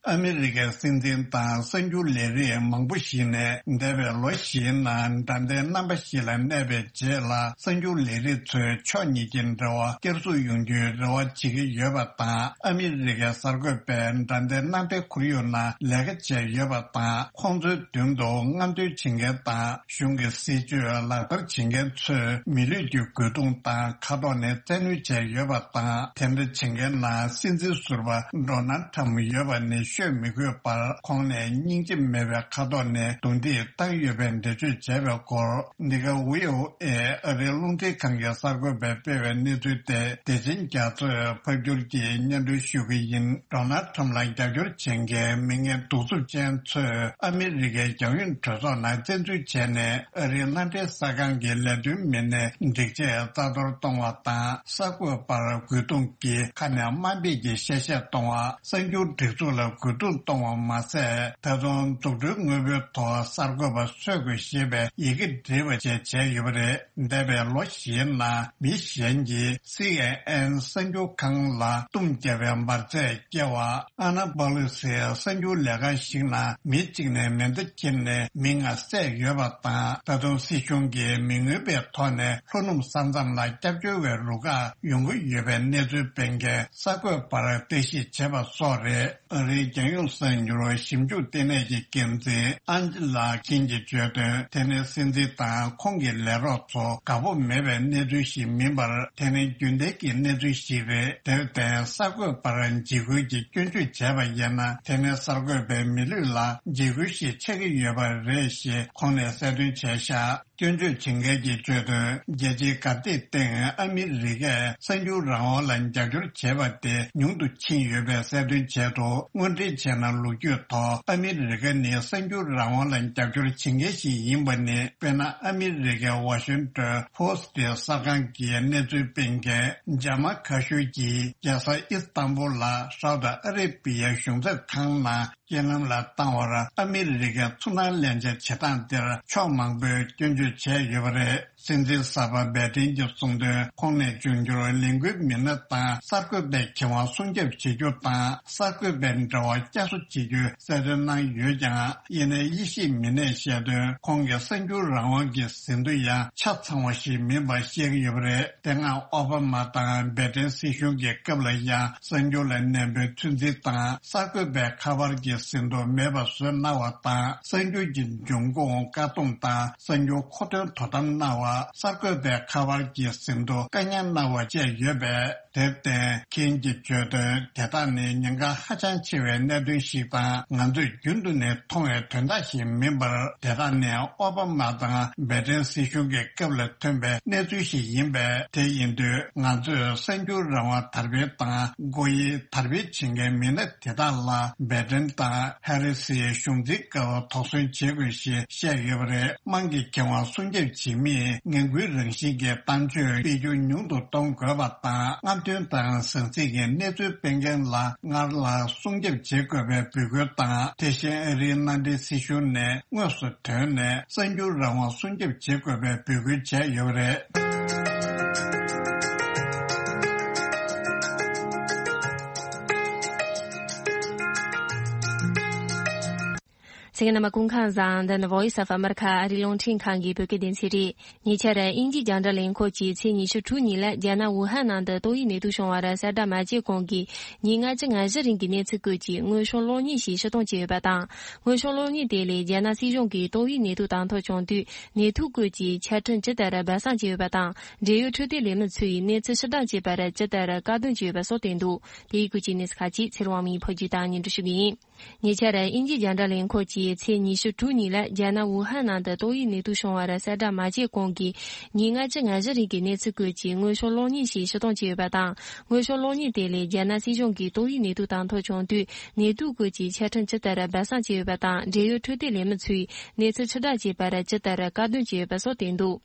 ཨ་མི་རི་ཀའི་སྲིད་འཛིན་དང་གསར་འགྱུར་ལས་རིགས་མང་པོ་ཞིག་ནས་འདས་པའི་ལོ་བཞིའི་ནང་དགྲ་ལྡན་རྣམ་པ་ཞིག་ལ་གནས་པའི་རྗེས་ལ། གསར་འགྱུར་ལས་རིགས་ཚོས་ཕྱོགས་གཉིས་ཀྱི་འབྲེལ་བ་བསྐྱར་གསོ་ཡོང་རྒྱུའི་རེ་བ་བྱེད་ཀྱི་ཡོད་པ་དང་། ཨ་མི་རི་ཀའི་གསར་འགོད་པས་དགྲ་ལྡན་རྣམ་པའི་ཁོར་ཡུག་ནང་ལས་ཀ་བྱས་ཡོད་པ་དང་། ཁོང་ཚོའི་མདུན་དུ་རྔམ་སྟོན་བྱེད་མཁན་དང་། གཞུང་གི་སྲིད་ཇུས་ལག་བསྟར་བྱེད་མཁན་ཚོས་མི་ལུས་ཀྱི་རྒོལ་རྡུང་དང་ཁ་ཐོག་ནས་བཙན་གནོན་བྱས་ཡོད་པ་དང་། དེ་འདྲ་བྱེད་མཁན་ནང་སྲིད་འཛིན་ཟུར་པ་ཌོ་ནལ་ཁྲམ་ཡོད་པ་ནི་ཤོད་མི་དགོས་པར། ཁོང་ནས་སྙིང་རྗེ་མེད་པའི་ཁ་ཐོག་ནས་རྡུང་རྡེག་བཏང་ཡོད་པའི་འགྲེལ་བརྗོད་བྱས་པའི་སྐོར། འདི་ག་བྷི་ཨོ་ཨེ་ཨ་རིའི་རླུང་འཕྲིན་ཁང་གི་གསར་འགོད་པས་སྤེལ་བའི་གནས་ཚུལ་དེ་བདེ་ཆེན་རྒྱ་མཚོས་ཕབ་སྒྱུར་གྱིས་སྙན་སྒྲོན་ཞུ་གི་ཡིན། ཌོ་ནལ་ཁྲམ་ལ་རྒྱབ་སྐྱོར་བྱེད་མཁན་མི་ངན་གདུག་རྩུབ་ཅན་ཚོས་ཨ་མི་རི་ཀའི་རྒྱལ་ཡོངས་གྲོས་ཚོགས་ནང་བཙན་འཛུལ་བྱས་ནས། ཨ་རིའི་མནའ་འབྲེལ་གསར་ཁང་གི་ལས་དོན་མི་སྣའི་སྒྲིག་ཆས་རྩ་གཏོར་གཏོང་བ་དང་། གསར་འགོད་པར་རྒོལ་རྡུང་གིས་ཁ་ནས་དམའ་འབེབས་ཀྱི་གཤེ་གཤེ་གཏོང་བ། གསར་འགྱུར་སྒྲིག་འཛུགས་ལ་རྒོལ་རྡུང་གཏོང་བ་མ་ཟད། ད་དུང་འཛུགས་སྐྲུན་དངོས་པོའི་ཐོག་གསར་འགོད་པ་གསོད་དགོས་ཞེས་པའི་ཡི་གེ་བྲིས་པ་བཅས་བྱས་ཡོད་པ་རེད། འདས་པའི་ལོ་བཞིའི་ནང་མི་གཞན་གྱིས་སི་ཨེན་ཨེན་གསར་འགྱུར་ཁང་ལ་གཏུམ་བརྒྱབ་པའི་འབར་རྫས་སྐྱེལ་བ། ཨ་ན་པ་ལུ་སིའི་གསར་འགྱུར་ལས་ཁང་ཞིག་ནང་མི་གཅིག་ནས་མེ་མདའ་ཁྱེར་ནས་མི་ལྔ་བསད་ཡོད་པ་དང་། ད་དུང་སྲིད་གཞུང་གིས་མི་མངོན་པའི་ཐོག་ནས་ལྷོ་ནུབ་ས་མཚམས་ལ་སྐྱབས་བཅོལ་བའི་རུ་ཁག་ཡོང་གི་ཡོད་པའི་གནས་ཚུལ་སྤེལ་མཁན་གསར་འགོད་པར་བརྟག་ཞིབ་བྱས་པ་སོགས་རེད། ཨ་རིའི་རྒྱལ་ཡོངས་གསར་འགྱུར་ཞིབ་འཇུག་ལྟེ་གནས་ཀྱི་འགན་འཛིན་ཨན་ཇི་ལ་ཁིན་གྱིས་བརྗོད་དོན། དེ་ནི་སྲིད་འཛིན་དང་ཁོང་གི་ལས་རོགས་ཚོ་དགའ་པོ་མེད་པའི་གནས་ཚུལ་ཞིག་མིན་པར། དེ་ནི་རྒྱུན་ལྡན་གྱི་གནས་ཚུལ་ཞིག་རེད། དེར་བརྟེན་གསར་འགོད་པར་འཇིགས་སྐུལ་གྱི་སྐྱོན་བརྗོད་བྱས་པ་ཡིན་ན། དེ་ནི་གསར་འགོད་པའི་མི་ལུས་ལ་འཇིགས་སྐུལ་ཞིག་ཆགས་ཀྱི་ཡོད་པ་རེད་ཞེས་ཁོང་ནས་གསལ་སྟོན་བྱས་བཞག་སྐྱོན་བརྗོད་བྱེད་མཁན་གྱིས་བརྗོད་དོན། རྒྱལ་སྤྱིའི་གར་སྟེགས་སྟེང་ཨ་མི་རི་ཀས་གསར་འགྱུར་རང་དབང་ལ་རྒྱབ་སྐྱོར་བྱས་པ་དེ་ཉུང་དུ་ཕྱིན་ཡོད་པའི་གསལ་སྟོན་བྱས་འདུག་དངོས་འབྲེལ་བྱས་ན། ལོ་རྒྱུས་ཐོག་ཨ་མི་རི་ཀ་ནི་གསར་འགྱུར་རང་དབང་ལ་རྒྱབ་སྐྱོར་བྱེད་མཁན་ཞིག་ཡིན་པ་ནི། དཔེར་ན། ཨ་མི་རི་ཀའི་ཝ་ཤིང་ཏོན་ཕོ་སི་ཊི་གསར་ཁང་གི་གནས་ཚུལ་སྤེལ་མཁན་ཇ་མ་ཁ་ཤོར་གྱིས་རྒྱལ་ས་ཨི་སི་ཏམ་བུལ་ལ་སའུ་ཏི་ཨ་རེ་བི་ཡའི་གཞུང་ཚབ་ཁང་ནང་རྐྱེན་ལམ་ལ་བཏང་བར། ཨ་མི་རི་ཀའི་ཚོང་ནང་ལེན་ཆ་བྱེད་སྟངས་དེར་ཕྱོགས་མང་པོས་སྐྱོན་བརྗོད་བྱས་ཡོད་པ་རེད། སྲིད་འཛིན་གསར་པ་བྷའི་ཏིན་གྱིས་གསུངས་དོན། ཁོང་ནས་འབྱུང་འགྱུར་ལས་འགུལ་མི་སྣ་དང་གསར་འགོད་པའི་ཁེ་དབང་སྲུང་སྐྱོབ་བྱེད་རྒྱུ་དང་། གསར་འགོད་པའི་འབྲེལ་བ་བསྐྱར་གསོ་བྱེད་རྒྱུའི་གསལ་སྟོན་གནང་ཡོད་ཀྱང་། ཡིན་ནའི་དབྱེ་ཞིབ་མི་སྣས་བཤད་དོན། ཁོང་གིས་གསར་འགྱུར་རང་དབང་གི་ཟིན་ཐོ་ཡང་ཆ་ཚང་བ་ཞིག་མིན་པ་བཤད་ཀྱི་ཡོད་པ་རེད། དེ་སྔ་ཨོ་བྷ་མ་དང་བྷའི་ཏིན་སྲིད་གཞུང་གི་སྐབས་ལ་ཡང་གསར་འགྱུར་ལ་ནན་པོའི་ཚོད་འཛིན་དང་། གསར་འགོད་པའི་ཁ་པར་གྱི་ཟིན་ཐོ་མེད་པ་བཟོས་གནང་བ་དང་། གསར་འགྱུར་གྱི་འབྱུང་ཁུངས་བཀག་སྡོམ་དང་། གསར་འགྱུར་མཁོ་འདོན་དོ་དམ་གནང་བ། གསར་འགོད་པའི་ཁ་པར་གྱི་ཟིན་ཐོ་བཀག་ཉར་གནང་བ་བཅས་ཡོད་པས། དེར་བརྟེན། ཁིན་གྱིས་བརྗོད་དོན། དེ་དག་ནི་ཉེན་ཁ་ཧ་ཅང་ཆེ་བའི་གནད་དོན་ཞིག་དང་། ང་ཚོས་རྒྱུན་དུ་ནས་མཐོང་བའི་དོན་དག་ཞིག་མིན་པར། དེ་དག་ནི་ཨོ་བྷ་མ་དང་བྷའི་ཏིན་སྲིད་གཞུང་གི་སྐབས་ལ་ཐོན་པའི་གནས་ཚུལ་ཞིག་ཡིན་པས། དེ་ཡིན་དུས་ང་ཚོས་གསར་འགྱུར་རང་དབང་དར་སྤེལ་དང་། སྒོ་དབྱེ་དར་སྤེལ་བྱེད་མཁན་མི་སྣ་དེ་དག་ལ་བྷའི་ཏིན་དང་ཧེ་རི་སིའི་གཞུང་འཛིན་སྐབས་དོགས་ཟོན་བྱེད་དགོས་ཞེས་བཤད་ཡོད་པ་རེད། དམངས་ཀྱི་ཁེ་དབང་སྲུང་སྐྱོབ་བྱེད་མིས་ངན་སྐུལ་རང་བཞིན་གྱི་གཏམ་བརྗོད་སྤེལ་རྒྱུ་ཉུང་དུ་གཏོང་དགོས་པ་དང་། རྔམ་སྟོན་དང་ཟང་ཟིང་གི་གནས་ཚུལ་སྤེལ་མཁན་ལ་སྔར་ལ་སྲུང་སྐྱོབ་བྱེད་དགོས་པའི་འབོད་སྐུལ་དང་། དེ་བཞིན་ཨ་རིའི་མནའ་འབྲེལ་སྲིད་གཞུང་ནས་དངོས་སུ་ཐོན་ནས་གསར་འགྱུར་རང་དབང་སྲུང་སྐྱོབ་བྱེད་དགོས་པའི་འབོད་སྐུལ་བྱས་ཡོད་པ་རེད། གསན་མཁན་རྣམ་པ་སྐུ་ཁམས་བཟང་། འདི་ནི་Voice of America ཨ་རིའི་རླུང་འཕྲིན་ཁང་གི་བོད་སྐད་སྡེ་ཚན་རེད། ཉེ་ཆར་དབྱིན་ཇིའི་རྒྱང་བསྒྲགས་ལས་ཁུངས་ཀྱིས་ཚེས་ཉི་ཤུ་དྲུག་ཉིན་ལ་རྒྱ་ནག་ཝུ་ཧན་ནང་དུ་ཏོག་དབྱིབས་ནད་དུག་བྱུང་བར་གསལ་བསྒྲགས་མ་བྱས་གོང་གི་ཉིན་ལྔ་བཅུ་ང་བཞི་རིང་གི་གནས་ཚུལ་བཀོད་ཀྱིས་དངོས་ཤུགས་གློག་བརྙན་ཞིག་ཕྱིར་གཏོང་བྱས་ཡོད་པ་དང་། དངོས་ཤུགས་གློག་བརྙན་དེ་ལས་རྒྱ་ནག་སྲིད་གཞུང་གིས་ཏོག་དབྱིབས་ནད་དུག་དང་ཐོག་བྱུང་དུས་ནད་དུག་བཀོད་ཀྱི་ཆ་འཕྲིན་ཇི་ལྟར་སྦས་གསང་བྱས་ཡོད་པ་དང་། འབྲེལ་ཡོད་འཕྲོད་བསྟེན་ལས་མི་ཚོས་གནས་ཚུལ་ཕྱིར་བསྒྲགས་བྱས་པར་ཇི་ལྟར་བཀག་སྡོམ་བྱས་ཡོད་པ་སོགས་བསྟན་འདུག་དེའི་སྐོར་གྱི་གནས་ཚུལ་ཁག་ཅིག་ཚེ་རིང་དབང་མོས་ཕབ་སྒྱུར་དང་སྙན་སྒྲོན་ཞུ་གི་ཡིན། ཉེ་ཆར་དབྱིན་ཇིའི་རྒྱང་བསྒྲགས་ལས་ཁུངས་ཀྱིས་ཚེས་ཉི་ཤུ་དྲུག་ཉིན་ལ་རྒྱ་ནག་ཝུ་ཧན་ནང་དུ་ཏོག་དབྱིབས་ནད་དུག་བྱུང་བར་གསལ་བསྒྲགས་མ་བྱས་གོང་གི་ཉིན་ལྔ་བཅུ་ང་བཞི་རིང་གི་གནས་ཚུལ་བཀོད་ཀྱིས་དངོས་ཤུགས་གློག་བརྙན་ཞིག་ཕྱིར་གཏོང་བྱས་ཡོད་པ་དང་། དངོས་ཤུགས་གློག་བརྙན་དེ་ལས་རྒྱ་ནག་སྲིད་གཞུང་གིས་ཏོག་དབྱིབས་ནད་དུག་དང་ཐོག་བྱུང་དུས་ནད་དུག་བཀོད་ཀྱི་ཆ་འཕྲིན་ཇི་ལྟར་སྦས་གསང་བྱས་ཡོད་པ་དང་། འབྲེལ་ཡོད་འཕྲོད་བསྟེན་ལས་མི་ཚོས་གནས་ཚུལ་ཕྱིར་བསྒྲགས་བྱས་པར་ཇི་ལྟར་བཀག་སྡོམ་བྱས་ཡོད་པ་སོགས་བསྟན་འདུག་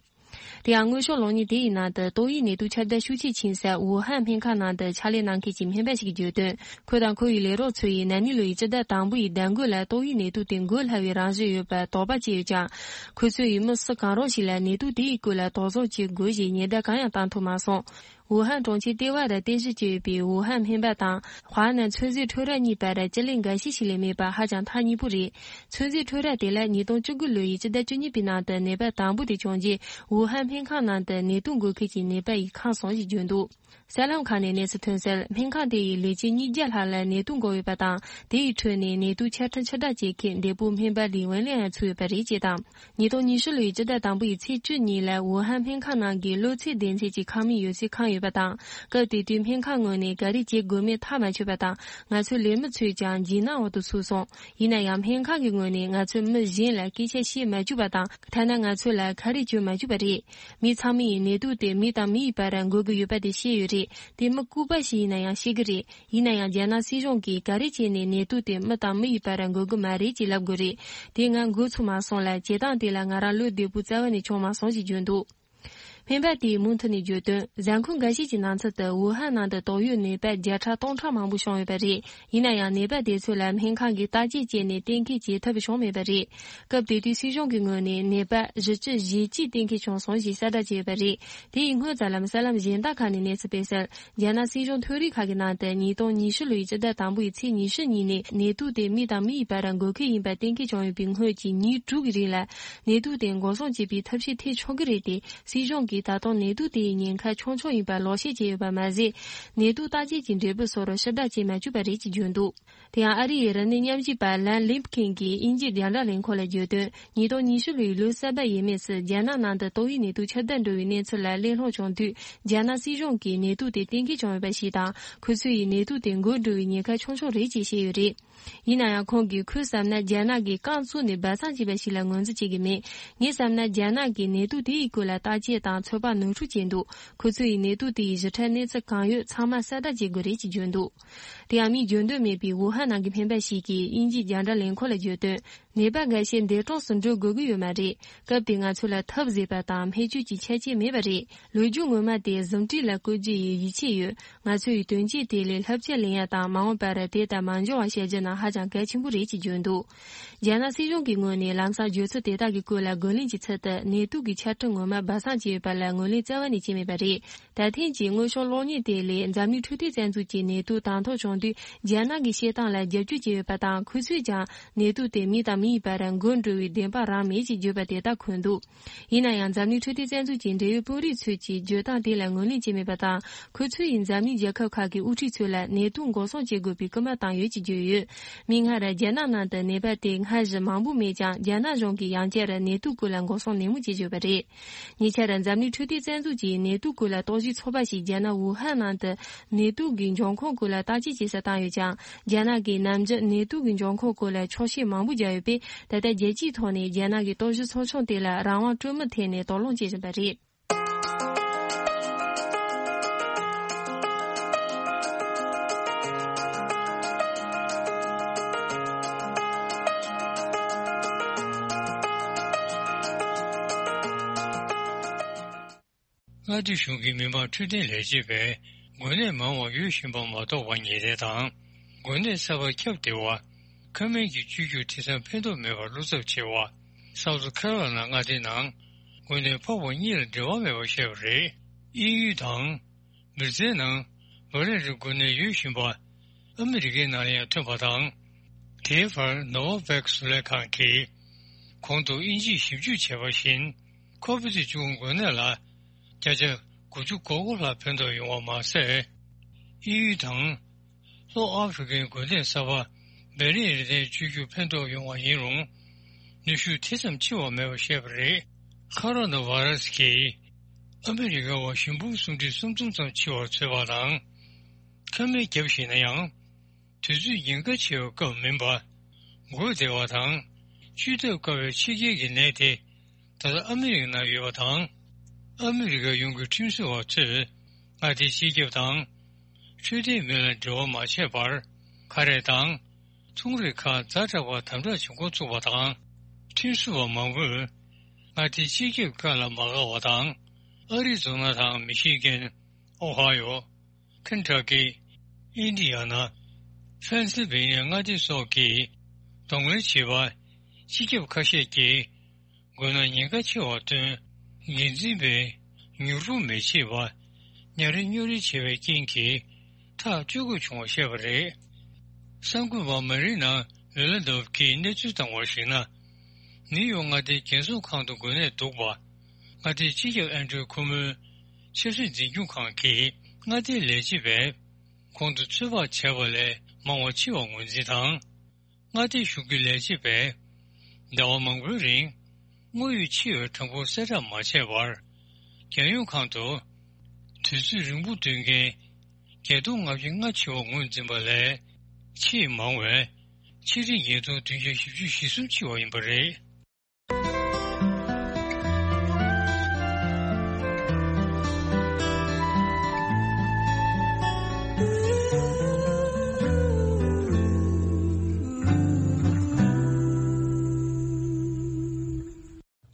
དེ་ཡང་དངོས་ཤུགས་གློག་བརྙན་དེ་ཡི་ནང་དུ་ཏོག་དབྱིབས་ནད་དུག་ཁྱབ་གདལ་ཤུགས་ཆེས་ཕྱིན་ས་ཝུ་ཧན་སྨན་ཁང་ནང་དུ་ཕྱག་ལས་གནང་མཁན་གྱི་སྨན་པ་ཞིག་གིས་བརྗོད་དོན། ཁོ་དང་ཁོ་ཡི་ལས་རོགས་ཚོ་ཡིས་ན་ནིང་ལོ་ཡི་སྤྱི་ཟླ་དང་པོ་ཡི་ཟླ་མགོ་ལ་ཏོག་དབྱིབས་ནད་དུག་དེ་འགོས་སླ་བའི་རང་བཞིན་ཡོད་པར་དོགས་པ་སྐྱེས་ཡོད་ཀྱང་། ཁོ་ཚོ་ཡི་མི་སུ་གང་རུང་ཞིག་ལ་ནད་དུག་དེ་ཡི་སྐོར་ལ་དོགས་ཟོན་བྱེད་དགོས་ཞེས་ཉེན་བརྡ་གང་ཡང་བཏང་ཐུབ་མ་སོང་། ཝུ་ཧན་གྲོང་ཁྱེར་ལྟེ་བ་རུ་རྟེན་གཞི་བྱས་ཡོད་པའི་ཝུ་ཧན་སྨན་པ་དང་། ཧྭ་ནན་ཚོད་རྫས་ཁྲོད་ར་གཉིས་བར་སྤྱི་ལེ་འགའ་ཤས་ཤིག་ལས་མེད་པ་ཧ་ཅང་ཐག་ཉེ་པོ་རེད། ཚོད་རྫས་ཁྲོད་ར་དེ་ལ་ཉིས་སྟོང་བཅུ་དགུ་ལོ་ཡི་སྤྱི་ཟླ་བཅུ་གཉིས་པའི་ནང་དུ་ནད་པ་དང་པོ་དེ་བྱུང་རྗེས། ཝུ་ཧན་སྨན་ཁང་ནང་དུ་ནད་དུག་འགོས་མཁན་གྱི་ནད་པ་ཡིས་ཁེངས་སོང་ཞེས་བརྗོད་འདུག་གསར་ལམ་ཁག་ནས་གནས་ཚུལ་ཐོན་གསལ། སྨན་ཁང་དེ་ཡི་ལས་བྱེད་ཉིས་བརྒྱ་ལྷག་ལ་ནད་དུག་འགོས་ཡོད་པ་དང་། དེ་ཡི་ཁྲོད་ནས་ནད་དུག་ཆ་འཕྲིན་ཕྱིར་བསྒྲགས་བྱེད་མཁན་འདས་པོ་སྨན་པ་ལི་ཝེན་ལི་ཡང་ཚུད་ཡོད་པ་རེད་ཅེས་དང་། ཉིས་སྟོང་ཉི་ཤུ་ལོའི་སྤྱི་ཟླ་དང་པོ་ཡི་ཚེས་བཅུ་ཉིན་ལ་ཝུ་ཧན་སྨན་ཁང་ནང་གི་གློ་ཚད་ལྡན་ཚད་ཀྱི་ཁང་མིག་ཡོད་སའི་ཁང་ཡོད་པ་དང་། སྐབས་དེ་དུས་སྨན་ཁང་ངོས་ནས་ག་རེ་བྱེད་དགོས་མིན་ཐག་མ་ཆོད་པ་དང་། ང་ཚོའི་ལས་མི་ཚོས་ཀྱང་འཇིགས་སྣང་འོག་ཏུ་ཚུད་སོང་། ཡིན་ན་ཡང་སྨན་ཁང་གི་ངོས་ནས་ང་ཚོས་མི་གཞན་ལ་སྐད་ཆ་བཤད་མ་བཅུག་པ་དང་། ཐ་ན་ང་ཚོ་ལ་ཁ་རས་གྱོན་མ་བཅུག་པ་རེད། མི་ཚང་མས་ནད་དུག་དེ་མི་དང་མི་ཡི་བར་འགོས་ཀྱི་ཡོད་པ་དེ་ཤེས་ཡོད་རེད། དེ་མི་ལྐུགས་པ་ཞིག་ཡིན་ན་ཡང་ཤེས་ཀྱི་རེད། ཡིན་ན་ཡང་རྒྱ་ནག་སྲིད་གཞུང་གིས་ག་རེ་བྱས་ནས་ནད་དུག་དེ་མི་དང་མི་ཡི་བར་འགོས་ཀྱི་མ་རེད་ཅེས་ལབ་དགོས་རེད། དེ་ང་འགོས་ཚུགས་མ་སོང་ལ། བྱེད་སྟངས་དེ་ལ་ང་རང་བློ་བདེ་པོ་རྩ་བ་ནས་བྱུང་མ་སོང་ཞེས་བརྗོད་འདུག་སྨན་པ་དེས་མུ་མཐུད་ནས་བརྗོད་དོན། གཟའ་འཁོར་འགའ་ཤས་ཀྱི་ནང་ཚུད་དུ་ཝུ་ཧན་ནང་དུ་དོགས་ཡོད་ནད་པ་བརྒྱ་ཕྲག་སྟོང་ཕྲག་མང་པོ་བྱུང་ཡོད་པ་རེད། ཡིན་ན་ཡང་ནད་པ་དེ་ཚོ་ལ་སྨན་ཁང་གིས་བརྟག་དཔྱད་བྱས་ནས་གཏན་འཁེལ་བྱེད་ཐབས་བྱུང་མེད་པ་རེད། སྐབས་དེ་དུས་སྲིད་གཞུང་གི་ངོས་ནས་ནད་པ་བཞི་བཅུ་ཞེ་གཅིག་གཏན་འཁེལ་བྱུང་སོང་ཞེས་གསལ་བསྒྲགས་བྱས་ཡོད་པ་རེད། དེ་ཡི་སྔོན་ཙམ་ལམ་གསར་ལམ་གཞན་དག་ཁག་ནས་གནས་ཚུལ་སྤེལ་གསལ། རྒྱ་ནག་སྲིད་གཞུང་ཐོན་རིགས་ཁག་གི་ནང་དུ་ཉིས་སྟོང་ཉི་ཤུ་ལོའི་སྤྱི་ཟླ་དང་པོ་ཡི་ཚེས་ཉི་ཤུ་ཉིན་ནས་ནད་དུག་དེ་མི་དང་མི་ཡི་བར་འགོས་མཁན་ཡིན་པ་གཏན་འཁེལ་བྱུང་ཡོད་པའི་སྔོན་གྱི་ཉིན་དྲུག་གི་རིང་ལ་ནད་དུག་དེ་འགོག་སྲུང་བྱེད་པའི་ཐབས་ཤེས་ཐེབས་ཆོག་གི་རེད་དེ། སྲིད་གཞུང་གིས་ད་དུང་ནད་དུག་དེ་ཡི་ཉེན་ཁ་ཆུང་ཆུང་ཡིན་པར་ལོག་བཤད་བྱས་ཡོད་པ་མ་ཟད། ནད་དུག་བརྟག་དཔྱད་ཀྱི་འབྲས་བུ་སོགས་ཕྱིར་བསྒྲགས་བྱེད་མ་བཅུག་པ་རེད་ཅེས་བརྗོད་འདུག་དེ་ཡང་ཨ་རི་ཡི་རིམས་ནད་ཉམས་ཞིབ་པ་ལན་ལིམ་ཁིན་གྱིས་དབྱིན་ཇིའི་རྒྱང་བསྒྲགས་ལས་ཁུངས་ལ་བརྗོད་དོན། ཉིས་སྟོང་ཉི་ཤུ་ལོའི་ལོ་གསར་པ་ཡས་མས་སུ་རྒྱ་ནག་ནང་དུ་ཏོག་དབྱིབས་ནད་དུག་ཁྱབ་གདལ་འགྲོ་བའི་གནས་ཚུལ་ལ་གླེང་སློང་བྱུང་དུས། རྒྱ་ནག་སྲིད་གཞུང་གིས་ནད་དུག་དེ་གཏན་འཁེལ་བྱུང་ཡོད་པ་ཞིག་དང་། ཁོ་ཚོ་ཡིས་ནད་དུག་དེ་འགོས་འགྲོ་བའི་ཉེན་ཁ་ཆུང་ཆུང་རེད་ཅེས་བཤད་ཡོད་རེད། ཡིན་ན་ཡང་ཁོང་གིས་ཁོས་བསམ་ན་རྒྱ་ནག་གིས་རྐང་བཙུགས་ནས་སྦ་གསང་བྱས་པ་ཞིག་ལ་ངོས་འཛིན་བྱེད་ཀྱི་མེད། ངས་བསམ་ན་རྒྱ་ནག་གིས་ནད་དུག་དེ་ཡི་སྐོར་ལ་བརྟག་དཔྱད་དང་ཚོད་དཔག་ནོར་འཁྲུལ་བྱས་འདུག་ཁོ་ཚོ་ཡིས་ནད་དུག་དེ་ཡི་ཞིབ་ཕྲ་གནས་ཚུལ་གང་ཡོད་ཚང་མ་གསལ་བསྒྲགས་བྱེད་དགོས་རེད་ཅེས་བརྗོད་འདུག་དེ་ཡང་མིས་འཇོན་འདོད་མེད་པའི་ཝུ་ཧན་ནང་གི་སྨན་པ་ཞིག་གིས་དབྱིན་ཇིའི་རྒྱང་བསྒྲགས་ལས་ཁུངས་ལ་བརྗོད་དོན། ནད་པ་འགའ་ཤས་འདས་གྲོངས་སུ་འགྲོ་དགོས་ཀྱི་ཡོད་མ་རེད། སྐབས་དེ་ང་ཚོ་ལ་ཐབས་ཟད་པ་དང་སྨན་བཅོས་ཀྱི་ཆ་རྐྱེན་མེད་པ་རེད། ལོ་རྒྱུས་ངོ་མ་དེ་ཟིན་བྲིས་ལ་བཀོད་རྒྱུ་ཡི་ཡིད་ཆེས་ཡོད། ང་ཚོ་ཡི་དོན་རྐྱེན་དེ་ལས་བསླབ་བྱ་ལེན་ཡ་དང་མ་འོངས་པར་དེ་ལྟར་མ་འབྱུང་བ་བྱ་རྒྱུ་ནི་ཧ་ཅང་གལ་ཆེན་པོ་རེད་ཅེས་བརྗོད་འདུག་རྒྱ་ནག་སྲིད་གཞུང་གི་ངོས་ནས་ལམ་སང་བརྗོད་ཚུལ་དེ་དག་གི་སྐོར་ལ་རྒོལ་ལན་གྱི་ཚུལ་དུ་ནད་དུག་གི་ཆ་འཕྲིན་ངོ་མ་སྦ་གསང་བྱས་ཡོད་པ་ལ་ངོས་ལེན་རྩ་བ་ནས་བྱས་མེད་པ་རེད། ད་ཐེངས་ཀྱི་དངོས་ཤུགས་གློག་བརྙན་དེ་ལས་འཛམ་གླིང་འཕྲོད་བསྟེན་རྩ་འཛུགས་ཀྱིས་ནད་དུག་དང་ཐོག་བྱུང་དུས་རྒྱ་ནག་གི་བཤད་སྟངས་ལ་རྒྱབ་སྐྱོར་བྱས་ཡོད་པ་དང་། ཁོ་ཚོས་ཀྱང་ནད་དུག་དེ་མི་དང་མི་ཡི་བར་འགོས་འགྲོ་བའི་བདེན་དཔང་རང་མེད་ཅེས་བརྗོད་པ་དེ་ལྟར་འཁོད་འདུག་ཡིན་ན་ཡང་འཛམ་གླིང་འཕྲོད་བསྟེན་རྩ་འཛུགས་ཀྱི་འབྲེལ་ཡོད་དཔོན་རིགས་ཚོས་ཀྱིས་བརྗོད་སྟངས་དེ་ལ་ངོས་ལེན་བྱས་མེད་པ་དང་། ཁོ་ཚོས་ཡིན་འཛམ་གླིང་རྒྱལ་ཁབ་ཁག་གི་དབུ་ཁྲིད་ཚོ་ལ་ནད་དུག་འགོག་སྲུང་བྱེད་དགོས་པའི་སྐུལ་མ་བཏང་ཡོད་ཅེས་བརྗོད་ཡོད། མིག་སྔར་རྒྱ་ནག་ནང་དུ་ནད་པ་དེ་སྔར་བཞིན་མང་པོ་མེད་ཀྱང་། རྒྱ་ནག་གཞུང་གིས་ཡང་བསྐྱར་ནད་དུག་སྐོར་ལ་འགོག་སྲུང་ནན་མོ་བྱེད་བརྗོད་པ་རེད། ཉེ་ཆར་འཛམ་གླིང་འཕྲོད་བསྟེན་རྩ་འཛུགས་ཀྱིས་ནད་དུག་སྐོར་ལ་རྟོག་ཞིབ་ཚོགས་པ་ཞིག་རྒྱ་ནག་ཝུ་ཧན་ནང་དུ་ནད་དུག་གི་འབྱུང་ཁུངས་སྐོར་ལ་བརྟག་དཔྱད་བྱེད་སར་བཏང་ཡོད་ཀྱང་། རྒྱ་ནག་གིས་ནམ་རྒྱུན་ནད་དུག་གི་འབྱུང་ཁུངས་སྐོར་ལ་འཁྱོག་བཤད་མང་པོ་བརྒྱབ་ཡོད་པས། ད་ལྟ་རྒྱལ་སྤྱིའི་ཐོག་ནས་རྒྱ་ནག་གི་རྟོག་ཞིབ་ཚོགས་ཆུང་དེ་ལ་རང་དབང་སྤྲོད་མུས་ཐད་ནས་དོགས་སློང་བྱེད་བཞིན་པ་རེད། མངའ་སྡེ་གཞུང་གིས་མི་དམངས་འཕྲོད་བསྟེན་ལས་བྱེད་པས་འགོས་ནད་མང་བ་ཡོད་བཞིན་པ་མ་རྟོགས་པ་ངེས་གཏན་དང་། འགོས་ནད་གསར་པ་ཁྱབ་བདེ་བ། ཁ་སྨན་གྱི་བཅོས་བསྒྱུར་དེ་ཙམ་ཕན་ཐོགས་མེད་པར་བློ་འཚབ་ཆེ་བ། སའུ་ཐི་ཁ་རོ་ལ་ན་མངའ་སྡེའི་ནང་འགོས་ནད་ཕོག་པ་གཉིས་ལ་འབྲེལ་བ་མེད་པར་བཤད་པ་རེད། དབྱིན་ཡུལ་དང་། མི་ཚེའི་ནང་། བ་རན་རི་འགོས་ནད་ཡོད་བཞིན་པ། ཨ་མི་རི་ཀའི་ནང་ཡང་ཐོན་པ་དང་། དེའི་བར་ནོ་ཝ་བེག་བཟོ་ལས་ཁང་གིས། གོང་དུ་དབྱིན་ཇིས་ཞིབ་འཇུག་བྱས་པ་བཞིན། ཁོ་བི་ཌི་བཅུ་དགུ་འགོས་ནད་ལ། བརྒྱ་ཆ་དགུ་བཅུ་གོ་དགུ་ལྷག་ཕན་ཐོགས་ཡོང་བ་མ་ཟད། དབྱིན་ཡུལ་དང་། ལྷོ་ཨ་ཧྥེ་རི་ཀའི་འགོས་ནད་གསར་པ། བེ་རི་ཡན་རི་ཐན་བཅོས་བསྒྱུར་ཕན་ཐོགས་ཡོང་བ་ཡིན་རུང་། ནུས་ཤུགས་དེ་ཙམ་ཆེ་བ་མེད་པར་བཤད་པ་རེད། ཁ་རོ་ན་བྷ་ར་སི་གིས་ཨ་མི་རི་ཀ་བ་ཞིང་ཕུང་སུམ་ཁྲི་སུམ་སྟོང་ཙམ་འཆི་བར་བཟོས་པ་དང་། ཁ་སྨན་བརྒྱབ་ཞེས་ན་ཡང་། དུས་ཚོད་ཉེན་ཁ་ཆེ་བའི་སྐབས་མིན་པ། འགོས་བདེ་བ་དང་། བཅོས་ཐབས་དཀའ་བའི་ཕྱི་རྒྱལ་གྱི་ནད་དེ། ད་ལྟ་ཨ་མི་རི་ཀ་ནང་ཡོད་པ་དང་། ཨ་མི་རི་ཀ་ཡོངས་ཀྱི་ཁྲིམས་བཟོ་བ་ཚོས་མངའ་སྡེའི་སྤྱི་ཁྱབ་དང་། འཕྲོད་བསྟེན་མི་ལ་འབྲེལ་བ་མ་བྱས་པར། ཁ་རས་དང་། ཚོང་རིགས་ཁག་ཛ་དྲག་པར་དམ་དྲག་བྱེད་འགོ་ཚུགས་པ་དང་། ཁྲིམས་བཟོ་བ་མང་པོས་མངའ་སྡེའི་སྤྱི་ཁྱབ་བཀའ་ལ་མ་དགའ་བ་དང་། ཨ་རི་རྫོང་ན་དང་མི་ཤི་གན། ཨོ་ཧ་ཡོ། ཁེན་ཊ་ཀི། ཨིན་ཌི་ཡ་ན། ཕེན་སིལ་ཝེ་ནི་ཡ་མངའ་སྡེ་སོགས་ཀྱིས་གདོང་ལེན་བྱས་པ། སྤྱི་ཁྱབ་ཁ་ཤས་ཀྱིས་འགོས་ན་ཉེན་ཁ་ཆེ་བར་སྟོན། འགན་འཛིན་པས་མྱུར་པོ་མི་བྱེད་པ། ཉ་རིལ་སྨྱོ་རིལ་བྱས་པའི་རྐྱེན་གྱིས་ཐག་གཅོད་དགོས་བྱུང་བ་བཤད་པ་རེད། གསར་འགོད་པ་མ་རི་ན་ལེ་ལ་དོབ་ཀྱིས་གནས་ཚུལ་བཏང་བར་གཞིགས་ན། ནིའུ་ཡོག་མངའ་སྡེའི་རྒྱལ་སྲུང་ཁང་དུ་འགོས་ནད་འདུག་པ། མངའ་སྡེའི་སྤྱི་ཁྱབ་ཨན་ཌྲུ་ཁོ་མོའི་ཆབ་སྲིད་འཛིན་སྐྱོང་ཁང་གིས་མངའ་སྡེའི་ལས་བྱེད་པས་ཁོང་དུ་ཚོད་དཔག་བྱས་པ་ལས་མང་བ་འཆི་བར་ངོས་འཛིན་དང་། མངའ་སྡེའི་གཞུང་གི་ལས་བྱེད་པས་ཟླ་བ་མང་པོའི་རིང་དངོས་ཡོད་འཆི་བའི་གྲངས་འབོར་གསལ་བསྒྲགས་མ་བྱས་པར། རྒྱལ་ཡོངས་ཁང་དུ་དུས་ཚོད་རིང་པོ་སྡོད་མཁན་བརྒྱད་སྟོང་ལྔ་བརྒྱ་ལྔ་འཆི་བ་ངོས་འཛིན་པ་ལས་ཆེས་མང་བའི་ཆེས་རིང་ཉིས་སྟོང་བདུན་བརྒྱ་བཞི་བཅུ་ཞེ་གསུམ་འཆི་བ་ཡིན་པ་རེད།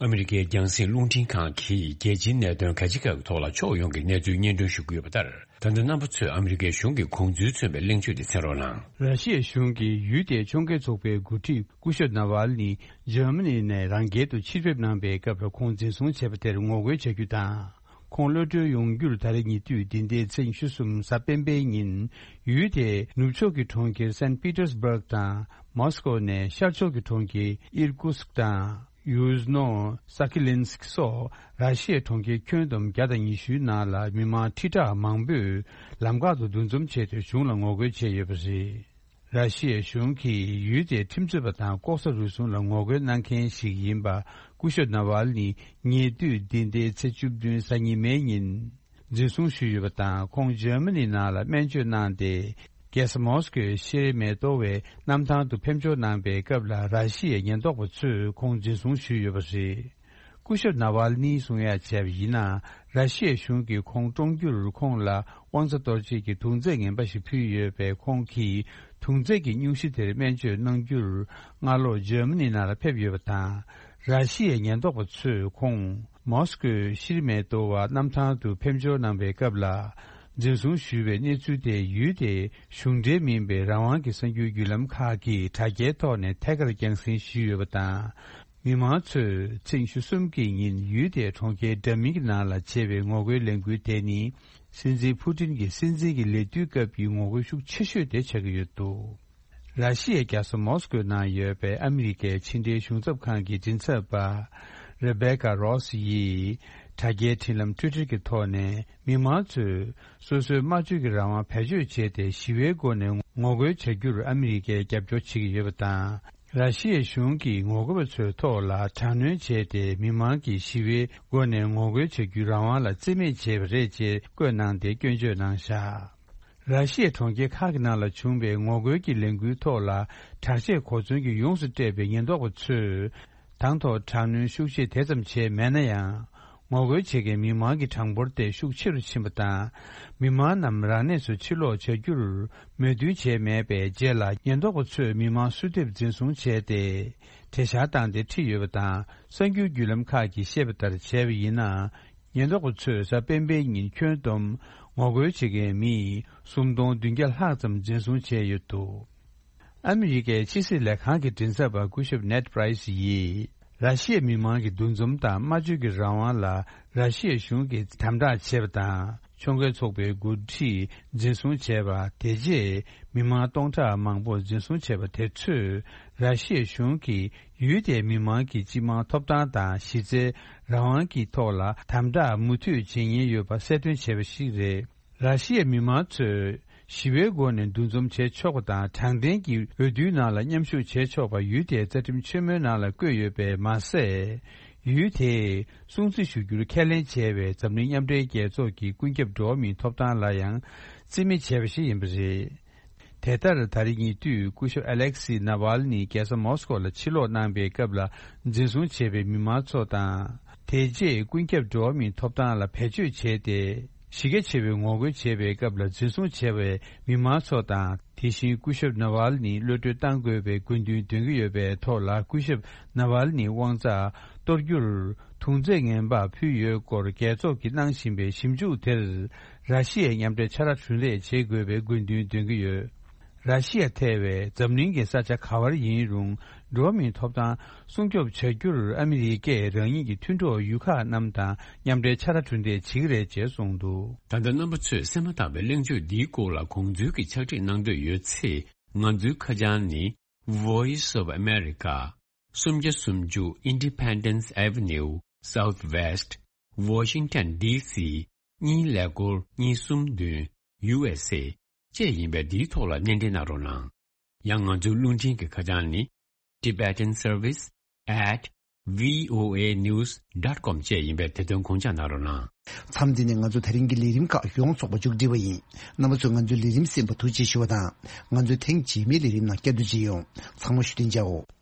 ཨ་མི་རི་ཀའི་རྒྱང་སྲིང་རླུང་འཕྲིན་ཁང་གིས་རྒྱལ་སྤྱིའི་གནད་དོན་ག་ཅི་ག་གི་ཐོག་ལ་ཕྱོགས་ཡོངས་ཀྱི་གནས་ཚུལ་སྙན་སྒྲོན་ཞུ་གི་ཡོད་པ་ལྟར། ད་ལྟ་རྣམ་པ་ཚོས་ཨ་མི་རི་ཀའི་གཞུང་གི་དགོངས་ཚུལ་མཚོན་པའི་གླེང་བརྗོད་དེ་གསན་རོགས་གནང་། ར་ཤི་ཡའི་གཞུང་གིས་ཡུལ་དེའི་ཕྱོགས་འགལ་ཚོགས་པའི་འགོ་ཁྲིད་སྐུ་ཞབས་ནཱ་ཝལ་ནི་འཇར་མ་ནི་ནས་རང་རྒྱལ་དུ་ཕྱིར་ཕེབས་གནང་པའི་སྐབས་ལ་ཁོང་འཛིན་བཟུང་བྱས་པ་དེར་ངོ་རྒོལ་བྱ་རྒྱུ་དང་། ཁོང་གློད་གྲོལ་ཡོང་རྒྱུར་ད་རེས་ཉེ་དུས་འདི་ཟླའི་ཚེས་ཉི་ཤུ་གསུམ་གཟའ་སྤེན་པའི་ཉིན། ཡུལ་དེའི་ནུབ་ཕྱོགས་ཀྱི་གྲོང་ཁྱེར་སན་པི་ཏར་སྦུག་དང་མོ་སི་ཀོ་ནས་ཤར་ཕྱོགས་ཀྱི་གྲོང་ཁྱེར་ཨིར་ཀུ་སྐ་དང་། ཡུ་སྣོ་ས་ཀི་ལིན་སྐ་སོགས་ར་ཤི་ཡའི་གྲོང་ཁྱེར་ཁྱོན་བསྡོམས་བརྒྱ་དང་ཉི་ཤུའི་ནང་ལ་མི་མང་ཁྲི་ཕྲག་མང་པོས་ལམ་ཁག་ཏུ་འདུ་འཛོམས་བྱས་ཏེ་གཞུང་ལ་ངོ་རྒོལ་བྱས་ཡོད་པ་རེད། ར་ཤི་ཡའི་གཞུང་གིས་ཡུལ་དེའི་ཁྲིམས་རྩོད་པ་དང་ལྐོག་ཟ་རུལ་སུངས་ལ་ངོ་རྒོལ་གནང་མཁན་ཞིག་ཡིན་པ་སྐུ་ཞབས་ནཱ་ཝལ་ནི་ཉེ་དུས་འདི་ཟླའི་ཚེས་བཅུ་བདུན་གཟའ་ཉི་མའི་ཉིན། འཛིན་བཟུང་ཞུས་ཡོད་པ་དང་ཁོང་འཇར་མ་ནི་ནང་ལ་སྨན་བཅོས་གནང་སྟེ། རྒྱལ་ས་མོ་སི་ཀོའི་ཤེར་མེ་ཏོ་ཝའི་གནམ་ཐང་དུ་ཕེབས་འབྱོར་གནང་པའི་སྐབས་ལ་ར་ཤི་ཡའི་ཉེན་རྟོག་པ་ཚོས་ཁོང་འཛིན་བཟུང་ཞུས་ཡོད་པ་རེད། སྐུ་ཞབས་ནཱ་ཝལ་ནིའི་གསུང་ཡག་བྱས་པ་ཡིན་ན། ར་ཤི་ཡའི་གཞུང་གིས་ཁོང་བཀྲོངས་རྒྱུར་ཁོང་ལ་དབང་ཆ་གཏོར་བྱེད་ཀྱི་རྡུང་རྡེག་ངན་པ་ཞིག་ཕུལ་ཡོད་པས་ཁོང་གིས་རྡུང་རྡེག་གི་སྙུང་གཞི་དེར་སྨན་བཅོས་གནང་རྒྱུར་སྔ་ལོགས་འཇར་མ་ནི་ནང་ལ་ཕེབས་ཡོད་པ་དང་། ར་ཤི་ཡའི་ཉེན་རྟོག་པ་ཚོས་ཁོང་མོ་སི་ཀོའི་ཤིར་མེ་ཏོ་བ་གནམ་ཐང་དུ་ཕེབས་འབྱོར་གནང་པའི་སྐབས་ལ། འཛིན་བཟུང་ཞུས་པའི་གནས་ཚུལ་དེ་ཡུལ་དེའི་གཞུང་འབྲེལ་མིན་པའི་རང་དབང་གི་གསར་འགྱུར་བརྒྱུད་ལམ་ཁག་གིས་དྲ་རྒྱའི་ཐོག་ནས་ཐད་ཀར་རྒྱང་སྲིང་ཞུས་ཡོད་པ་དང་། མི་མང་ཚོས་ཚེས་ཉི་ཤུ་གསུམ་གྱི་ཉིན་ཡུལ་དེའི་གྲོང་ཁྱེར་འདྲ་མིན་གྱི་ནང་ལ་བྱས་པའི་ངོ་རྒོལ་ལས་འགུལ་དེ་ནི་སྲིད་འཛིན་ཕུ་ཏིན་གྱི་སྲིད་འཛིན་གྱི་ལས་དུས་སྐབས་ཀྱི་ངོ་རྒོལ་ཤུགས་ཆེ་ཤོས་དེ་ཆགས་ཀྱི་ཡོད་འདུག་ར་ཤི་ཡའི་རྒྱལ་ས་མོ་སི་ཀོའི་ནང་ཡོད་པའི་ཨ་མི་རི་ཀའི་ཕྱི་འབྲེལ་གཞུང་ཚབ་ཁང་གི་མགྲིན་ཚབ་པ་རེ་བྷེ་ཀ་རོ་སི་ཡིས་དྲ་རྒྱའི་འཕྲིན་ལམ་ཊུའི་ཊར་གྱི་ཐོག་ནས་མི་མང་ཚོས་སོ་སོའི་སྨྲ་བརྗོད་ཀྱི་རང་དབང་བེད་སྤྱོད་བྱས་ཏེ་ཞི་བའི་སྒོ་ནས་ངོ་རྒོལ་བྱ་རྒྱུར་ཨ་མི་རི་ཀས་རྒྱབ་སྐྱོར་བྱེད་ཀྱི་ཡོད་པ་དང་། ར་ཤི་ཡའི་གཞུང་གིས་ངོ་རྒོལ་པ་ཚོའི་ཐོག་ལ་དྲག་གནོན་བྱས་ཏེ་མི་མང་གིས་ཞི་བའི་སྒོ་ནས་ངོ་རྒོལ་བྱ་རྒྱུའི་རང་དབང་ལ་བརྩི་མེད་བྱས་པ་རེད་ཅེས་བཀོད་གནང་སྟེ་སྐྱོན་བརྗོད་གནང་བཞག་ར་ཤི་ཡའི་གྲོང་ཁྱེར་ཁག་གི་ནང་ལ་བྱུང་བའི་ངོ་རྒོལ་གྱི་ལས་འགུལ་ཐོག་ལ་དྲག་ཆས་གོ་མཚོན་གྱིས་ཡོངས་སུ་སྤྲས་པའི་ཉེན་རྟོག་པ་ཚོས་དང་ཐོག་དྲག་གནོན་ཤུགས་ཆེ་དེ་ཙམ་བྱས་མེད་ན་ཡང་། ངོ་རྒོལ་བྱེད་མཁན་མི་མང་གི་གྲངས་འབོར་དེ་ཤུགས་ཆེ་རུ་ཕྱིན་པ་དང་། མི་མང་རྣམས་རང་གནས་སུ་ཕྱིར་ལོག་བྱ་རྒྱུར་མོས་མཐུན་བྱས་མེད་པའི་རྗེས་ལ་ཉེན་རྟོག་པ་ཚོས་མི་མང་སུ་ཐེབས་འཛིན་བཟུང་བྱས་ཏེ། དེ་བཞག་བཏང་སྟེ་ཁྲིད་ཡོད་པ་དང་། གསར་འགྱུར་བརྒྱུད་ལམ་ཁག་གིས་བཤད་པ་ལྟར་བྱས་པ་ཡིན་ན། ཉེན་རྟོག་པ་ཚོས་གཟའ་སྤེན་པའི་ཉིན་ཁྱོན་བསྡོམས་ངོ་རྒོལ་བྱེད་མཁན་མི་སུམ་སྟོང་བདུན་བརྒྱ་ལྷག་ཙམ་འཛིན་བཟུང་བྱས་ཡོད་འདུག་ཨ་མི་རི་ཀའི་ཕྱི་སྲིད་ལས་ཁང་གི་མགྲིན་ཚབ་པ་སྐུ་ཞབས་ནེད་པྲའི་སི་ཡིས། ར་ཤི་ཡའི་མི་མང་གི་འདུ་འཛོམས་དང་སྨྲ་བརྗོད་ཀྱི་རང་དབང་ལ་ར་ཤི་ཡའི་གཞུང་གིས་དམ་དྲག་བྱས་པ་དང་། ཕྱོགས་འགལ་ཚོགས་པའི་འགོ་ཁྲིད་འཛིན་བཟུང་བྱས་པ། དེ་རྗེས་མི་མང་སྟོང་ཕྲག་མང་པོ་འཛིན་བཟུང་བྱས་པ་དེ་ཚོས། ར་ཤི་ཡའི་གཞུང་གིས་ཡུལ་དེའི་མི་མང་གི་སྤྱི་དམངས་ཐོབ་ཐང་དང་གཞི་རྩའི་རང་དབང་གི་ཐོག་ལ་དམ་དྲག་མུ་མཐུད་བྱེད་ཉེན་ཡོད་པ་གསལ་སྟོན་བྱས་པ་ཞིག་རེད། ར་ཤི་ཡའི་མི་མང་ཚོས་ཞི་བའི་སྒོ་ནས་འདུ་འཛོམས་བྱེད་ཆོག་པ་དང་། དྲང་བདེན་གྱི་འོས་བསྡུའི་ནང་ལ་མཉམ་ཞུགས་བྱེད་ཆོག་པ་ཡུལ་དེའི་རྩ་ཁྲིམས་ཆེན་མོའི་ནང་ལ་བཀོད་ཡོད་པས་མ་ཟད། ཡུལ་དེས་སྲུང་བརྩི་ཞུ་རྒྱུར་ཁས་ལེན་བྱས་པའི་འཛམ་གླིང་མཉམ་འབྲེལ་རྒྱལ་ཚོགས་ཀྱི་ཀུན་ཁྱབ་འགྲོ་བ་མིའི་ཐོབ་ཐང་ལ་ཡང་རྩིས་མེད་བྱས་པ་ཞིག་ཡིན་པ་རེད། དེ་ལྟར་ད་རེས་ཉེ་དུས་སྐུ་ཞབས་ཨ་ལེག་སི་ནཱ་ཝལ་ནི་རྒྱལ་ས་མོ་སི་ཀོ་ལ་ཕྱིར་ལོག་གནང་པའི་སྐབས་ལ་འཛིན་བཟུང་བྱས་པའི་མི་མང་ཚོ་དང་། དེ་རྗེས་ཀུན་ཁྱབ་འགྲོ་བ་མིའི་ཐོབ་ཐང་ལ་བེད་སྤྱོད་བྱས་ཏེ། གཞི་རྒྱ་ཆེ་བའི་ངོ་རྒོལ་བྱས་པའི་སྐབས་ལ་འཛིན་བཟུང་བྱས་པའི་མི་མང་ཚོ་དང་། དེ་བཞིན་སྐུ་ཞབས་ནཱ་ཝལ་ནི་གློད་གྲོལ་གཏང་དགོས་པའི་དགོས་འདུན་འདོན་གྱི་ཡོད་པའི་ཐོག་ལ། སྐུ་ཞབས་ནཱ་ཝལ་ནི་དབང་རྩ་གཏོར་རྒྱུར་རྡུང་རྡེག་ངན་པ་ཕུལ་ཡོད་སྐོར་རྒྱལ་ཚོགས་ཀྱིས་གནང་བཞིན་པའི་ཞིབ་འཇུག་དེར། ར་ཤི་ཡའི་མཉམ་འབྲེལ་ཕྱག་ར་གྲུ་འདེགས་བྱེད་དགོས་པའི་དགོས་འདུན་འདོན་གྱི་ཡོད། ར་ཤི་ཡ་ཐེ་བའི་འཛམ་གླིང་གི་ས་ཆ་ག་བར་ཡིན་རུང་། འགྲོ་བ་མིའི་ཐོབ་ཐང་སྲུང་སྐྱོབ་བྱ་རྒྱུར་ཨ་མི་རི་ཀས་རང་ཉིད་ཀྱི་མཐུན་གྲོགས་ཡུལ་ཁག་རྣམས་དང་མཉམ་འབྲེལ་ཕྱག་ར་གྲུ་འདེགས་བྱེད་ཀྱི་རེད་ཅེས་གསུངས་འདུག། ད་ལྟ་རྣམ་པ་ཚོས་གསན་མ་ཐག་པའི་གླེང་བརྗོད་འདིའི་སྐོར་ལ་དགོངས་ཚུལ་གྱི་ཕྱག་བྲིས་གནང་འདོད་ཡོད་ཚེ། ང་ཚོའི་ཁ་བྱང་ནི། Voice of America། སུམ་བརྒྱ་སུམ་ཅུ་Independence Avenue Southwest Washington D C གཉིས་ཀླད་ཀོར་གཉིས་གསུམ་བདུན། U S A བཅས་ཡིན་པས། འདིའི་ཐོག་ལ་སྣེ་འདྲེན་གནང་རོགས་གནང་། ཡང་ང་ཚོའི་རླུང་འཕྲིན་གྱི་ཁ་བྱང་ནི། Tibetan Service at V O A news dot com བཅས་ཡིན་པས། དེ་དོན་དགོངས་འཇགས་གནང་རོགས་གནང་། མཚམས་འདི་ནས་ང་ཚོ་དེ་རིང་གི་ལས་རིམ་ཁག་ཡོངས་རྫོགས་པ་མཇུག་སྒྲིལ་བ་ཡིན། རྣམ་པ་ཚོས་ང་ཚོའི་ལས་རིམ་གསན་པར་ཐུགས་རྗེ་ཞུ་བ་དང་། ང་ཚོའི་ཐེངས་རྗེས་མའི་ལས་རིམ་ནང་བསྐྱར་དུ་མཇལ་ཡོང་། ཚང་མ་བཞུགས་གདན་འཇགས་འོ།